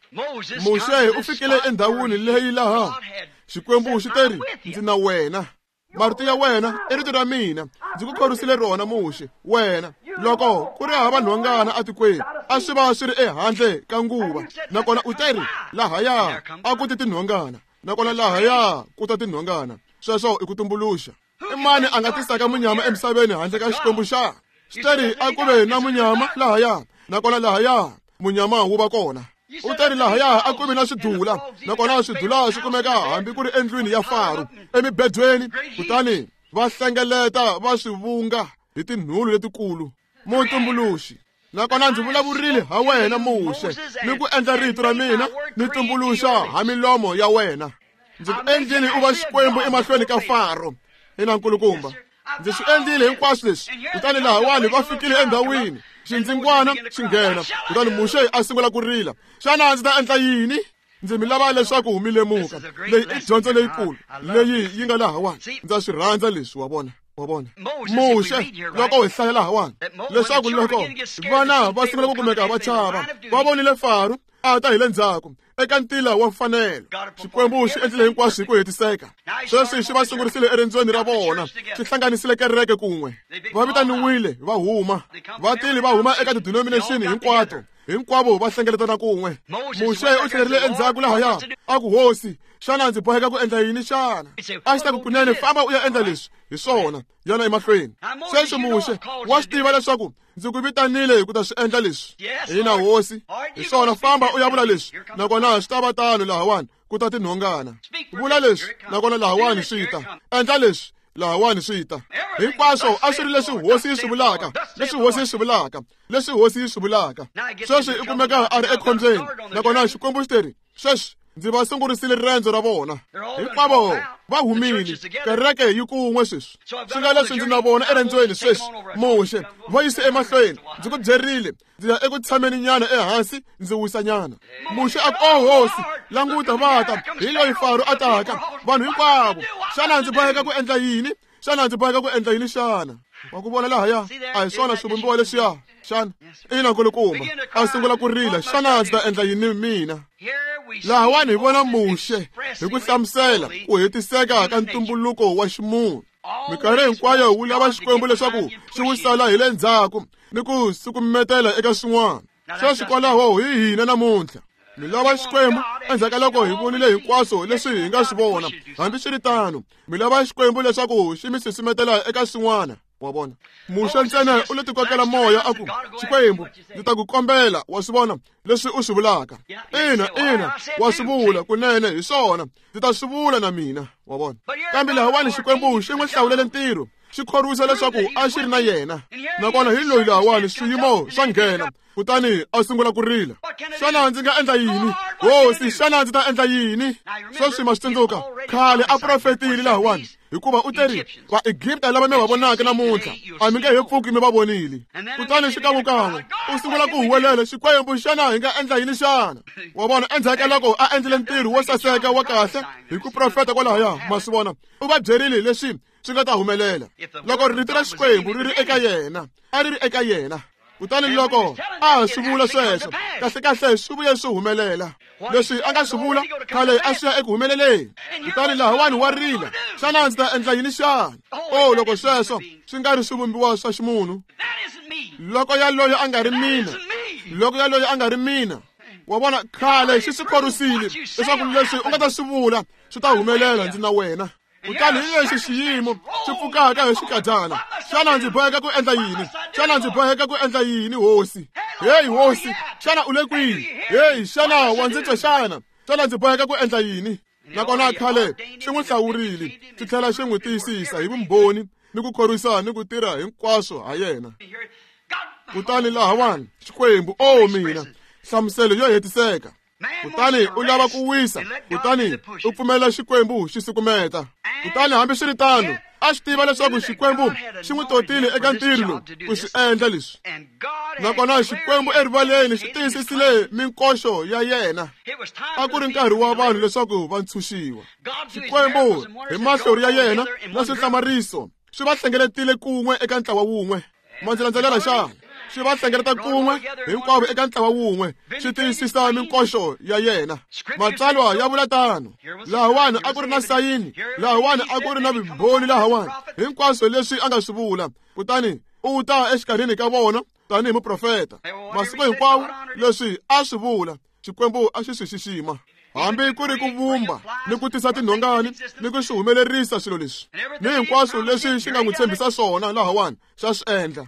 Muxe u fikile endhawini leyi laha Xikwembu xi teri, ndzi na wena. Marito ya wena i rito ra mina, ndzi ku khorwisile rona Muxe. Wena loko ku ri hava nhongana etikweni, a swi va swi ri ehandle ka nguva, nakona u teri lahaya a ku ti tinhongana, nakona lahaya ku ta tinhongana. Sweswo i ku tumbuluxa. I mani a nga tisaka munyama emisaveni handle ka Xikwembu xa? Xi teri a ku ve na munyama lahaya, nakona lahaya munyama wu va kona. U teri lahaya a ku vi na swidula, nakona swidula swi kumeka hambi ku ri endlwini ya Faro, emibedweni, kutani va hlengeleta va swi vunga hi tinhulu letikulu. Mutumbuluxi. Nakona ndzi vulavurile ha wena Muxe, ni ku endla rito ra mina ni tumbuluxa ha milomo ya wena. Ndzi ku endlile u va Xikwembu emahlweni ka Faro. Ina nkulukumba, ndzi swi endlile hinkwaswo leswi. Kutani lahawani va fikile endhawini, xindzingwana xi nghena, kutani Muxe a sungula ku rila. Xana ndzi ta endla yini? Ndzi mi lava leswaku mi lemuka leyi i dyondzo leyikulu leyi yi nga lahawani. Ndza swi rhandza leswi, wa vona, wa vona. Muxe, loko hi hlaya lahawani leswaku loko vana va sungula ku kumeka va chava, va vonile Faro a ta hi le ndzhaku eka ntila wa mfanelo. Xikwembu xi endlile hinkwaswo hi ku hetiseka. Sweswi xi va sungurisile eriendzweni ra vona, xi hlanganisile kereke kun'we. Va vitaniwile va huma, va tile va huma eka tidenomination hinkwato, hinkwavo va hlengeletana kun'we. Muxe u tlhelerile endzhaku lahaya a ku, Hosi, xana ndzi boheka ku endla yini xana? A xi ta ku, kunene famba u ya endla leswi. Hi swona, yana emahlweni. Sweswi Muxe wa swi tiva leswaku ndzi ku vitanile hi ku ta swi endla leswi. Ina Hosi, hi swona, famba u ya vula leswi, nakona swi ta va tano lahawani ku ta tinhongana. Vula leswi, nakona lahawani swi ta. Endla leswi, Lahawani swi ta. Hinkwaswo a swi ri leswi hosi yi swi vulaka, leswi hosi yi swi vulaka, leswi hosi yi swi vulaka. Sweswi i kumeka a ri ekhombyeni, nakona Xikwembu xi teri, sweswi ndzi va sungurisile riendzo ra vona. Hinkwavo va humile, kereke yi kun'we sweswi. Swi nga leswi ndzi na vona eriendzweni sweswi. Muxe, va yise emahlweni, ndzi ku byerile, ndzi ya eku tshameni nyana ehansi, ndzi wisa nyana. Muxe a ku, "O hosi, languta va ta, hi loyi Faro a taka, vanhu hinkwavo. Xana ndzi boheka ku endla yini? Xana ndzi boheka ku endla yini xana?" Wa ku vona lahaya, a hi swona swivumbiwa leswiya xana? Ina nkulukumba, a sungula ku rila, xana ndzi ta endla yini mina? Lahawani hi vona Muxe hi ku hlamusela ku hetiseka ka ntumbuluko wa ximunhu. Minkarhi hinkwayo wu lava Xikwembu leswaku xi wu sala hi le ndzhaku ni ku sukumetela eka swin'wana. Sweswi kwalaho hi hina namuntlha. Mi lava Xikwembu endzhaku ka loko hi vonile hinkwaswo leswi hi nga swi vona. Hambiswiritano, mi lava Xikwembu leswaku xi mi susumetela eka swin'wana. Wa vona, Muxe ntsena u le tikokela moya a ku, Xikwembu, ndzi ta ku kombela, wa swi vona leswi u swi vulaka. Ina, ina, wa swi vula kunene hi swona, ndzi ta swi vula na mina. Wa vona, kambe lahawani Xikwembu xi n'wi hlawulele ntirho, xi khorwisa leswaku a xi ri na yena. Nakona hi loyi lahawani swiyimo swa nghena, kutani a sungula ku rila. Xana ndzi nga endla yini? Hosi, xana ndzi ta endla yini? Sweswi ma swi tsundzuka, khale a profetile lahawani, hikuva u teri, Vaegipta lava mi va vonaka namuntlha, a mi nge he pfuki mi va vonile. Kutani xikan'wekan'we u sungula ku huwelela, Xikwembu, xana hi nga endla yini xana? Wa vona, endzhaku ka loko a endlile ntirho wo saseka wa kahle hi ku profeta kwalahaya, ma swi vona, u va byerile leswi swi nga ta humelela. Loko rito ra Xikwembu ri ri eka yena, a ri ri eka yena. Kutani loko a swi vula sweswo, kahlekahle swi vuye swi humelela. Leswi a nga swi vula khale a swi ya eku humeleleni. Kutani lahawani wa rila, xana ndzi ta endla yini xana? O, loko sweswo swi nga ri swivumbiwa swa ximunhu. Loko yaloyo a nga ri mina, loko yaloyo a nga ri mina. Wa vona, khale xi swi khorwisile leswaku leswi u nga ta swi vula swi ta humelela, ndzi na wena. Kutani hi lexi xiyimo xi pfukaka hi xikadyana. Xana ndzi boheka ku endla yini? Xana ndzi boheka ku endla yini, hosi? Hey hosi, xana u le kwihi? Hey, xana wa ndzi twa xana? Xana ndzi boheka ku endla yini? Nakona khale xi n'wi hlawurile, xi tlhela xi n'wi tiyisisa hi vumbhoni ni ku khorwisa ni ku tirha hinkwaswo ha yena. Kutani lahawani Xikwembu, o mina, nhlamuselo yo hetiseka. Kutani u lava ku wisa, kutani u pfumela Xikwembu xi sukumeta. Kutani hambiswiritano, a swi tiva leswaku Xikwembu xi n'wi totile eka ntirho lowu ku swi endla leswi. Nakona Xikwembu erivaleni xi tiyisisile minkoxo ya yena. A ku ri nkarhi wa vanhu leswaku va ntshunxiwa. Xikwembu hi mahlori ya yena na swihlamariso swi va hlengeletile kun'we eka ntlawa wun'we. Ma ndzi landzelela xana? Swi va hlengeleta kun'we hinkwavo eka ntlawa wun'we, swi tiyisisa minkoxo ya yena. Matsalwa ya vula tano. Lahawani a ku ri na sayini, lahawani a ku ri na vumbhoni, lahawani hinkwaswo leswi a nga swi vula. Kutani u ta exikarhini ka vona tanihi muprofeta. Masiku hinkwawo leswi a swi vula, Xikwembu a xi swi xixima. Hambi ku ri ku vumba ni ku tisa tinhongani ni ku swi humelerisa swilo leswi, ni hinkwaswo leswi xi nga n'wi tshembisa swona lahawani xa swi endla.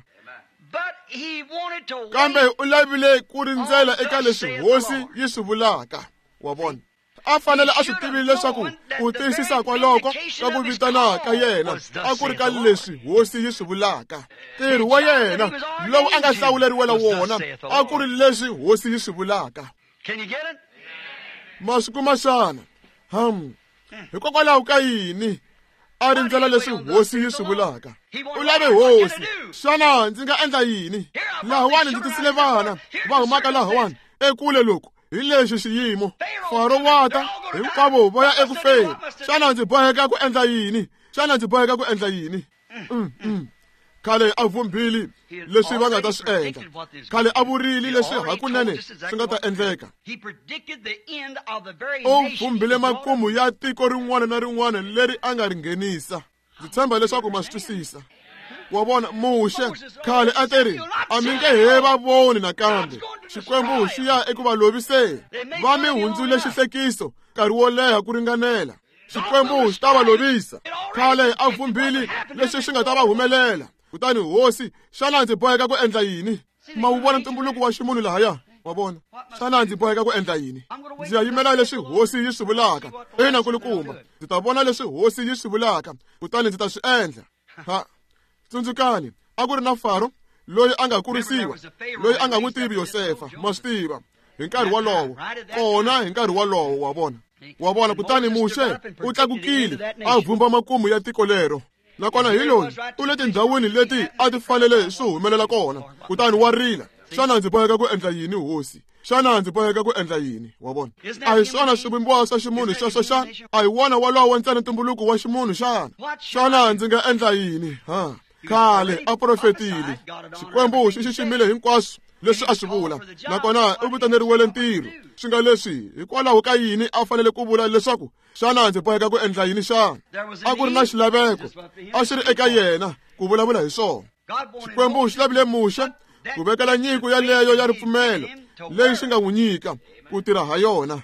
Kambe u lavile ku rindzela eka leswi hosi yi swi vulaka. Wa vona, a fanele a swi tivile leswaku ku tiyisisa kwaloko ka ku vitana ka yena a ku ri ka leswi hosi yi swi vulaka. Ntirho wa yena lowu a nga hlawuleriwela wona a ku ri leswi hosi yi swi vulaka. Ma swi kuma xana? Ham, hikokwalaho ka yini a rindzela leswi hosi yi swi vulaka? U lave hosi, xana ndzi nga endla yini? Lahawani ndzi tisile vana va humaka lahawani ekule loko hi lexi xiyimo. Faro wa ta, hinkwavo va ya eku feni. Xana ndzi boheka ku endla yini? Xana ndzi boheka ku endla yini? Mm, mm. Khale a vumbile leswi va nga ta swi endla. Khale a vurile leswi hakunene swi nga ta endleka. U vumbile makumu ya tiko rin'wana na rin'wana leri a nga ri nghenisa. Ndzi tshemba leswaku ma swi twisisa. Wa vona, Muxe khale a teri, a mi nge he va voni nakambe. Xikwembu xi ya eku va loviseni. Va mi hundzule xihlekiso nkarhi wo leha ku ringanela. Xikwembu xi ta va lovisa. Khale a vumbile leswi swi nga ta va humelela. Kutani hosi, xana ndzi boheka ku endla yini? Ma wu vona ntumbuluko wa ximunhu lahaya? Wa vona? Xana ndzi boheka ku endla yini? Ndzi ya yimela leswi hosi yi swi vulaka. Ina nkulukumba, ndzi ta vona leswi hosi yi swi vulaka, kutani ndzi ta swi endla. Ha, tsundzukani, a ku ri na Faro loyi a nga kurisiwa, loyi a nga n'wi tivi Yosefa, ma swi tiva, hi nkarhi wolowo, kona hi nkarhi wolowo, wa vona. Wa vona, kutani Muxe u tlakukile a vumba makumu ya tiko lero. Nakona hi loyi u le tindhawini leti a ti fanele swi humelela kona, kutani wa rila. Xana ndzi boheka ku endla yini, hosi? Xana ndzi boheka ku endla yini? Wa vona? A hi swona swivumbiwa swa ximunhu sweswo xana? A hi wona walowo ntsena ntumbuluko wa ximunhu xana? Xana ndzi nga endla yini? Ha, khale a profetile. Xikwembu xi xiximile hinkwaswo leswi a swi vula, nakona u vitaneriwele ntirho. Swi nga leswi, hikwalaho ka yini a fanele ku vula leswaku xana ndzi boheka ku endla yini xana? A ku ri na xilaveko, a xi ri eka yena ku vulavula hi swona. Xikwembu xi lavile Muxe ku vekela nyiko yaleyo ya ripfumelo leyi xi nga n'wi nyika ku tirha ha yona.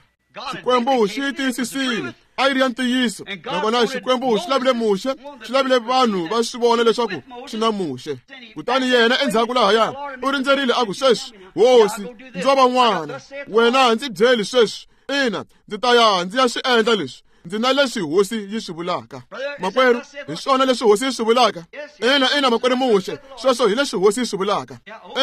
Xikwembu xi yi tiyisisile, a yi ri ya ntiyiso. Nakona Xikwembu xi lavile Muxe, xi lavile vanhu va swi vona leswaku xi na Muxe. Kutani yena endzhaku lahaya u rindzerile a ku, sweswi hosi, ndzo va n'wana, wena ndzi byeli sweswi. Ina, ndzi ta ya ndzi ya swi endla leswi. Ndzi na leswi hosi yi swi vulaka. Makwerhu, hi swona leswi hosi yi swi vulaka. Ina, ina, makwerhu Muxe, sweswo hi leswi hosi yi swi vulaka.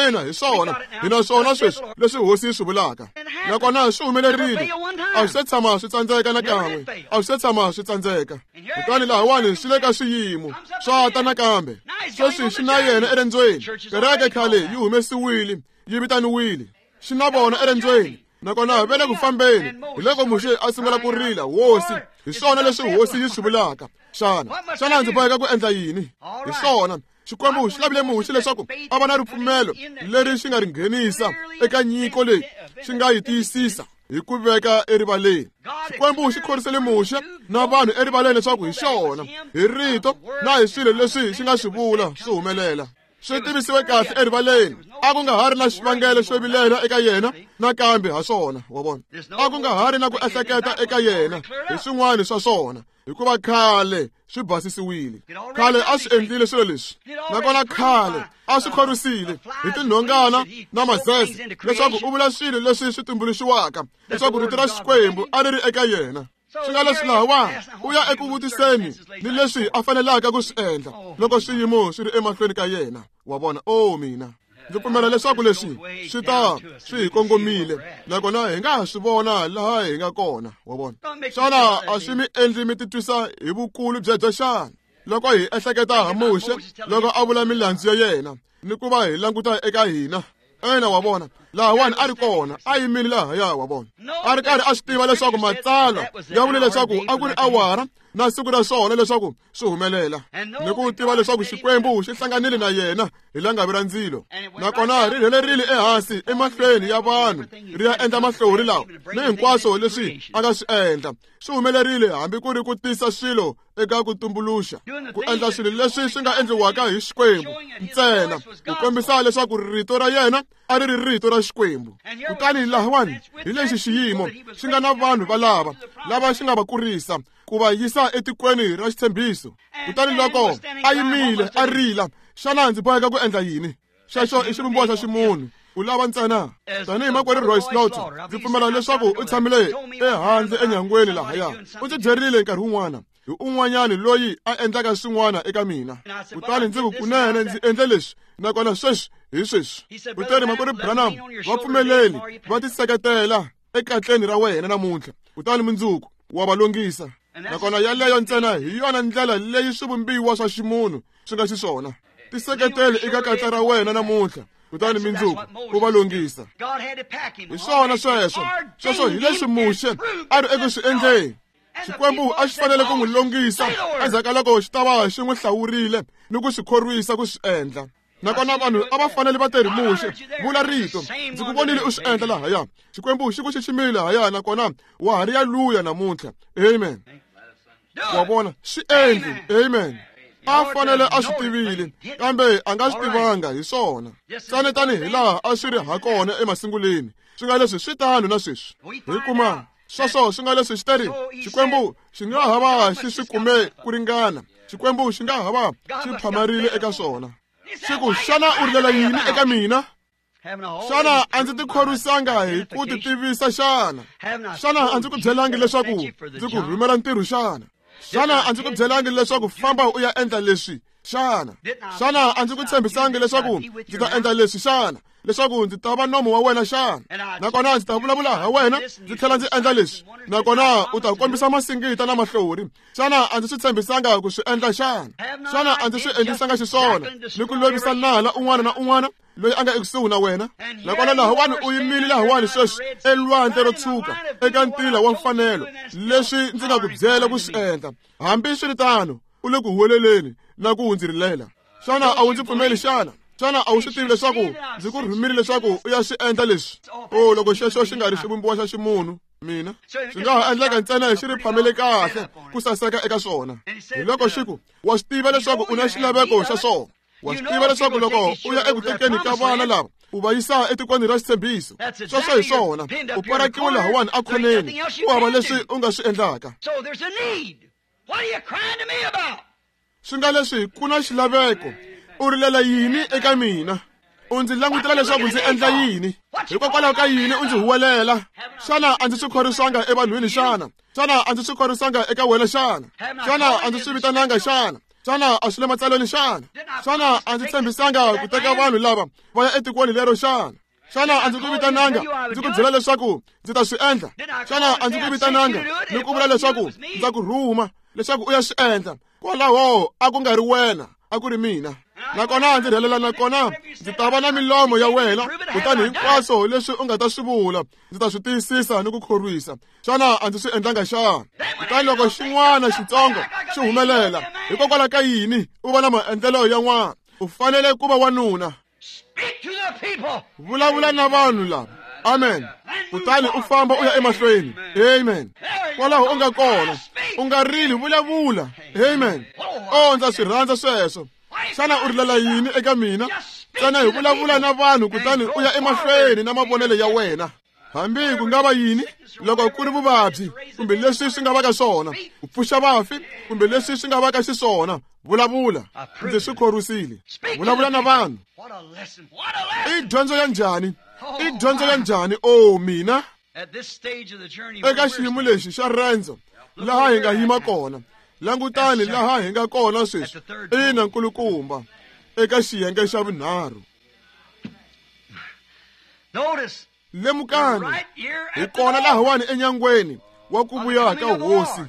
Ina, hi swona, hi na swona sweswi leswi hosi yi swi vulaka. Nakona swi humelerile, a swi se tshama swi tsandzeka nakan'we, a swi se tshama swi tsandzeka. Kutani lahawani swi le ka swiyimo swa ta nakambe. Sweswi xi na yena erendzweni. Kereke khale yi humesiwile, yi vitaniwile, xi na vona erendzweni. Nakona va le ku fambeni. Hi loko Muxe a sungula ku rila, hosi, hi swona leswi hosi yi swi vulaka. Xana xana ndzi boheka ku endla yini? Hi swona, Xikwembu xi lavile Muxe leswaku a va na ripfumelo leri xi nga ri nghenisa eka nyiko leyi xi nga yi tiyisisa hi ku veka erivaleni. Xikwembu xi khorisele Muxe na vanhu erivaleni leswaku hi xona, hi rito na hi swilo leswi xi nga swi vula swi humelela. Swi tivisiwe kahle erivaleni. A ku nga ha ri na xivangelo xo vilela eka yena nakambe ha swona, wa vona. A ku nga ha ri na ku ehleketa eka yena hi swin'wana swa swona, hikuva khale swi basisiwile. Khale a swi endlile swilo leswi, nakona khale a swi khorwisile hi tinhongana na mazeze leswaku u vula swilo leswi swi tumbuluxiwaka, leswaku rito ra Xikwembu a ri ri eka yena. Swi nga leswi lahawani u ya eku vutiseni ni leswi a fanelaka ku swi endla loko swiyimo swi ri emahlweni ka yena. Wa vona? O mina, ndzi pfumela leswaku leswi swi ta swi hi kongomile, nakona hi nga ha swi vona laha hi nga kona. Wa vona? Xana a swi mi endli mi titwisa hi vukulu byebyo xana? Loko hi ehleketa ha Muxe loko a vula milandzu ya yena ni ku va hi languta eka hina. Ina, wa vona, lahawani a ri kona, a yimile lahaya, wa vona. A ri karhi a swi tiva leswaku matsalwa ya vule leswaku a ku ri awara na siku ra swona leswaku swi humelela, ni ku tiva leswaku Xikwembu xi hlanganile na yena hi langavi ra ndzilo, nakona ri rhelerile ehansi emahlweni ya vanhu ri ya endla mahlori lawa ni hinkwaswo leswi a nga swi endla. Swi humelerile hambi ku ri ku tisa swilo eka ku tumbuluxa, ku endla swilo leswi swi nga endliwaka hi Xikwembu ntsena, ku kombisa leswaku rito ra yena a ri ri rito ra Xikwembu. Kutani lahawani hi lexi xiyimo xi nga na vanhu valava lava xi nga va kurisa ku va yisa etikweni ra xitshembiso. Kutani loko a yimile a rila, xana ndzi boheka ku endla yini? Xexo i xivumbiwa xa ximunhu. U lava ntsena tanihi makwerhu Roy Slaughter, ndzi pfumela leswaku u tshamile ehandle enyangweni lahaya. U ndzi byerile nkarhi wun'wana hi un'wanyani loyi a endlaka swin'wana eka mina. Kutani ndzi ku, kunene ndzi endle leswi, nakona sweswi hi sweswi. Kutani makwerhu Branham va pfumeleli va tiseketela ekatleni ra wena namuntlha, kutani mundzuku wa va longisa. Nakona yaleyo ntsena hi yona ndlela leyi swivumbiwa swa ximunhu swi nga xiswona. Tiseketele eka katla ra wena namuntlha, kutani mindzuku u va longisa. Hi swona sweswo. Sweswo hi leswi Muxe a ri eku swi endleni. Xikwembu a xi fanele ku n'wi longisa endzhaku ka loko xi ta va xi n'wi hlawurile ni ku swi khorwisa ku swi endla. Nakona vanhu a va fanele va terhi Muxe, vula rito, ndzi ku vonile u swi endla lahaya. Xikwembu xi ku xiximile lahaya, nakona wa ha ri ya luya namuntlha. Amen. Wa vona, swi endli. Amen. A fanele a swi tivile, kambe a nga swi tivanga hi swona. Tsane tanihi laha a swi ri ha kona emasunguleni, swi nga leswi swi tano na sweswi. Hi kuma sweswo swi nga leswi xi teri Xikwembu xi nga ha va xi swi kume ku ringana, Xikwembu xi nga ha va xi phamarile eka swona. Xi ku, xana u rilela yini eka mina? Xana a ndzi tikhorwisanga hi ku titivisa xana? Xana a ndzi ku byelangi leswaku ndzi ku rhumela ntirho xana? Xana a ndzi ku byelangi leswaku famba u ya endla leswi xana? Xana a ndzi ku tshembisangi leswaku ndzi ta endla leswi xana? Leswaku ndzi ta va nomo wa wena xana? Nakona ndzi ta vulavula ha wena ndzi tlhela ndzi endla leswi, nakona u ta kombisa masingita na mahlori. Xana a ndzi swi tshembisanga ku swi endla xana? Xana a ndzi swi endlisanga xiswona ni ku lovisa nala un'wana na un'wana loyi a nga ekusuhi na wena? Nakona lahawani u yimile lahawani sweswi elwandle ro tshuka eka ntila wa mfanelo leswi ndzi nga ku byela ku swi endla. Hambiswiritano u le ku huweleleni na ku ndzi rilela. Xana a wu ndzi pfumeli xana? Xana a wu swi tivi leswaku ndzi ku rhumile leswaku u ya swi endla leswi? O loko xexo xi nga ri xivumbiwa xa ximunhu mina swi nga ha endleka ntsena xi ri phamele kahle ku saseka eka swona. Hi loko xi ku wa swi tiva leswaku u na xilaveko xa swona. Wa swi tiva leswaku loko u ya eku tekeni ka vana lava u va yisa etikweni ra xitshembiso, sweswo hi swona u parakiwe lahawani ekhoneni, ku hava leswi u nga swi endlaka. Swi nga leswi ku na xilaveko. U rilela yini eka mina? U ndzi langutela leswaku ndzi endla yini? Hikokwalaho ka yini u ndzi huwelela? Xana a ndzi swi khorwisanga evanhwini xana? Xana a ndzi swi khorwisanga eka wena xana? Xana a ndzi swi vitananga xana? Xana a swi le matsalweni xana? Xana a ndzi tshembisanga ku teka vanhu lava va ya etikweni lero xana? Xana a ndzi ku vitananga ndzi ku byela leswaku ndzi ta swi endla? Xana a ndzi ku vitananga ni ku vula leswaku ndza ku rhuma leswaku u ya swi endla? Kwalaho a ku nga ri wena, a ku ri mina. Nakona ndzi rhelela, nakona ndzi ta va na milomo ya wena, kutani hinkwaswo leswi u nga ta swi vula ndzi ta swi tiyisisa ni ku khorwisa. Xana a ndzi swi endlanga xana? Kutani loko xin'wana xitsongo xi humelela, hikokwalaho ka yini u va na maendlelo ya n'wana? U fanele ku va wanuna. Vulavula na vanhu lava. Amen. Kutani u famba u ya emahlweni. Amen. Kwalaho u nga kona, u nga rili, vulavula. Amen. O ndza swi rhandza sweswo. Xana u rilela yini eka mina? Ntsena hi vulavula na vanhu kutani u ya emahlweni na mavonelo ya wena. Hambi ku nga va yini, loko ku ri vuvabyi kumbe leswi swi nga va ka swona, ku pfuxa vafi kumbe leswi swi nga va ka xiswona, vulavula. Ndzi swi khorwisile. Vulavula na vanhu. I dyondzo ya njhani? I dyondzo ya njhani? O mina eka xiyimo lexi xa rendzo laha hi nga yima kona, langutani laha hi nga kona sweswi. Ina nkulukumba, eka xiyenge xa vunharhu. Lemukani, hi kona lahawani enyangweni wa ku vuya ka hosi.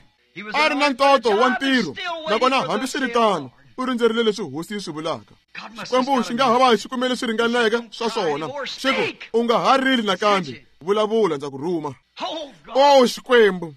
A ri na ntoto wa ntirho, nakona hambiswiritano u rindzerile leswi hosi yi swi vulaka. Xikwembu xi nga ha va xi kumele swi ringaneke swa swona, xi ku u nga ha rili nakambe, vulavula, ndza ku rhuma. O Xikwembu,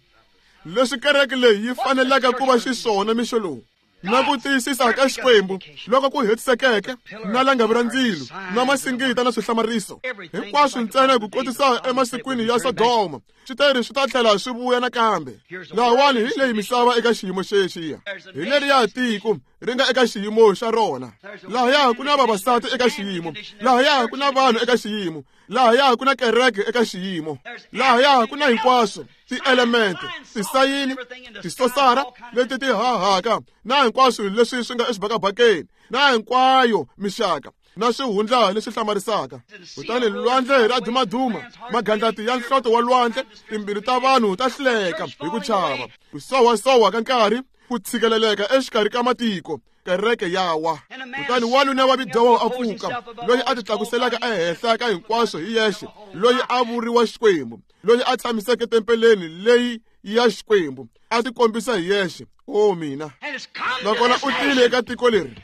leswi kereke leyi yi faneleke ku va xiswona mixo lowu, na ku tiyisisa ka Xikwembu loko ku hetisekeke, na langavi ra ndzilo, na masingita na swihlamariso hinkwaswo ntsena ku kotisa emasikwini ya Sodoma, swi swi ta tlhela swi vuya nakambe. Lahawani hi leyi misava eka xiyimo xexiya, hi leriya tiko ri nga eka xiyimo xa rona. Lahaya ku na vavasati eka xiyimo, lahaya ku na vanhu eka xiyimo, lahaya ku na kereke eka xiyimo, lahaya ku na hinkwaswo tielemente, tisayini, tisosara leti ti hahaka, na hinkwaswo leswi swi nga exibakabakeni, na hinkwayo mixaka na swihundla leswi hlamarisaka. Kutani lwandle ra dumaduma, magandlati ya nhloto wa lwandle, timbilu ta vanhu ta hluleka hi ku chava, ku sowasowa ka nkarhi, ku tshikeleleka exikarhi ka matiko, kereke ya wa. Kutani wanuna wa bidyoho a pfuka, loyi a titlakuselaka ehenhla ka hinkwaswo hi yexe, loyi a vuriwa Xikwembu, loyi a tshamiseke tempeleni leyi ya Xikwembu, a tikombisa hi yexe. O mina, nakona u tile eka tiko leri,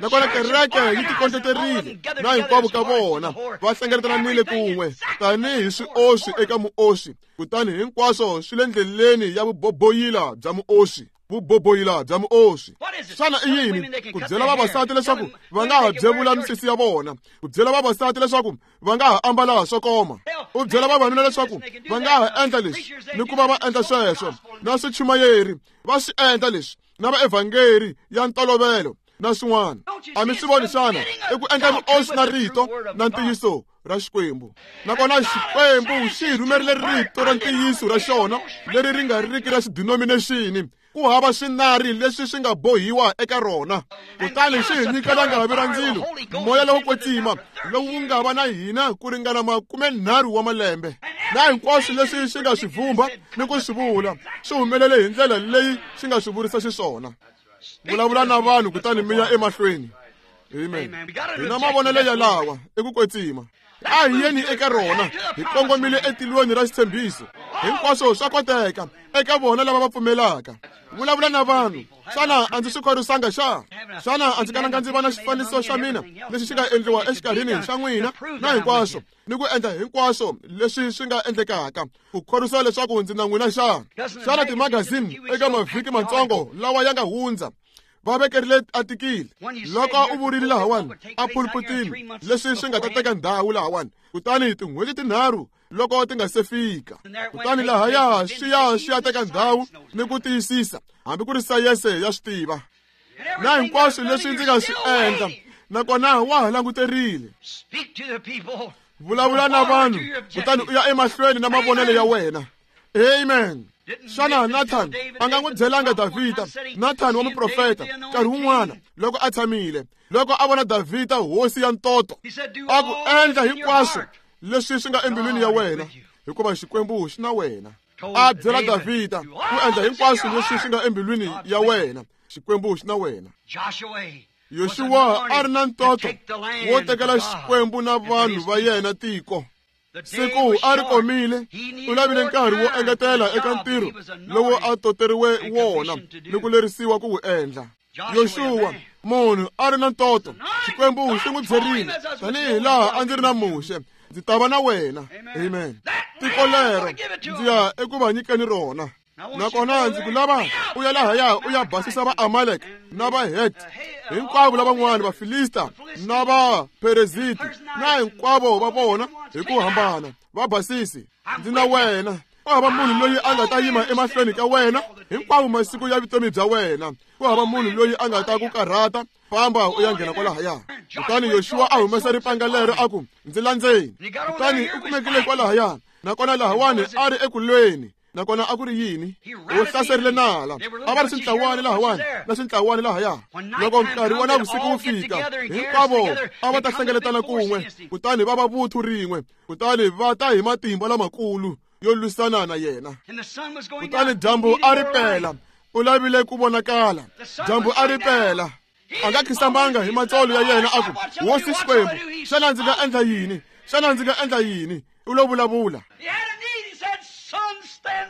nakona kereke yi tikondleterile na hinkwavo ka vona va hlengeletanile kun'we tanihi swioswi eka muoswi, kutani hinkwaswo swi le ndleleni ya vuboboyila bya muoswi. Vuboboyila bya muoswi. Xana i yini? Ku byela vavasati leswaku va nga ha byevula misisi ya vona, ku byela vavasati leswaku va nga ha ambala swo koma, u byela vavanuna leswaku va nga ha endla leswi ni ku va va endla sweswo, na swichumayeri va swi endla leswi, na vaevhangeri ya ntolovelo na swin'wana. A mi swi voni xana? I ku endla vuoswi na rito na ntiyiso ra Xikwembu. Nakona Xikwembu xi hi rhumerile rito ra ntiyiso ra xona leri ri nga riki ra xidenomination, Ku hava swinari leswi swi nga bohiwa eka rona. Kutani xi hi nyika langavi ra ndzilo, moya lowo kwetsima lowu wu nga va na hina ku ringana makumenharhu wa malembe. Na hinkwaswo leswi xi nga swi vumba ni ku swi vula swi humelele hi ndlela leyi xi nga swi vurisa xiswona. Vulavula na vanhu kutani mi ya emahlweni. Amen. Hi na mavonelo yalawa eku kwetsima. A hi yeni eka rona, hi kongomile etilweni ra xitshembiso. Hinkwaswo swa koteka eka vona lava va pfumelaka. Vulavula na vanhu. Xana a ndzi swi khorwisanga xa? Xana a ndzi kalanga ndzi va na xifaniso xa mina lexi xi nga endliwa exikarhini xa n'wina na hinkwaswo, ni ku endla hinkwaswo leswi swi nga endlekaka ku khorwisa leswaku ndzi na n'wina xa? Xana timagazini eka mavhiki matsongo lawa ya nga hundza va vekerile atikile loko u vurile lahawani a pulputini leswi swi nga ta teka ndhawu lahawani, kutani tin'hweti tinharhu loko ti nga se fika, kutani lahaya swi ya swi ya teka ndhawu ni ku tiyisisa hambi ku ri sayense ya swi tiva na hinkwaswo leswi ndzi nga swi endla, nakona wa ha languterile. Vulavula na vanhu kutani u ya emahlweni na mavonelo ya wena. Amen. Xana Nathan a nga n'wi byelanga Davhida, Nathan wa muprofeta, nkarhi wun'wana loko a tshamile, loko a vona Davhida hosi ya ntoto, a ku endla hinkwaswo leswi swi nga embilwini ya wena, hikuva Xikwembu xi na wena. A byela Davhida ku endla hinkwaswo leswi swi nga embilwini ya wena, Xikwembu xi na wena. Yoxuwa a ri na ntoto wo tekela Xikwembu na vanhu va yena tiko. Siku a ri komile, u lavile nkarhi wo engetela eka ntirho lowu a toteriwe wona ni ku lerisiwa ku wu endla. Yoxuwa munhu a ri na ntoto, Xikwembu xi n'wi byerile, tanihi laha a ndzi ri na Muxe, ndzi ta va na wena. Amen. Tiko lero ndzi ya eku va nyikeni rona. Nakona ndzi ku lava u ya lahaya u ya basisa va Amalek na va Het, hinkwavo lavan'wana va Filista na va Pereziti na hinkwavo va vona hi ku hambana, va basisi. Ndzi na wena. Ku hava munhu loyi a nga ta yima emahlweni ka wena hinkwavo masiku ya vutomi bya wena. Ku hava munhu loyi a nga ta ku karhata. Famba u ya nghena kwalahaya. Kutani Yoxuwa a humesa ripanga lero a ku, ndzi landzeni. Kutani u kumekile kwalahaya, nakona lahawani a ri ekulweni. Nakona a ku ri yini? U hlaserile nala. A va ri swintlawani lahawani na swintlawani lahaya. Loko nkarhi wa navusiku wu fika, hinkwavo a va ta hlengeletana kun'we, kutani va va vuthu rin'we, kutani va ta hi matimba lamakulu yo lwisana na yena. Kutani dyambu a ri pela, u lavile ku vonakala. Dyambu a ri pela. A nga khisamanga hi matsolo ya yena a ku, Hosi Xikwembu, xana ndzi nga endla yini? Xana ndzi nga endla yini? U lo vulavula.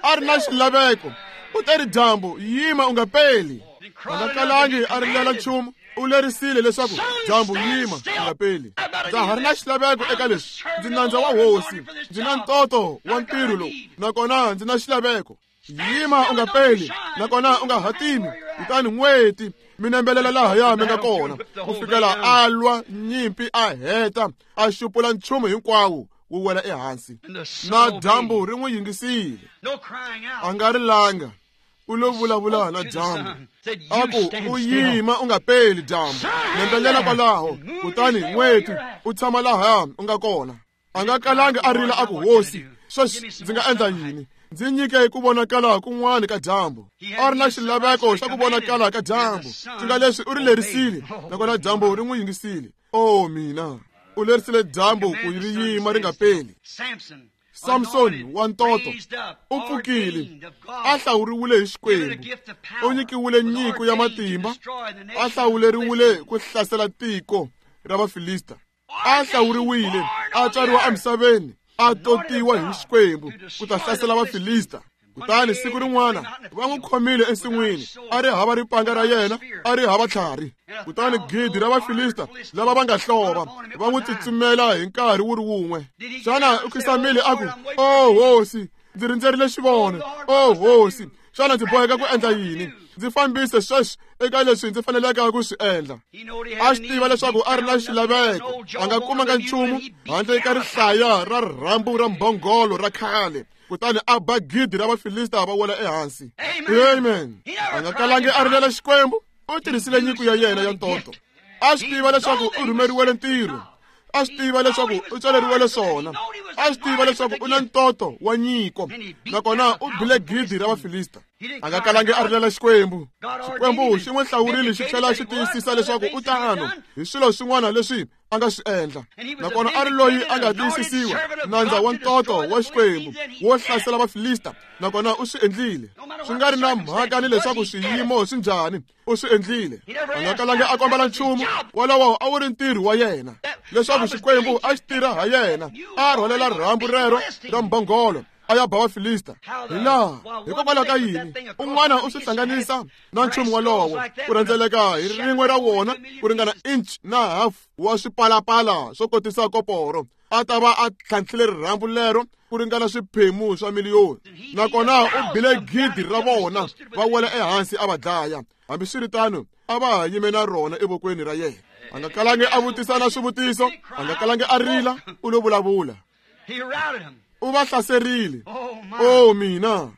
A ri na xilaveko. U te ri dyambu, yima u nga peli. A nga kalangi a rilela nchumu. U lerisile leswaku dyambu yima u nga peli. Ndza ha ri na xilaveko eka leswi. Ndzi nandza wa hosi. Ndzi na ntoto wa ntirho lowu, nakona ndzi na xilaveko. Yima u nga peli, nakona u nga hatimi. Kutani n'weti mi nembelela lahaya mi nga kona, ku fikela a lwa nyimpi a heta, a xupula nchumu hinkwawo wu wela ehansi. Na dyambu ri n'wi yingisile. A nga rilanga. U lo vulavula na dyambu a ku, u yima u nga peli dyambu, nembelela kwalaho, kutani n'weti u tshama lahaya u nga kona. A nga kalangi a rila a ku, Hosi, sweswi ndzi nga endla yini? Ndzi nyike ku vonakala kun'wana ka dyambu. A ri na xilaveko xa ku vonakala ka dyambu, swi nga leswi u ri lerisile, nakona dyambu ri n'wi yingisile. O mina, u lerisile dyambu ku ri yima ri nga peli. Samson wa ntoto u pfukile, a hlawuriwile hi Xikwembu, u nyikiwile nyiko ya matimba, a hlawuleriwile ku hlasela tiko ra Vafilista. A hlawuriwile, a tswariwa emisaveni, a totiwa hi Xikwembu ku ta hlasela Vafilista. Kutani siku rin'wana va n'wi khomile ensin'wini, a ri hava ripanga ra yena, a ri hava tlhari. Kutani gidi ra Vafilista lava va nga hlova va n'wi tsutsumela hi nkarhi wu ri wun'we. Xana u khisamile a ku, O hosi, ndzi rindzerile xivono. O hosi, xana ndzi boheka ku endla yini? Ndzi fambise sweswi eka leswi ndzi faneleke ku swi endla. A swi tiva leswaku a ri na xilaveko, a nga kumanga nchumu handle ka rihlaya ra rhambu ra mbhongolo ra khale. Kutani a ba gidi ra Vafilista va wela ehansi. Amen. A nga kalangi a rilela Xikwembu, u tirhisile nyiko ya yena ya ntoto. A swi tiva leswaku u rhumeriwele ntirho. A swi tiva leswaku u tswaleriwele swona. A swi tiva leswaku u na ntoto wa nyiko, nakona u bile gidi ra Vafilista. A nga kalangi a rilela Xikwembu. Xikwembu xi n'wi hlawurile xi tlhela xi tiyisisa leswaku u tano hi swilo swin'wana leswi a nga swi endla. Nakona a ri loyi a nga tiyisisiwa, nandza wa ntoto wa Xikwembu wo hlasela Vafilista, nakona u swi endlile. Swi nga ri na mhaka ni leswaku swiyimo swi njhani, u swi endlile. A nga kalangi a kombela nchumu, wolowo a wu ri ntirho wa yena, leswaku Xikwembu a xi tirha ha yena. A rhwalela rhambu rero ra mbhongolo a ya ba Vafilista. Hi laha hikokwalaho ka yini un'wana u swi hlanganisa na nchumu wolowo ku rhendzeleka hi rin'we ra wona ku ringana inch na half wa swipalapala swo kotisa koporo, a ta va a tlhantlhile rirhambu lero ku ringana swiphemu swa miliyoni. Nakona u bile gidi ra vona va wela ehansi a va dlaya. Hambiswiritano a va ha yime na rona evokweni ra yena. A nga kalangi a vutisa na swivutiso, a nga kalangi a rila, u lo vulavula. U va hlaserile. O mina,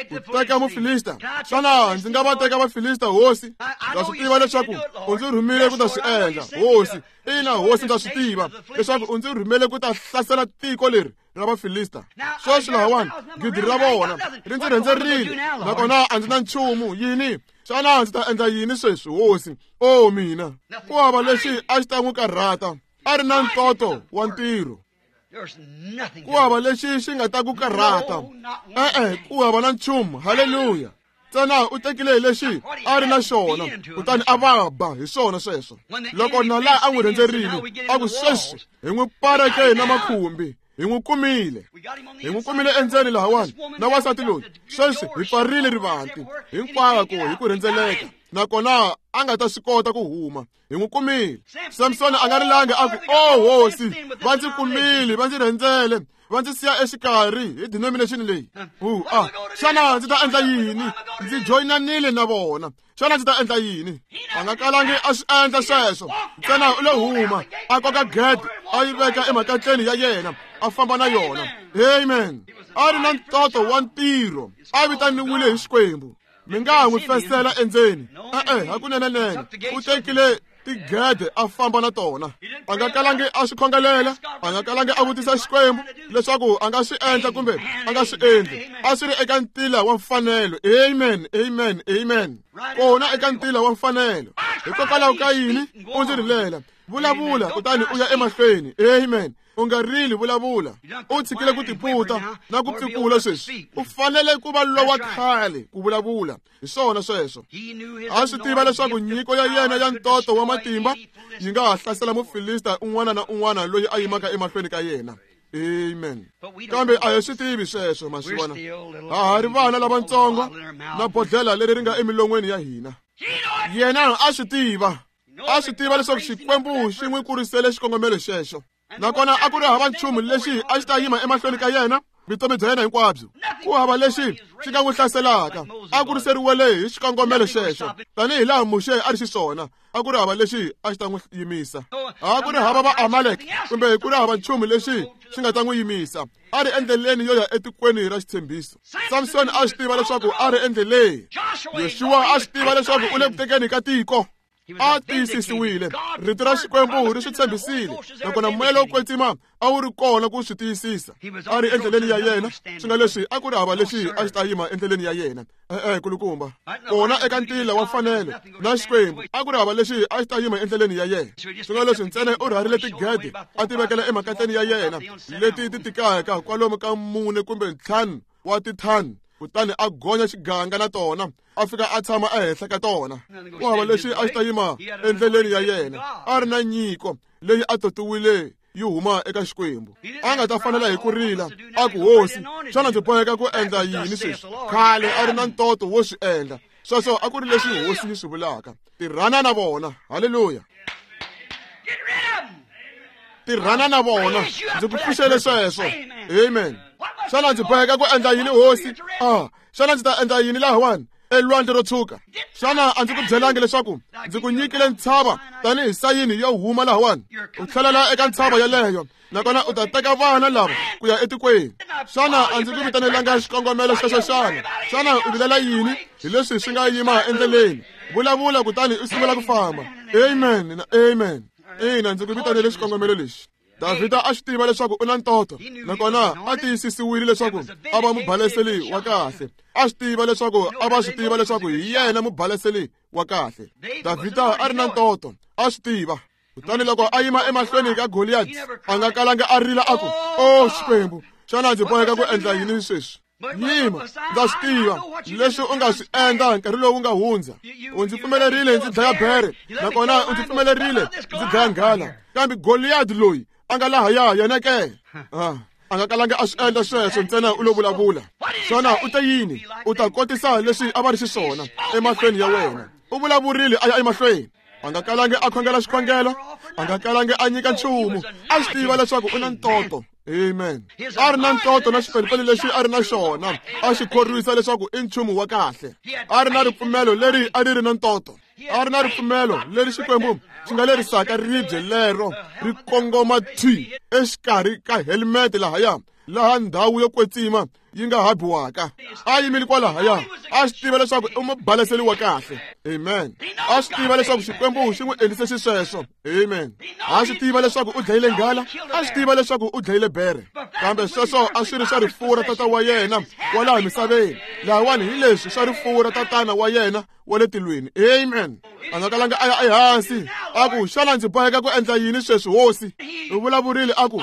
ku teka Mufilista. Xana ndzi nga va teka Vafilista, hosi? Ndza swi tiva leswaku u ndzi rhumile ku ta swi endla, hosi. Ina, hosi, ndza swi tiva leswaku u ndzi rhumele ku ta hlasela tiko leri ra Vafilista. Sweswi lahawani gidi ra vona ri ndzi rhendzerile, nakona a ndzi na nchumu. Yini? Xana ndzi ta endla yini sweswi, hosi? O mina, ku hava lexi a xi ta n'wi karhata. A ri na ntoto wa ntirho. Ku hava lexi xi nga ta ku karhata. E-e, ku hava na nchumu. Haleluya. Ntsena u tekile hi lexi a ri na xona, kutani a va ba hi swona sweswo. Loko nala a n'wi rhendzerile, a ku sweswi hi n'wi pareke na makhumbi, hi n'wi kumile, hi n'wi kumile endzeni lahawani na wansati loyi. Sweswi hi pfarile rivanti hinkwako hi ku rhendzeleka, nakona a nga ta swi kota ku huma. Hi n'wi kumile. Samsoni a nga rilangi a ku, o hosi, va ndzi kumile, va ndzi rhendzele, va ndzi siya exikarhi hi denomination leyi. U a xana ndzi ta endla yini? Ndzi joyinanile na vona. Xana ndzi ta endla yini? A nga kalangi a swi endla sweswo. Ntsena u lo huma, a koka gede, a yi veka emakatleni ya yena, a famba na yona. Amen. A ri na ntoto wa ntirho, a vitaniwile hi Xikwembu. Mi nga ha n'wi fesela endzeni. E-e, hakunenenene u tekile tigede a famba na tona. A nga kalangi a swi khongelela, a nga kalangi a vutisa Xikwembu leswaku a nga swi endla kumbe a nga swi endli. A swi ri eka ntila wa mfanelo. Amen, amen, amen. Kona eka ntila wa mfanelo. Hikokwalaho ka yini u ndzi rilela? Vulavula kutani u ya emahlweni. Amen. U nga rili, vulavula. U tshikile ku tiputa na ku pfikula sweswi. U fanele ku va lowa khale ku vulavula. Hi swona sweswo. A swi tiva leswaku nyiko ya yena ya ntoto wa matimba yi nga ha hlasela Mufilista un'wana na un'wana loyi a yimaka emahlweni ka yena. Amen. Kambe a hi swi tivi sweswo, ma swi vona. Ha ha ri vana lavatsongo na bodlhela leri ri nga emilon'weni ya hina. Yena a swi tiva. A swi tiva leswaku Xikwembu xi n'wi kurisele xikongomelo xexo. Nakona a ku ri hava nchumu lexi a xi ta yima emahlweni ka yena vutomi bya yena hinkwabyo. Ku hava lexi xi nga n'wi hlaselaka. A kuriseriwele hi xikongomelo xexo, tanihi laha Muxe a ri xiswona. A ku ri hava lexi a xi ta n'wi yimisa. A ku ri hava va Amalek kumbe ku ri hava nchumu lexi xi nga ta n'wi yimisa. A ri endleleni yo ya etikweni ra xitshembiso. Samsoni a swi tiva leswaku a ri endleleni. Yoxuwa a swi tiva leswaku u le ku tekeni ka tiko. A tiyisisiwile. Rito ra Xikwembu ri swi tshembisile, nakona moya lowo kwetsima a wu ri kona ku swi tiyisisa. A ri endleleni ya yena, swi nga leswi a ku ri hava lexi a xi ta yima endleleni ya yena. E-e, kulukumba. Kona eka ntila wa mfanelo na Xikwembu, a ku ri hava lexi a xi ta yima endleleni ya yena. Swi nga leswi ntsena u rharile tigede a ti vekela emakatleni ya yena leti ti tikaka kwalomu ka mune kumbe ntlhanu wa tithani, kutani a gonya xiganga na tona, a fika a tshama ehenhla ka tona. Ku hava lexi a xi ta yima endleleni ya yena. A ri na nyiko leyi a totiwile yi huma eka Xikwembu. A nga ta fanela hi ku rila a ku, hosi, xana ndzi boheka ku endla yini sweswi? Khale a ri na ntoto wo swi endla. Sweswo a ku ri leswi hosi yi swi vulaka. Tirhana na vona. Haleluya. Tirhana na vona. Ndzi ku pfuxele sweswo. Amen. Xana ndzi boheka ku endla yini, hosi? Ah, xana ndzi ta endla yini lahawani elwandle ro tshuka? Xana a ndzi ku byelangi leswaku ndzi ku nyikile ntshava tanihi sayini yo huma lahawani? U tlhelela eka ntshava yeleyo, nakona u ta teka vana lava ku ya etikweni. Xana a ndzi ku vitanelanga xikongomelo xexo xana? Xana u vilela yini hi leswi swi nga yima endleleni? Vulavula kutani u sungula ku famba. Amen na amen. Ina, ndzi ku vitanele xikongomelo lexi. Davhida a swi tiva leswaku u na ntoto, nakona a tiyisisiwile leswaku a va mubaleseli wa kahle. A swi tiva leswaku a va swi tiva leswaku hi yena mubaleseli wa kahle. Davhida a ri na ntoto, a swi tiva. Kutani loko a yima emahlweni ka Goliyati, a nga kalanga a rila a ku, "Oh Xikwembu, xana ndzi boheka ku endla yini sweswi?" Yima, ndza swi tiva leswi u nga swi endla nkarhi lowu nga hundza. U ndzi pfumelerile ndzi dlaya bere, nakona u ndzi pfumelerile ndzi dlaya nghala. Kambe Goliyati loyi a nga lahaya yena ke? Ah, a nga kalanga a swi endla sweswo, ntsena u lo vulavula. Xana u te yini? U ta kotisa leswi a va ri xiswona emahlweni ya wena. U vulavurile a ya emahlweni. A nga kalangi a khongela xikhongelo, a nga kalangi a nyika nchumu. A swi tiva leswaku u na ntoto. Amen. A ri na ntoto na xipelupelu lexi a ri na xona, a xi khorwisa leswaku i nchumu wa kahle. A ri na ripfumelo leri a ri ri na ntoto. A ri na ripfumelo leri Xikwembu xi nga lerisaka ribye lero ri kongoma thwi exikarhi ka helmet lahaya, laha ndhawu yo kwetsima yi nga habiwaka. A yimile kwalahaya, a swi tiva leswaku i mubaleseli wa kahle. Amen. A swi tiva leswaku Xikwembu xi n'wi endlise xisweswo. Amen. A swi tiva leswaku u dlayile nghala, a swi tiva leswaku u dlayile bere. Kambe sweswo a swi ri swa rifuwo ra tata wa yena wa laha misaveni. Lahawani hi leswi swa rifuwo ra tatana wa yena wa le tilweni. Amen. A nga kalanga a ya ehansi a ku, "Xana ndzi boheka ku endla yini sweswi, hosi?" U vulavurile a ku,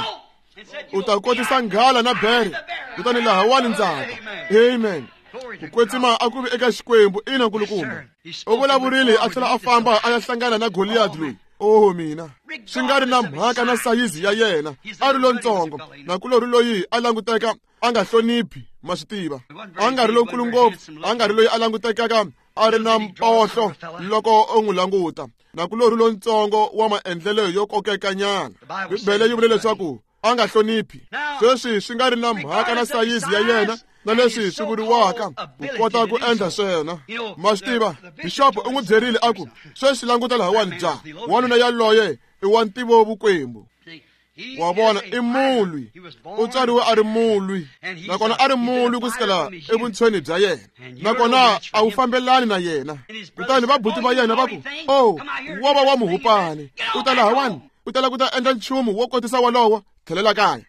"U ta kotisa nghala na bere, kutani lahawani ndzaka." Amen. Ku kwetsima a ku vi eka Xikwembu, ina nkulukumba. U vulavurile a tlhela a famba a ya hlangana na Goliyati loyi. Oh mina, swi nga ri na mhaka na sayizi ya yena, a ri lontsongo, nakulorhi loyi a languteka a nga hloniphi, ma swi tiva. A nga ri lonkulu ngopfu, a nga ri loyi a langutekaka a ri na mpohlo loko u n'wi languta, nakulorhi lontsongo wa maendlelo yo kokekanyana. Bibele yi vule leswaku a nga hloniphi. Sweswi swi nga ri na mhaka na sayizi ya yena na leswi swi vuriwaka ku kota ku endla swona. Ma swi tiva, bixopo u n'wi byerile a ku, "Sweswi languta lahawani ja, wanuna yaloye i wa ntivo vukwembu." Wa vona, i mulwi. U tswariwe a ri mulwi, nakona a ri mulwi ku sukela evuntshweni bya yena, nakona a wu fambelani na yena. Kutani vabuti va yena va ku, "Oh, wo va wa muhupani, u ta lahawani, u ta lava ku ta endla nchumu wo kotisa wolowo, tlhelela kaya."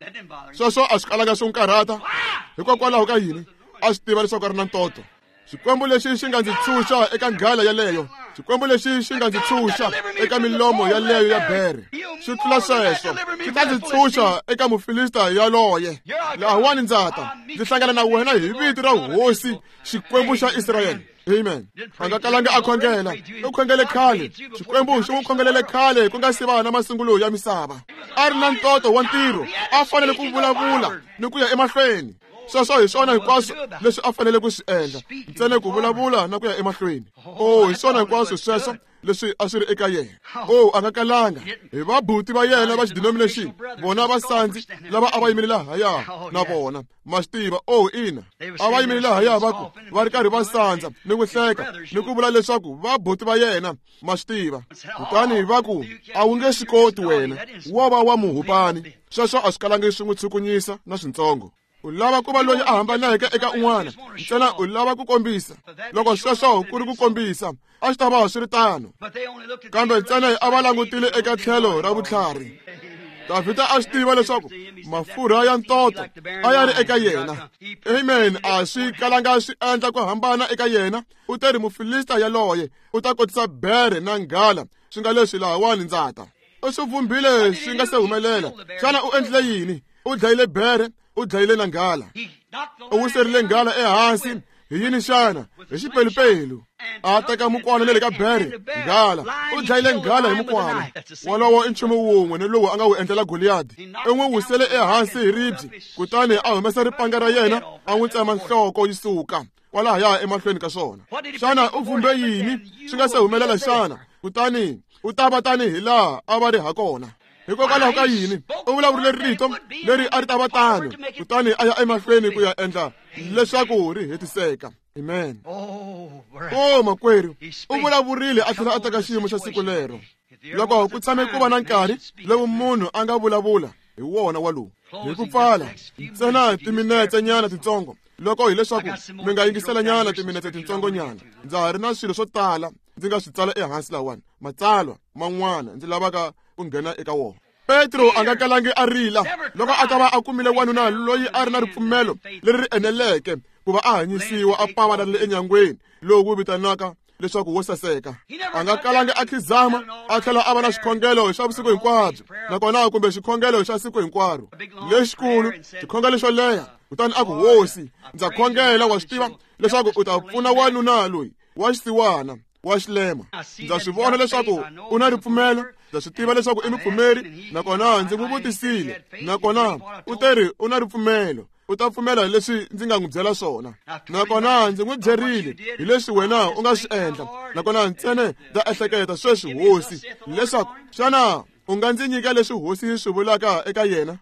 Sweswo a swi kalanga swi n'wi karhata. Hikokwalaho ka yini? A swi tiva leswaku a ri na ntoto. Xikwembu lexi xi nga ndzi tshunxa eka nghala yaleyo, Xikwembu lexi xi nga ndzi tshunxa eka milomo yaleyo ya bere, swi tlula sweswo, xi ta ndzi tshunxa eka Mufilista yaloye. Lahawani ndza ta, ndzi hlangana na wena hi vito ra Hosi Xikwembu xa Israyele. Amen. A nga kalanga a khongela. U khongele khale. Xikwembu xi n'wi khongelele khale ku nga si va na masungulo ya misava. A ri na ntoto wa ntirho, a fanele ku vulavula ni ku ya emahlweni. Sweswo hi swona hinkwaswo leswi a fanele ku swi endla, ntsena ku vulavula na ku ya emahlweni. Oh, hi swona hinkwaswo sweswo leswi a swi ri eka yena. Oh, a nga kalanga hi vabuti va yena va xidenomination, vona vasandzi lava a va yimile lahaya na vona, ma swi tiva. Oh, ina, a va yimile lahaya va ku va ri karhi va sandza ni ku hleka ni ku vula leswaku vabuti va yena, ma swi tiva. Kutani va ku, "A wu nge swi koti wena, wo va wa muhupani." Sweswo a swi kalangi swi n'wi tshukunyisa na swintsongo. U lava ku va loyi a hambaneke eka un'wana, ntsena u lava ku kombisa. Loko sweswo ku ri ku kombisa, a swi ta va swi ri tano. Kambe ntsena a va langutile eka tlhelo ra vutlhari. Davhida a swi tiva leswaku mafurha ya ntoto a ya ri eka yena. Amen. A swi kalanga swi endla ku hambana eka yena. U te ri Mufilista yaloye u ta kotisa bere na nghala, swi nga leswi lahawani ndza ta. U swi vumbile swi nga se humelela. Xana u endlile yini? U dlayile bere, u dlayile na nghala. U wiserile nghala ehansi hi yini xana? Hi xipelupelu. A teka mukwana na le ka bere, nghala. U dlayile nghala hi mukwana. Wolowo i nchumu wun'we ni lowu a nga wu endlela Goliyadi. U n'wi wisele ehansi hi ribye, kutani a humesa ripanga ra yena a n'wi tsema nhloko yi suka kwalahaya emahlweni ka swona. Xana u vumbe yini swi nga se humelela xana? Kutani u ta va tanihi laha a va ri ha kona. Hikokwalaho ka yini? U vulavurile rito leri a ri ta va tano, kutani a ya emahlweni ku ya endla leswaku ri hetiseka. Amen. Oh, makwerhu, u vulavurile a tlhela a teka xiyimo xa siku lero. Loko ku tshame ku va na nkarhi lowu munhu a nga vulavula hi wona walowu. Hi ku pfala ntsena timinetse nyana titsongo, loko hileswaku mi nga yingisela nyana timinetse tintsongo nyana, ndza ha ri na swilo swo tala ndzi nga swi tsala ehansi lahawani, matsalwa man'wana ndzi lavaka ku nghena eka wona. Petro a nga kalangi a rila loko a ta va a kumile wanuna loyi a ri na ripfumelo leri ri eneleke ku va a hanyisiwa a pavalarile enyangweni lowu wu vitanaka leswaku wo saseka. A nga kalangi a khizama a tlhela a va na xikhongelo xa vusiku hinkwabyo nakona kumbe xikhongelo xa siku hinkwaro lexikulu, xikhongelo xo leha. Kutani a ku, Hosi, ndza khongela, wa swi tiva leswaku u ta pfuna wanuna loyi wa xisiwana wa xilema. Ndza swi vona leswaku u na ripfumelo, ndza swi tiva leswaku i mupfumeri, nakona ndzi n'wi vutisile, nakona u teri u na ripfumelo, u ta pfumela hi leswi ndzi nga n'wi byela swona. Nakona ndzi n'wi byerile hi leswi wena u nga swi endla, nakona ntsena ndza ehleketa sweswi, Hosi, leswaku xana u nga ndzi nyika leswi Hosi yi swi vulaka eka yena?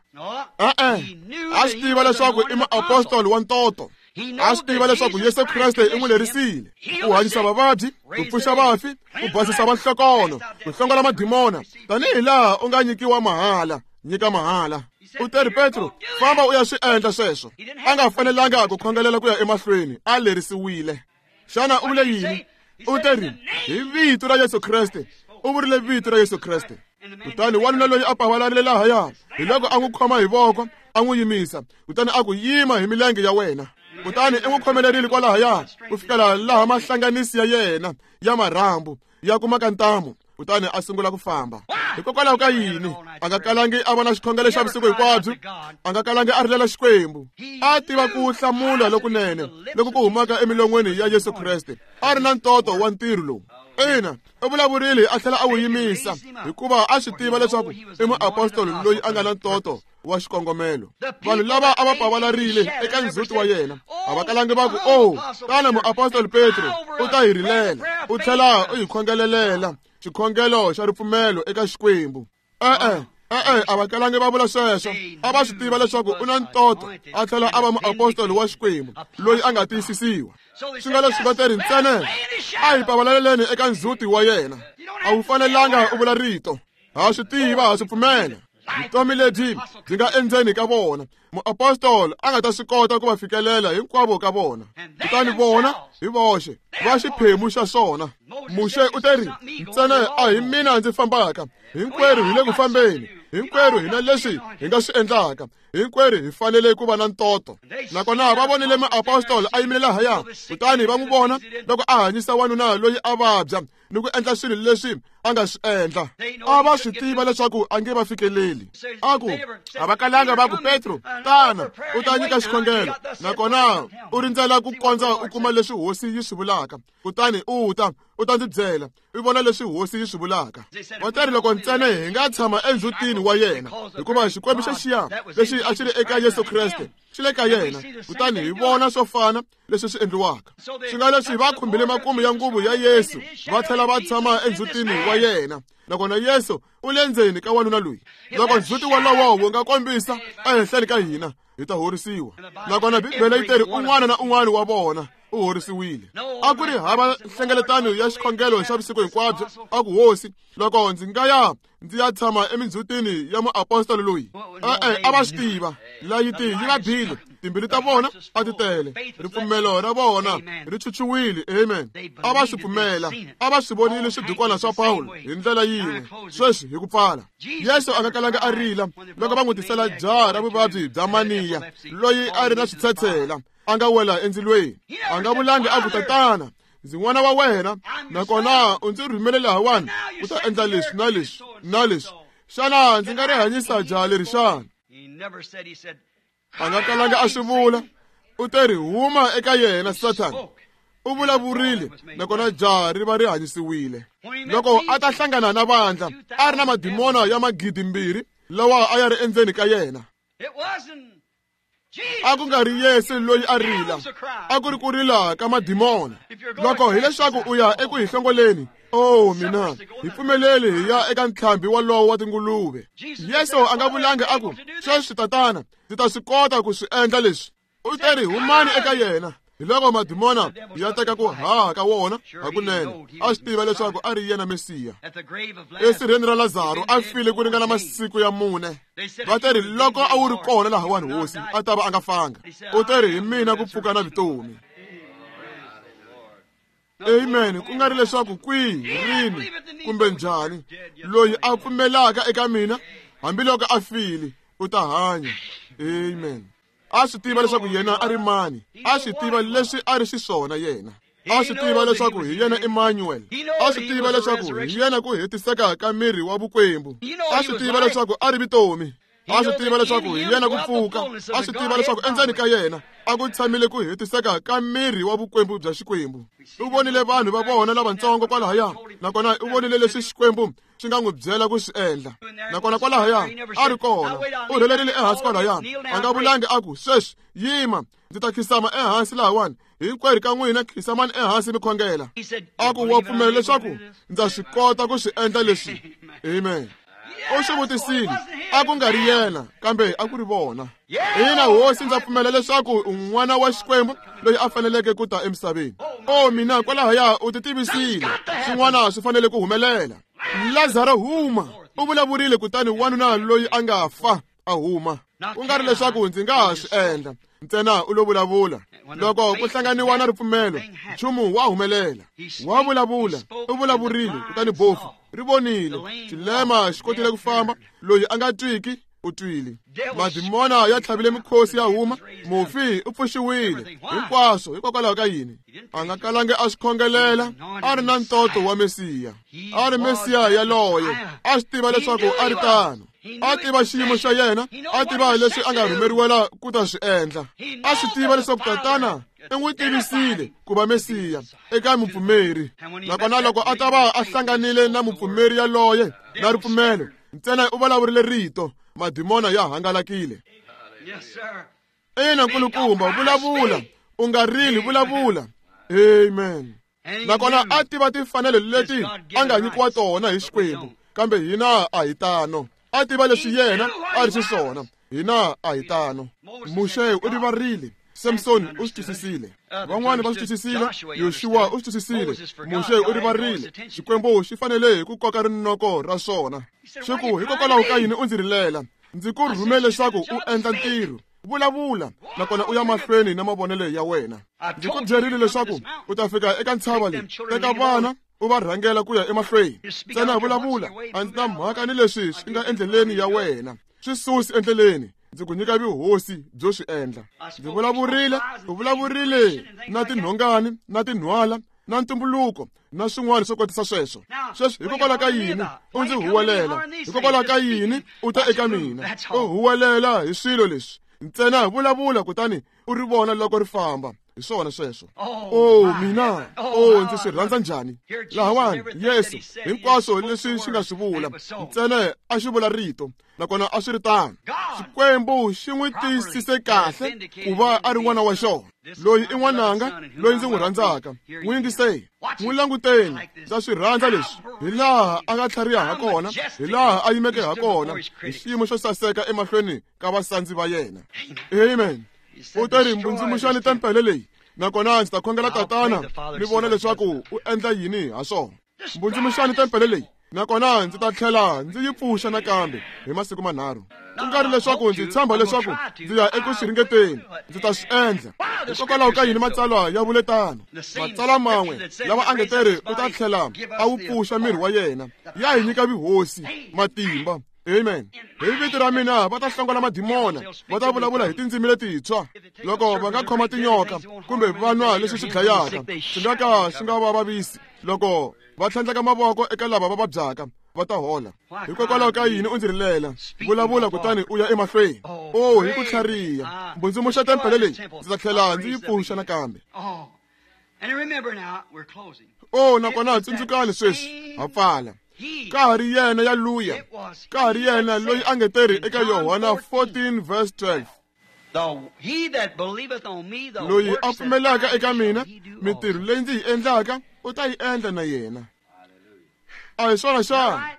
E-e, a swi tiva leswaku i muapostoli wa ntoto. A swi tiva leswaku Yesu Kreste i n'wi lerisile ku hanyisa vavabyi, ku pfuxa vafi, ku basisa vanhlokono, ku hlongola madimona, tanihi laha u nga nyikiwa mahala, nyika mahala. U teri, Petro, famba u ya swi endla sweswo. A nga fanelanga ku khongelela ku ya emahlweni, a lerisiwile. Xana u vule yini? U teri, hi vito ra Yesu Kreste. U vurile vito ra Yesu Kreste. Kutani wanuna loyi a pavalarile lahaya, hi loko a n'wi khoma hi voko, a n'wi yimisa, kutani a ku, yima hi milenge ya wena. Kutani i n'wi khomelerile kwalahaya ku fikela laha mahlanganisi ya yena ya marhambu ya kumaka ntamu, kutani a sungula ku famba. Hikokwalaho ka yini? A nga kalangi a va na xikhongelo xa vusiku hinkwabyo, a nga kalangi a rilela Xikwembu. A tiva ku hlamula lokunene loku ku humaka emilon'weni ya Yesu Kreste. A ri na ntoto wa ntirho lowu. Ina, u vulavurile a tlhela a wu yimisa, hikuva a swi tiva leswaku i muapostoli loyi a nga na ntoto wa xikongomelo. Vanhu lava a va pavalarile eka ndzhuti wa yena a va kalangi va ku, oh, tana muapostoli Petro u ta hi rilela, u tlhela u hi khongelelela xikhongelo xa ripfumelo eka Xikwembu. E-e, e-e, a va kalangi va vula sweswo. A va swi tiva leswaku u na ntoto, a tlhela a va muapostoli wa Xikwembu loyi a nga tiyisisiwa. Swi nga leswi va teri ntsena a hi pavalaleleni eka ndzhuti wa yena. A wu fanelanga u vula rito. Ha swi tiva, ha swi pfumela. Vutomi lebyi byi nga endzeni ka vona, muapostoli a nga ta swi kota ku va fikelela hinkwavo ka vona. Kutani vona hi voxe va xiphemu xa swona. Muxe u teri, ntsena a hi mina ndzi fambaka, hinkwerhu hi le ku fambeni, hinkwerhu hi na leswi hi nga swi endlaka, hinkwerhu hi fanele ku va na ntoto. Nakona va vonile muapostoli a yimile lahaya, kutani va n'wi vona loko a hanyisa wanuna loyi a vabya ni ku endla swilo leswi a nga swi endla. A va swi tiva leswaku a nge va fikeleli. A ku, a va kalanga va ku, Petro, tana u ta nyika xikhongelo, nakona u rindzela ku kondza u kuma leswi Hosi yi swi vulaka, kutani u ta u ta ndzi byela, u vona leswi Hosi yi swi vulaka. Va teri loko ntsena hi nga tshama endzhutini wa yena, hikuva Xikwembu xa xiya lexi a xi ri eka Yesu Kreste xi le ka yena, kutani hi vona swo fana leswi swi endliwaka. Swi nga leswi va khumbile makumu ya nguvu ya Yesu, va tlhela va tshama endzhutini wa yena, nakona Yesu u le ndzeni ka wanuna loyi. Loko ndzhuti wolowo wu nga kombisa ehenhleni ka hina, hi ta horisiwa. Nakona Bibele yi teri un'wana na un'wana wa vona u horisiwile. A ku ri hava nhlengeletano ya xikhongelo xa vusiku hinkwabyo. A ku, Hosi, loko ndzi nga ya ndzi ya tshama emindzhutini ya muapostoli loyi. E-e, a va swi tiva layiti yi va bile, timbilu ta vona a ti tele, ripfumelo ra vona ri chuchuwile. Amen. A va swi pfumela, a va swi vonile swidukwana swa Pawulo hi ndlela yin'we. Sweswi hi ku pfala, Yesu a nga kalanga a rila loko va n'wi tisela jaha ra vuvabyi bya maniya loyi a ri na switshetshela, a nga wela endzilweni. A nga vulangi a ku, Tatana, ndzi n'wana wa wena, nakona u ndzi rhumele lahawani ku ta endla leswi na leswi na leswi. Xana ndzi nga ri hanyisa jaha leri xana? A nga kalanga a swi vula. U teri, huma eka yena, Sathana. U vulavurile, nakona jaha ri va ri hanyisiwile. Loko a ta hlangana na vandla, a ri na madimona ya magidi mbirhi lawa a ya ri endzeni ka yena. A ku nga ri Yesu loyi a rila, a ku ri ku rila ka madimona. Loko hileswaku u ya eku hi hlongoleni, oh mina, hi pfumeleli hi ya eka ntlhambi wolowo wa tinguluve. Yesu a nga vulangi a ku, sweswi Tatana, ndzi ta swi kota ku swi endla leswi. U teri, humani eka yena. Hi loko madimona ya teka ku haha ka wona hakunene, a swi tiva leswaku a ri yena Mesiya. Esirheni ra Lazaro a file ku ringana masiku ya mune. Va teri, loko a wu ri kona lahawani Hosi, a ta va a nga fanga. U teri, hi mina ku pfuka na vutomi. Amen. Ku nga ri leswaku kwihi, rini kumbe njhani, loyi a pfumelaka eka mina Hambiloko a file u ta hanya. Amen. A swi tiva leswaku yena a ri mani, a swi tiva leswi a ri xiswona yena. A swi tiva leswaku hi yena Emmanuel. A swi tiva leswaku hi yena ku hetiseka ka miri wa vukwembu. A swi tiva leswaku a ri vutomi. A swi tiva leswaku hi yena ku pfuka. A swi tiva leswaku endzeni ka yena a ku tshamile ku hetiseka ka miri wa vukwembu bya Xikwembu. U vonile vanhu va vona lavatsongo kwalahaya, nakona u vonile leswi Xikwembu xi nga n'wi byela ku swi endla. Nakona kwalahaya a ri kona, u rhelerile ehansi kwalahaya. A nga vulangi a ku, sweswi yima, ndzi ta khisama ehansi lahawani. Hinkwerhu ka n'wina khisamani ehansi mi khongela. A ku, wa pfumela leswaku ndza swi kota ku swi endla leswi? Amen. U swi vutisile, a ku nga ri yena, kambe a ku ri vona. Ina hosi, ndza pfumela leswaku u n'wana wa Xikwembu loyi a faneleke ku ta emisaveni. O mina, kwalahaya u ti tivisile, swin'wana swi fanele ku humelela. Lazaro huma, u vulavurile, kutani wanuna loyi a nga fa a huma. Ku nga ri leswaku ndzi nga ha swi endla, ntsena u lo vulavula. Loko ku hlanganiwa na ripfumelo, nchumu wa humelela. Wa vulavula, u vulavurile, kutani bofu ri vonile. Xilema xi kotile ku famba, loyi a nga twiki u twile. Madimona ya tlhavile mikhosi ya huma, mufi u pfuxiwile. Hinkwaswo hikokwalaho ka yini? A nga kalangi a swi khongelela, a ri na ntoto wa Mesiya. A ri Mesiya yaloye, a swi tiva leswaku a ri tano. A tiva xiyimo xa yena, a tiva leswi a nga rhumeriwela ku ta swi endla. A swi tiva leswaku Tatana i n'wi tivisile ku va Mesiya eka mupfumeri. Nakona loko a ta va a hlanganile na mupfumeri yaloye na ripfumelo, ntsena u vulavurile rito, madimona ya hangalakile. Ina nkulukumba, vulavula, u nga rili, vulavula. Amen. Nakona a tiva timfanelo leti a nga nyikiwa tona hi Xikwembu, kambe hina a hi tano. A tiva leswi yena a ri xiswona, hina a hi tano. Muxe u rivarile, Samson u swi twisisile, van'wani va swi twisisile, Yoshua u swi twisisile. Muxe u rivarile, Xikwembu xi fanele hi ku koka rinoko ra swona. Xi ku, hikokwalaho ka yini u ndzi rilela? Ndzi ku rhume leswaku u endla ntirho. Vulavula, nakona u ya mahlweni na mavonelo ya wena. Ndzi ku byerile leswaku u ta fika eka ntshava leyi, teka vana u va rhangela ku ya emahlweni. Ntsena vulavula, a ndzi na mhaka ni leswi swi nga endleleni ya wena. Swi susi endleleni, ndzi ku nyika vuhosi byo swi endla. Ndzi vulavurile, u vulavurile na tinhongani, na tinhwala, na ntumbuluko, na swin'wana swo kotisa sweswo. Sweswi hikokwalaho ka yini u ndzi huwelela? Hikokwalaho ka yini u ta eka mina u huwelela hi swilo leswi? Ntsena vulavula, kutani u ri vona loko ri famba. Hi swona sweswo. O mina, o ndzi swi rhandza njhani. Lahawani Yesu hinkwaswo leswi xi nga swi vula, ntsena a xi vula rito, nakona a swi ri tano. Xikwembu xi n'wi tiyisise kahle ku va a ri n'wana wa xona. Loyi i n'wananga loyi ndzi n'wi rhandzaka, n'wi yingiseni, n'wi languteni. Ndza swi rhandza leswi, hi laha a nga tlhariha ha kona, hi laha a yimeke ha kona, hi xiyimo xo saseka emahlweni ka vasandzi va yena. Amen. U ta ri, mbundzumuxani tempele leyi, nakona ndzi ta khongela Tatana ni vona leswaku u endla yini ha swona. Mbundzumuxani tempele leyi, nakona ndzi ta tlhela ndzi yi pfuxa nakambe hi masiku manharhu. Ku nga ri leswaku ndzi tshemba leswaku ndzi ya eku swi ringeteni, ndzi ta swi endla. Hikokwalaho ka yini matsalwa ya vule tano? Matsalwa man'we lawa a nge teri u ta tlhela a wu pfuxa miri wa yena, ya hi nyika vuhosi, matimba. Amen. Hi vito ra mina va ta hlongola madimona, va ta vulavula hi tindzimi letintshwa. Loko va nga khoma tinyoka kumbe va nwa leswi swi dlayaka, swi nga ka swi nga va vavisi. Loko va tlhandleka mavoko eka lava va vabyaka, va ta hola. Hikokwalaho ka yini u ndzi rilela? Vulavula, kutani u ya emahlweni. O hi ku tlhariha, mbundzumuxa tempele leyi, ndzi ta tlhela ndzi yi pfuxa nakambe. O nakona tsundzukani sweswi, ha pfala. Ka ha ri yena ya luya, ka ha ri yena loyi a nge teri eka Yohana fourteen verse twelve. Loyi a pfumelaka eka mina, mintirho leyi ndzi yi endlaka u ta yi endla na yena. A hi swona xana?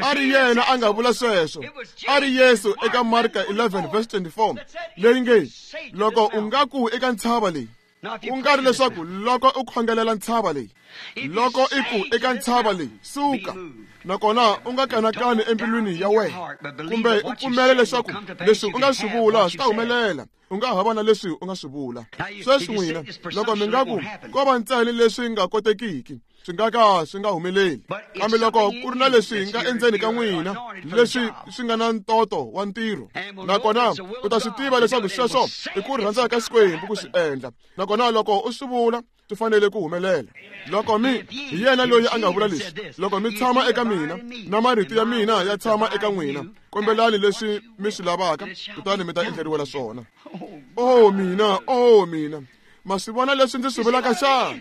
A ri yena a nga vula sweswo. A ri Yesu eka Marka eleven verse twenty-four, leyi nge, loko u nga ku eka ntshava leyi, ku nga ri leswaku loko u khongelela ntshava leyi, loko i ku eka ntshava leyi, suka, nakona u nga kanakani embilwini ya wena, kumbe u pfumela leswaku leswi u nga swi vula swi ta humelela, u nga ha va na leswi u nga swi vula. Sweswi n'wina, loko mi nga ku ko va ntsena leswi nga kotekiki, swi nga ka swi nga humeleli. Kambe loko ku ri na leswi nga endzeni ka n'wina leswi swi nga na ntoto wa ntirho, nakona u ta swi tiva leswaku sweswo i ku rhandza ka Xikwembu ku swi endla, nakona loko u swi vula swi fanele ku humelela. Loko mi hi yena loyi a nga vula leswi, loko mi tshama eka mina na marito ya mina ya tshama eka n'wina, kombelani leswi mi swi lavaka kutani mi ta endleriwela swona. Oh mina, oh mina, ma swi vona leswi ndzi swi vulaka xana?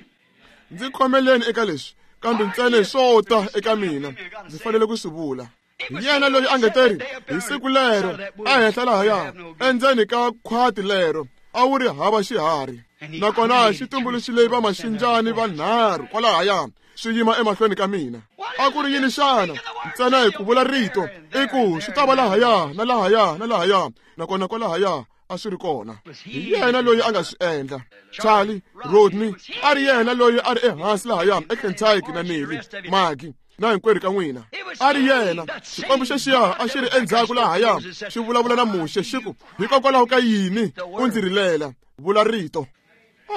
Ndzi khomeleni eka leswi, kambe ntsena swo ta eka mina ndzi fanele ku swi vula. Hi yena loyi a nge teri hi siku lero ehenhla lahaya endzeni ka khwati lero a wu ri hava xiharhi, nakona xi tumbuluxile va maxinjani vanharhu kwalahaya swi yima emahlweni ka mina. A ku ri yini xana? Ntsena hi ku vula rito i ku swi ta va lahaya na lahaya na lahaya, nakona kwalahaya a swi ri kona. Hi yena loyi a nga swi endla. Charlie Rodney a ri yena loyi a ri ehansi lahaya eKentucky na Nelly Magi na hinkwerhu ka n'wina. A ri yena. Xikwembu xexiya a xi ri endzhaku lahaya xi vulavula na Muxe xi ku, hikokwalaho ka yini u ndzi rilela? Vula rito.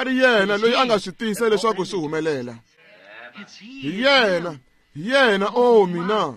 A ri yena loyi a nga swi tisa leswaku swi humelela. Hi yena, hi yena, oh mina.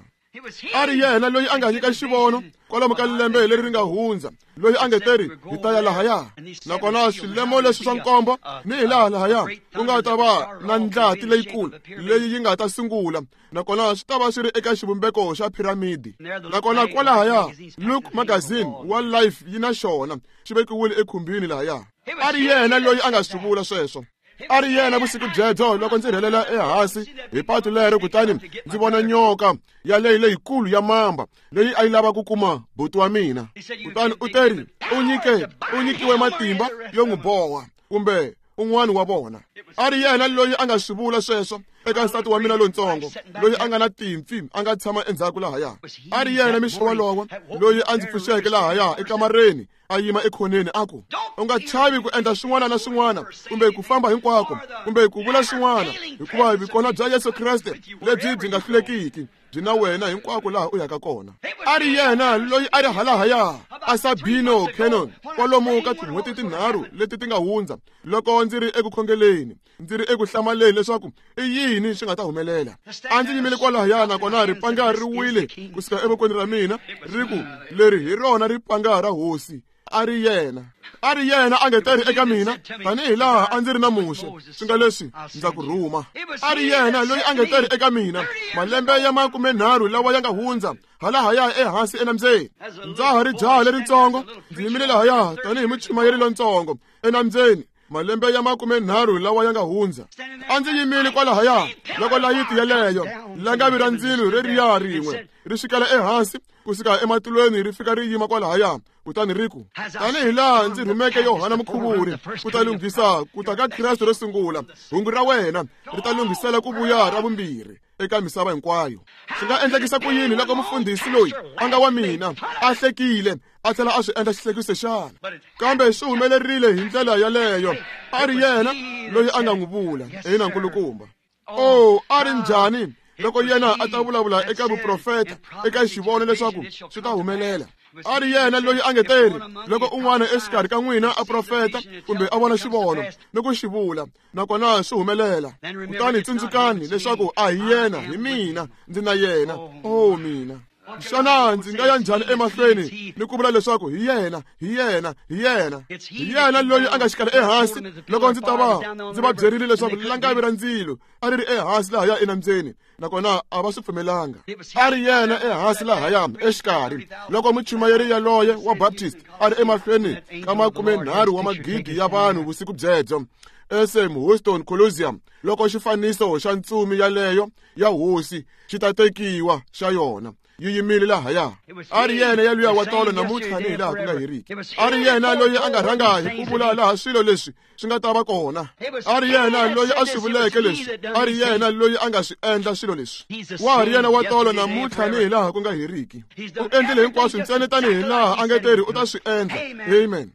A ri yena loyi a nga nyika xivono kwalomu ka lembe leri ri nga hundza, loyi a nge teri hi ta ya lahaya, nakona swilemo leswi swa nkombo ni hi laha lahaya ku nga ta va na ndlati leyikulu leyi yi nga ta sungula, nakona swi ta va swi ri eka xivumbeko xa piramidi. Nakona kwalahaya Look magazine wa Life yi na xona xi vekiwile ekhumbini lahaya. A ri yena loyi a nga swi vula sweswo. A ri yena vusiku byebyo loko ndzi rhelela ehansi hi patu lero, kutani ndzi vona nyoka yaleyi leyikulu ya mamba leyi a yi lava ku kuma buti wa mina. Kutani u teri u nyike u nyikiwe matimba yo n'wi boha kumbe un'wana wa vona. A ri yena loyi a nga swi vula sweswo eka nsati wa mina lontsongo loyi a nga na timpfi a nga tshama endzhaku lahaya. A ri yena mixo wolowo loyi a ndzi pfuxeke lahaya ekamareni a yima ekhoneni a ku, u nga chavi ku endla swin'wana na swin'wana kumbe ku famba hinkwako kumbe ku vula swin'wana, hikuva vikona bya Yesu Kreste lebyi byi nga hlulekiki byi na wena hinkwako laha u yaka kona. A ri yena loyi a ri halahaya a Sabino Cannon kwalomu ka tin'hweti tinharhu leti ti nga hundza, loko ndzi ri eku khongeleni ndzi ri eku hlamaleni leswaku i yini swi nga ta humelela. A ndzi yimile kwalahaya nakona ripanga ri wile kusuka evokweni ra mina ri ku, leri hi rona ripanga ra hosi. A ri yena, a ri yena a nge teri eka mina tanihi laha a ndzi ri na Muxe, swi nga leswi ndza ku rhuma. A ri yena loyi a nge teri eka mina malembe ya makumenharhu lawa ya nga hundza halahaya ehansi enambyeni. Ndza ha ri jaha leritsongo, ndzi yimile lahaya tanihi muchumayeri lontsongo enambyeni malembe ya makumenharhu lawa ya nga hundza. A ndzi yimile kwalahaya loko layiti yeleyo langavi ra ndzilo reriya rin'we ri xikela ehansi kusuka ematilweni ri fika ri yima kwalahaya, kutani ri ku, tanihi laha ndzi rhumeke Yohana Mukhuvuri ku ta lunghisa ku ta ka Kreste ro sungula, hungu ra wena ri ta lunghisela ku vuya ra vumbirhi eka misava hinkwayo. Swi nga endlekisa ku yini loko mufundhisi loyi a nga wa mina a hlekile a tlhela a swi endla xihlekiso xana? Kambe swi humelerile hi ndlela yaleyo. A ri yena loyi a nga n'wi vula ina nkulukumba. Oh, a ri njhani loko yena a ta vulavula eka vuprofeta eka xivono leswaku swi ta humelela. A ri yena loyi a nge teri loko un'wana exikarhi ka n'wina a profeta kumbe a vona xivono ni ku xi vula, nakona swi humelela, kutani tsundzukani leswaku a hi yena, hi mina, ndzi na yena. Oh mina, xana ndzi nga ya njhani emahlweni ni ku vula leswaku hi yena, hi yena, hi yena, hi yena loyi a nga xikala ehansi loko ndzi ta va ndzi va byerile leswaku langavi ra ndzilo a ri ri ehansi lahaya enambyeni, nakona a va swi pfumelanga. A ri yena ehansi lahaya exikarhi loko muchumayeri yaloye wa Baptist a ri emahlweni ka makumenharhu wa magidi ya vanhu vusiku byebyo eSam Houston Coliseum, loko xifaniso xa ntsumi yaleyo ya hosi xi ta tekiwa xa yona yi yimile lahaya. A ri yena yaluya wa tolo namuntlha ni hi laha ku nga heriki. A ri yena loyi a nga rhanga hi ku vula laha swilo leswi swi nga ta va kona. A ri yena loyi a swi vuleke leswi. A ri yena loyi a nga swi endla swilo leswi. Wa ha ri yena wa tolo namuntlha ni hi laha ku nga heriki. U endlile hinkwaswo ntsena tanihi laha a nge teri u ta swi endla. Amen.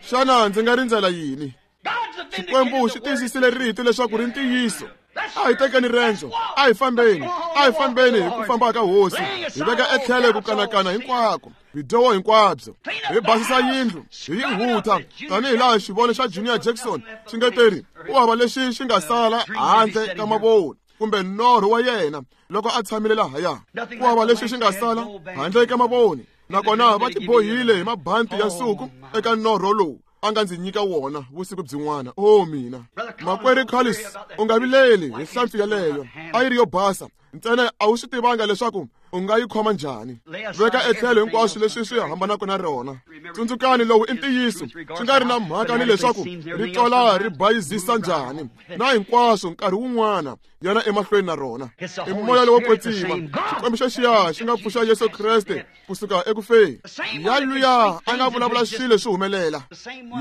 Xana ndzi nga rindzela yini? Xikwembu xi tiyisisile rito leswaku ri ntiyiso. A hi tekeni rendzo, a hi fambeni, a hi fambeni hi ku famba ka hosi, hi veka etlhelo ku kanakana hinkwako, bidyoho hinkwabyo, hi basisa yindlu, hi yi hutha, tanihi laha xivono xa Junior Jackson xi nga teri, u hava lexi xi nga sala handle ka mavoni kumbe norho wa yena loko a tshamile lahaya. Ku hava lexi xi nga sala handle ka mavoni, nakona va tibohile hi mabanti ya nsuku eka norho lowu a nga ndzi nyika wona vusiku byin'wana. O mina makwerhu Carlos, u nga vileli hi hlampfi yaleyo, a yi ri yo basa ntsena a wu swi tivanga leswaku u nga yi khoma njhani. Veka etlhelo hinkwaswo leswi swi hambanaka na rona. Tsundzukani, lowu i ntiyiso, swi nga ri na mhaka ni leswaku ri twala ri bayizisa njhani na hinkwaswo nkarhi wun'wana yana emahlweni na rona. I moya lowo kwetsima, Xikwembu xa xiya xi nga pfuxa Yesu Kreste kusuka ekufeni. Ya luya a nga vulavula swilo swi humelela,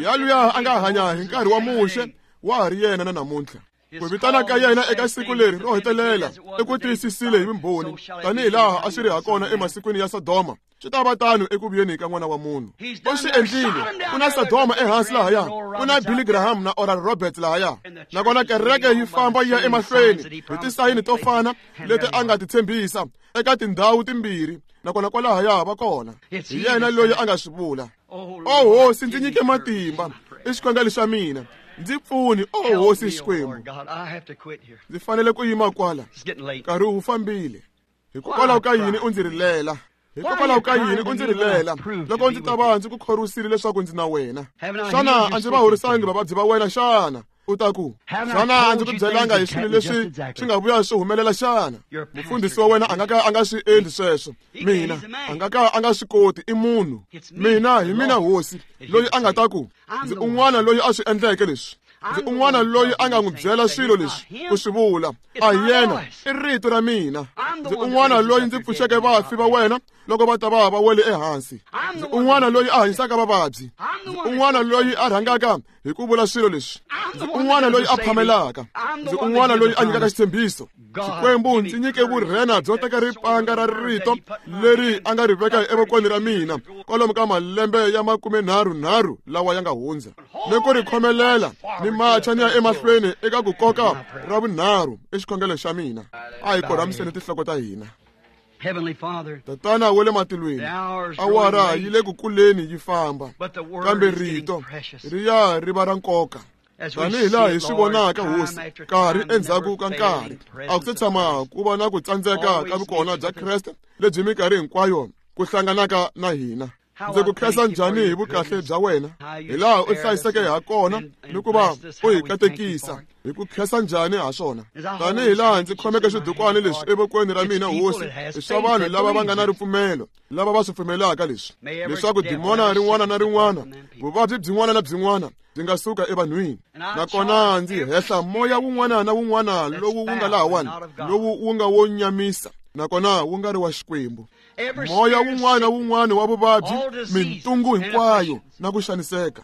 ya luya a nga hanya hi nkarhi wa Muxe, wa ha ri yena na namuntlha. Ku vitana ka yena eka siku leri ro hetelela i ku tiyisisile hi vumbhoni, tanihi laha a swi ri hakona emasikwini ya Sodoma, swi ta va tano eku vuyeni ka N'wana wa Munhu. U swi endlile. Ku na Sodoma ehansi lahaya, ku na Billy Graham na Oral Roberts lahaya, nakona kereke yi famba yi ya emahlweni hi tisayini to fana leti a nga ti tshembisa eka tindhawu timbirhi, nakona kwalahaya va kona. Hi yena loyi a nga swi vula. O hosi, ndzi nyike matimba, i xikhongelo xa mina. Ndzi pfuni, o hosi Xikwembu. Ndzi fanele ku yima kwala, nkarhi wu fambile. Hikokwalaho ka yini u ndzi rilela? Hikokwalaho ka yini u ndzi rilela loko ndzi ta va ndzi ku khorwisile leswaku ndzi na wena? Xana a ndzi va horisangi vavabyi va wena xana? U ta ku, xana a ndzi ku byelanga hi swilo leswi swi nga vuya swi humelela xana? Mufundhisi wa wena a nga ka a nga swi endli sweswo. Mina a nga ka a nga swi koti, i munhu. Mina hi mina hosi loyi a nga ta ku, ndzi un'wana loyi a swi endleke leswi. Ndzi un'wana loyi a nga n'wi byela swilo leswi ku swi vula. A hi yena, i rito ra mina. Ndzi un'wana loyi ndzi pfuxeke vafi va wena loko va ta va va wele ehansi. Ndzi un'wana loyi a hanyisaka vavabyi. Ndzi un'wana loyi a rhangaka hi ku vula swilo leswi. Ndzi un'wana loyi a phamelaka. Ndzi un'wana loyi a nyikaka xitshembiso. Xikwembu ndzi nyike vurhena byo teka ripanga ra rito leri a nga ri veka evokweni ra mina kwalomu ka malembe ya makumenharhunharhu lawa ya nga hundza, ni ku ri khomelela ni macha ni ya emahlweni eka ku koka ra vunharhu i xikhongelo xa mina. A hi korhamiseni tinhloko ta hina. Tatana wa le matilweni, awara yi le ku kuleni yi famba, kambe rito ri ya ri va ra nkoka. Tanihi laha hi swi vonaka hosi, nkarhi endzhaku ka nkarhi, a ku se tshama ku va na ku tsandzeka ka vukona bya Kreste lebyi minkarhi hinkwayo ku hlanganaka na hina. Ndzi ku khensa njhani hi vukahle bya wena, hi laha u hlayiseke ha kona ni ku va u hi katekisa. Hi ku khensa njhani ha swona? Tanihi laha ndzi khomeke swidukwana leswi evokweni ra mina hosi, i swa vanhu lava va nga na ripfumelo, lava va swi pfumelaka leswi, leswaku dimona rin'wana na rin'wana, vuvabyi byin'wana na byin'wana byi nga suka evanhwini. Nakona ndzi hehla moya wun'wana na wun'wana lowu wu nga lahawani, lowu wu nga wo nyamisa, nakona wu nga ri wa Xikwembu. Moya wun'wana wun'wana wa vuvabyi, mintungu hinkwayo na ku xaniseka.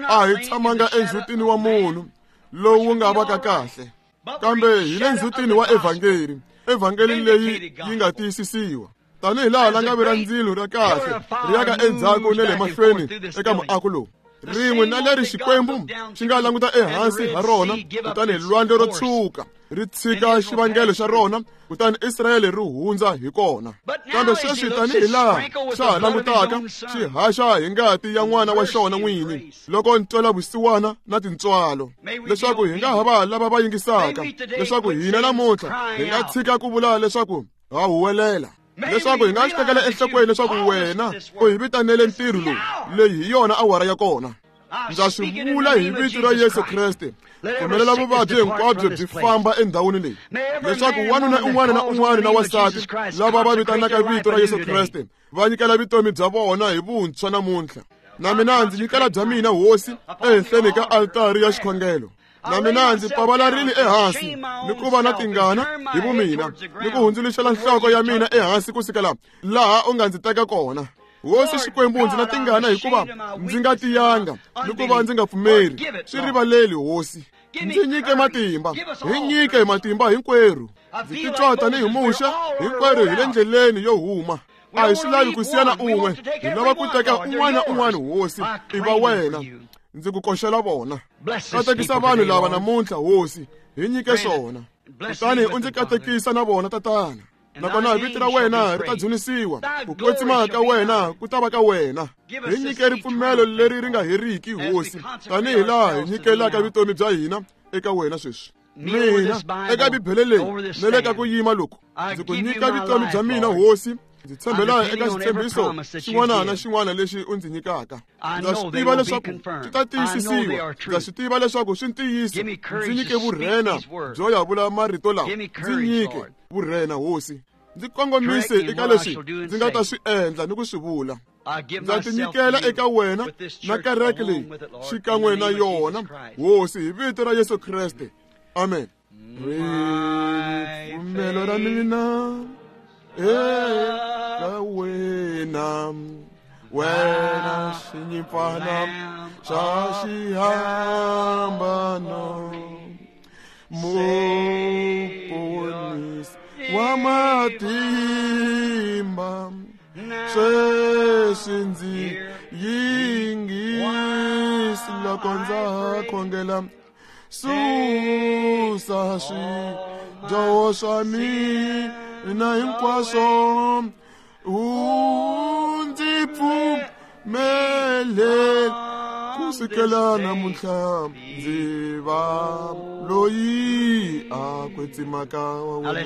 A hi tshamanga endzhutini wa munhu lowu wu nga vaka kahle, kambe hi le ndzhutini wa evhangeli, evhangeli leyi yi nga tiyisisiwa. Tanihi laha langavi ra ndzilo ra kahle ri yaka endzhaku na le mahlweni eka muako lowu, rin'we na leri Xikwembu xi nga languta ehansi ha rona, kutani lwandle ro tshuka ri tshika xivangelo xa rona, kutani Israyele ri hundza hi kona. Kambe sweswi tanihi laha xa ha langutaka xi haxa hi ngati ya n'wana wa xona n'wini, loko ntwela vusiwana na tintswalo, leswaku hi nga ha va lava va yingisaka, leswaku hina namuntlha hi nga tshika ku vula leswaku ha huwelela, leswaku hi nga swi tekela enhlokweni leswaku wena u hi vitanele ntirho lowu, leyi hi yona awara ya kona. Ndza swi vula hi vito ra Yesu Kreste, pfumelela vuvabyi hinkwabyo byi famba endhawini leyi, leswaku wanuna un'wana na un'wana na wansati lava va vitanaka vito ra Yesu Kreste va nyikela vutomi bya vona hi vuntshwa namuntlha. Na mina ndzi nyikela bya mina hosi ehenhleni ka altari ya xikhongelo. Na mina ndzi pavalarile ehansi ni ku va na tingana hi vumina, ni ku hundzuluxela nhloko ya mina ehansi kusukela laha u nga ndzi teka kona. Hosi Xikwembu, ndzi na tingana hikuva ndzi nga tiyanga ni ku va ndzi nga pfumeri. Swi rivaleli hosi, ndzi nyike matimba, hi nyike matimba hinkwerhu. Ndzi titwa tanihi Muxe, hinkwerhu hi le ndleleni yo huma. A hi swi lavi ku siyana un'we, hi lava ku teka un'wana na un'wana hosi, i va wena. Ndzi ku koxela vona. Katekisa vanhu lava namuntlha, Hosi, hi nyike swona. Kutani u ndzi katekisa na vona, Tatana. Nakona vito ra wena ri ta dzunisiwa, ku kwetsima ka wena ku ta va ka wena. Hi nyike ripfumelo leri ri nga heriki, Hosi, tanihi laha hi nyikelaka vutomi bya hina eka wena sweswi. Mina eka Bibele leyi na le ka ku yima loku, ndzi ku nyika vutomi bya mina, Hosi. Ndzi tshembela eka xitshembiso xin'wana na xin'wana lexi u ndzi nyikaka. Ndza swi tiva leswaku swi ta tiyisisiwa. Ndza swi tiva leswaku swi ntiyiso. Ndzi nyike vurhena byo ya vula marito lawa. Ndzi nyike vurhena, Hosi. Ndzi kongomise eka leswi ndzi nga ta swi endla ni ku swi vula. Ndza tinyikela eka wena na kereke leyi xikan'we na yona, Hosi, hi vito ra Yesu Kreste. Amen. Ripfumelo ra mina eka wena, wena xinyimpfana xa xihambano, muponisi wa matimba, sweswi ndzi yingisi loko ndza khongela. Susa swidyoho swa mina hinkwaswo, u ndzi pfumele ku sukela namuntlha ndzi va loyi a kwetsimaka wa wena.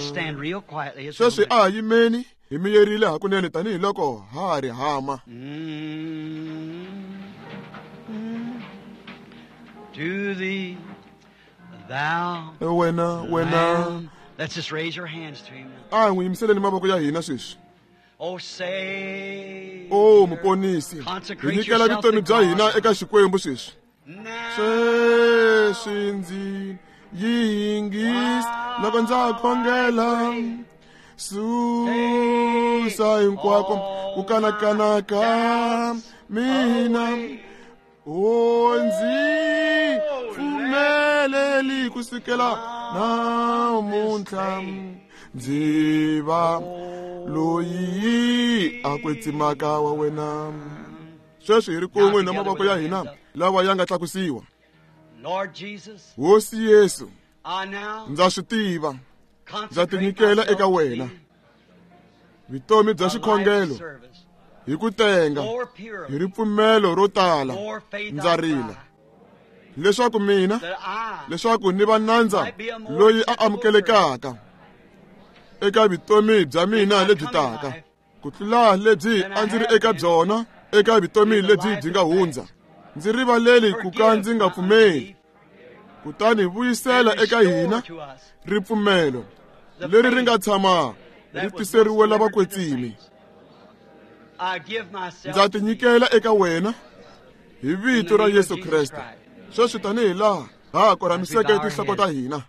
Sweswi a ha yimeni hi miyerile hakunene tanihiloko ha ha ri hama.
To thee, thou
wena, wena.
Let's just raise your hands to him now.
A hi n'wi yimiseleni mavoko ya hina sweswi.
Oh, Savior,
O muponisi, hi
consecrate
nyikela
yourself
vutomi
to
bya hina
God.
eka Xikwembu sweswi.
Now,
Sweswi ndzi yingisi loko ndza khongela. Susa hinkwako ku kanakana ka mina. O ndzi pfumeleli ku sukela namuntlha ndzi va loyi a kwetsimaka wa wena. Sweswi hi ri kun'we na mavoko ya hina lawa ya nga tlakusiwa.
Lord Jesus,
Hosi Yesu,
I now
ndza swi tiva, ndza
consecrate
tinyikela
myself
eka
to
wena.
thee,
Vutomi bya
a life
xikhongelo
service.
hi ku tenga,
More
hi
purely,
ripfumelo ro tala,
more faith
ndza
I
rila
cry,
leswaku mina,
that I
leswaku ni va nandza loyi a amukelekaka eka vutomi bya mina lebyi taka, ku tlula lebyi a ndzi ri eka byona eka vutomi lebyi byi nga hundza. Ndzi rivaleli ku ka ndzi nga pfumeli. Kutani vuyisela
and
eka
restore
hina
to us
ripfumelo
the
leri ri
faith
nga tshama
that
ri
was once
tiseriwe
delivered to the
lavakwetsimi.
saints. I give myself
Ndza
to thee
tinyikela eka wena hi
in
vito
the
ra
name of
Yesu
Jesus
Kreste.
Christ.
Sweswi tanihi laha ha ha
As we
korhamiseke
bow our
tinhloko ta
heads.
hina.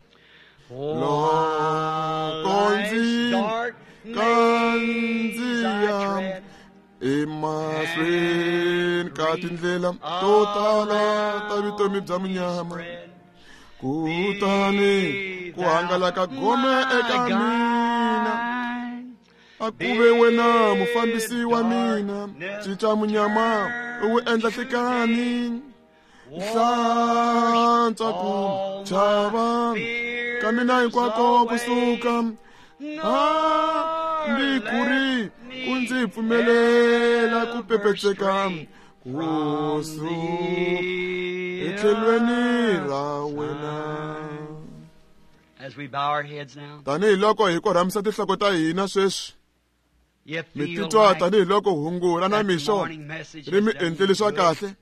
Oh,
Loko
life's
ndzi
dark maze I
kandziya
tread,
emahlweni
and
ka
grief
tindlela to tala ta vutomi bya
around me
munyama,
spread,
kutani
be
ku
thou
hangalaka gome
my
eka mina.
guide.
A ku ve wena
Bid
mufambisi wa mina,
darkness
cinca munyama u wu
turn
endla
to
nhlikani.
day. Wash
Hlantswa ku
all my
chava ka mina
fears
hinkwako
away.
kusuka,
Nor
hambi ku ri
let
ku
me
ndzi pfumelela ku
ever
pepetseka
stray
ku
from
suka
the
etlhelweni
other
ra wena.
side. As we bow our heads now,
Tanihi loko hi korhamisa tinhloko ta hina sweswi,
you
mi
feel
titwa
like
tanihi loko hungu ra
that the
namixo
morning message
ri
has
mi
done you
endleli swa
good.
kahle,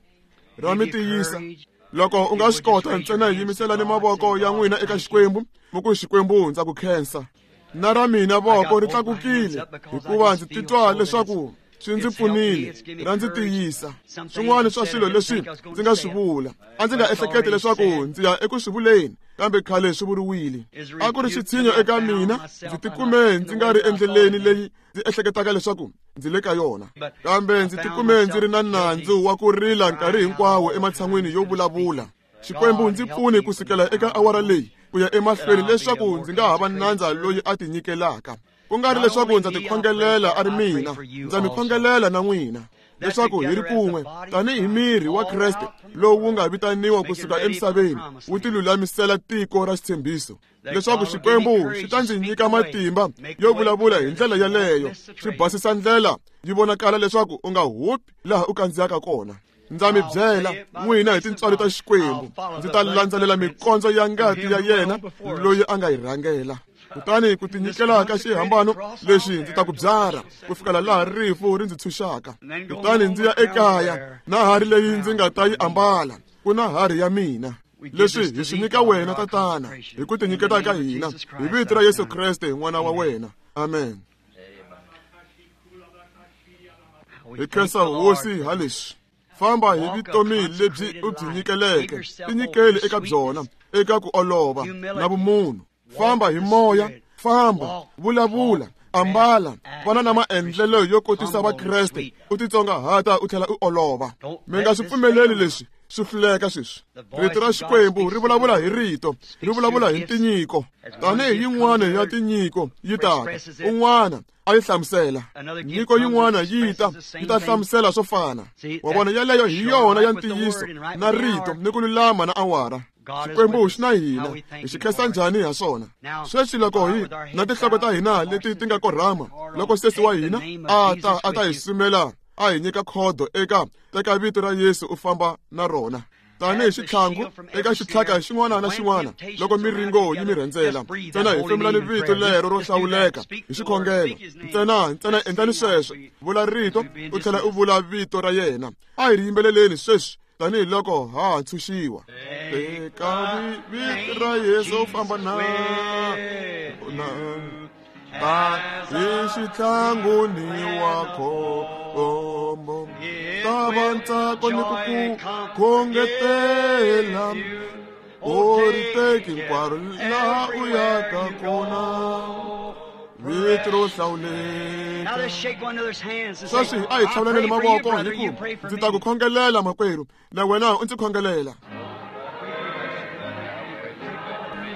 ra mi
Give you
tiyisa.
courage.
Loko u
If
nga
you
swi
would just
kota
raise your
ntsena
hands to
yimiselani
God,
mavoko
say,
ya
God,
n'wina eka
thank you.
Xikwembu, mi ku Xikwembu ndza ku khensa. Na ra mina
I
voko
got
ri
both my hands
tlakukile
up because I
hikuva
just
ndzi
feel
titwa
so that it's
leswaku swi ndzi
it's helped me,
pfunile,
it's given me
ra ndzi
courage.
tiyisa.
Some things
Swin'wana
I've
swa
said I
swilo
didn't
leswi
think I was going
ndzi
to
nga
say
swi
it,
vula, a ndzi
but
nga
it's
ehleketi
already
leswaku
said.
ndzi ya eku swi vuleni, kambe khale swi vuriwile.
Is
A ku ri
rebuke to
xitshinyo
me. I
eka
found
mina, ndzi
myself I'm not
tikume
in
ndzi
the
nga
way
ri
that I thought
endleleni
I'd been.
leyi ndzi ehleketaka leswaku ndzi le ka yona,
But
kambe
I
ndzi
found
tikume ndzi ri
myself
na
guilty
nandzu wa ku rila
of
nkarhi
crying out
hinkwawo
all the time
ematshan'wini yo
instead of
vulavula.
speaking.
Xikwembu
God
ndzi
help
pfuni
me
ku
from
sukela
this
eka
hour
awara
on
leyi ku ya
that
emahlweni
I'll be a
leswaku
more
ndzi nga ha va
consecrated
nandza
servant.
loyi a tinyikelaka. Ku nga ri
Not
leswaku
only
ndza
me, I pray
tikhongelela
for,
a ri
I pray
mina,
for you
ndza mi
also.
khongelela na n'wina. leswaku hi ri kun'we tanihi miri wa Kreste lowu wu nga vitaniwa kusuka emisaveni wu tilulamisela tiko ra xitshembiso, leswaku Xikwembu xi ta ndzi nyika matimba yo vulavula hi ndlela yaleyo, xi basisa ndlela yi vonakala leswaku u nga hupi laha u kandziyaka kona. Ndza mi byela n'wina hi tintswalo ta Xikwembu, ndzi ta landzelela mikondzo ya ngati ya yena loyi a nga yi rhangela. Kutani ku tinyikela ka xihambano lexi ndzi ta ku byara ku fikela laha rifu ri ndzi tshunxaka. Kutani ndzi ya ekaya na hari leyi ndzi nga ta yi ambala, ku na hari ya mina. Leswi hi swi nyika wena Tatana hi ku tinyiketa ka hina hi vito ra Yesu Kreste n'wana wa wena. Amen. Hi khensa Hosi ha leswi. Famba hi vutomi lebyi u byi nyikeleke, tinyikeli eka byona, eka ku olova na vumunhu. Famba hi moya, famba, vulavula, ambala, vana na maendlelo yo kotisa Vakreste, u titsongahata u tlhela u olova. Mi nga swi pfumeleli leswi swi hluleka sweswi. Rito ra Xikwembu ri vulavula hi rito, ri vulavula hi tinyiko. Tanihi yin'wana ya tinyiko yi taka, un'wana a yi hlamusela. Nyiko yin'wana yi ta, yi ta hlamusela swo fana. Wa vona, yaleyo hi yona ya ntiyiso na rito ni ku lulama na awara. Xikwembu xi na hina, hi xi khensa njhani ha swona. Sweswi loko hi na tinhloko ta hina leti ti nga korhama, loko sesi wa hina a ta a ta hi sumela a hi nyika khodo eka teka vito ra Yesu u famba na rona tanihi xitlhangu eka xitlhaka xin'wana na xin'wana. Loko miringo yi mi rhendzela, ntsena hi femulani vito lero ro hlawuleka hi xikhongelo. Ntsena ntsena endlani sweswo, vula rito u tlhela u vula vito ra yena. A hi ri yimbeleleni sweswi tanihi loko ha ha ntshunxiwa. Teka vito ra Yesu u famba na na ta hi xitlhangu ni wa khombo, ta va ntsako ni ku ku khongetela, u ri teki hinkwaro laha u yaka kona. Vito ro hlawuleka. Sweswi a hi tlhavulaneni mavoko hi ku ndzi ta ku khongelela makwerhu, na wena u ndzi khongelela.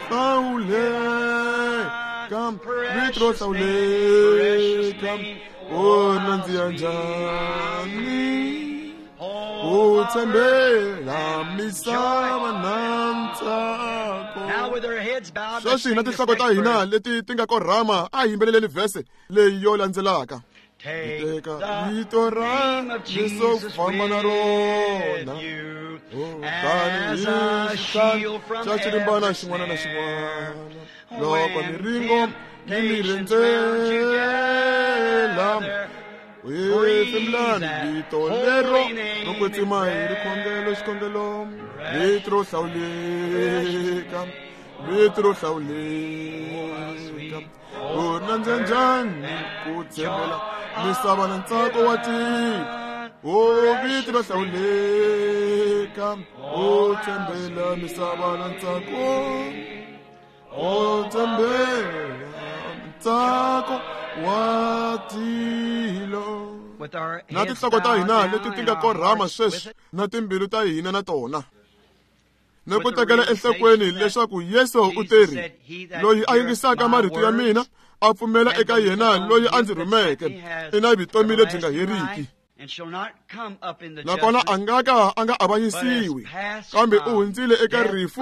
Hlawuleka, vito ro hlawuleka, u nandziha njhani ku tshembela misava na ntsako. Sweswi na tinhloko ta hina leti ti nga korhama, a hi yimbeleleni vhese leyi yo landzelaka. Teka vito ra Yesu famba na rona, tanihi xitlhangu xa xirimbana xin'wana na xin'wana. Loko miringo yi mi rhendzela, hefemulani vito lero ro kwetsima hi rikhongelo xikhongelo. Vito ro hlawuleka, vito ro hlawuleka, u nandza njhani ku tshembela misava na ntsako wa tiko. O vito ro hlawuleka, u tshembela misava na ntsako, u tshembela ntsako wa tilo. Na tinhloko ta hina leti ti nga korhama sweswi na timbilu ta hina na tona, ni ku tekela enhlokweni leswaku Yesu u teri, loyi a yingisaka marito ya mina a pfumela eka yena loyi a ndzi rhumeke i na vutomi lebyi nga heriki, nakona a nga ka a nga avanyisiwi, kambe u hundzile eka rifu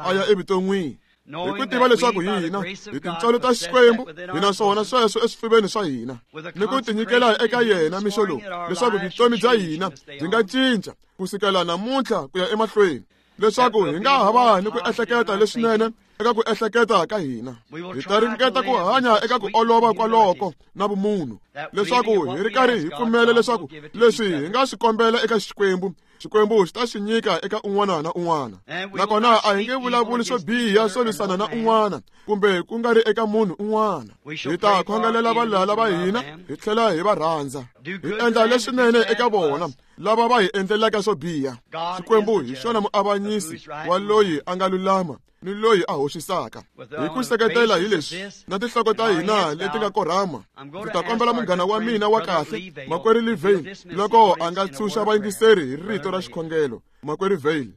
a ya evuton'wini. Hi ku tiva leswaku hina hi tintswalo ta Xikwembu hi na swona sweswo eswifuveni swa hina, ni ku tinyikela eka yena mixo lowu, leswaku vutomi bya hina byi nga cinca kusukela namuntlha ku ya emahlweni, leswaku hi nga ha va ni ku ehleketa leswinene eka ku ehleketa ka hina. Hi ta ringeta ku hanya eka ku olova kwaloko na vumunhu, leswaku hi ri karhi hi pfumela leswaku leswi hi nga swi kombela eka Xikwembu, Xikwembu xi ta xi nyika eka un'wana na un'wana. Nakona a hi nge vulavuli swo biha swo lwisana na un'wana kumbe ku nga ri eka munhu un'wana. Hi ta khongelela valala va hina hi tlhela hi va rhandza, hi endla leswinene eka vona lava va hi endlelaka swo biha. Xikwembu hi xona muavanyisi wa loyi a nga lulama ni loyi a hoxisaka. Hi ku seketela hi leswi na tinhloko ta hina leti nga korhama, ndzi ta kombela munghana wa mina wa kahle makwerhu Lee Vayle loko a nga tshunxa vayingiseri hi rito ra xikhongelo. Makwerhu Vayle.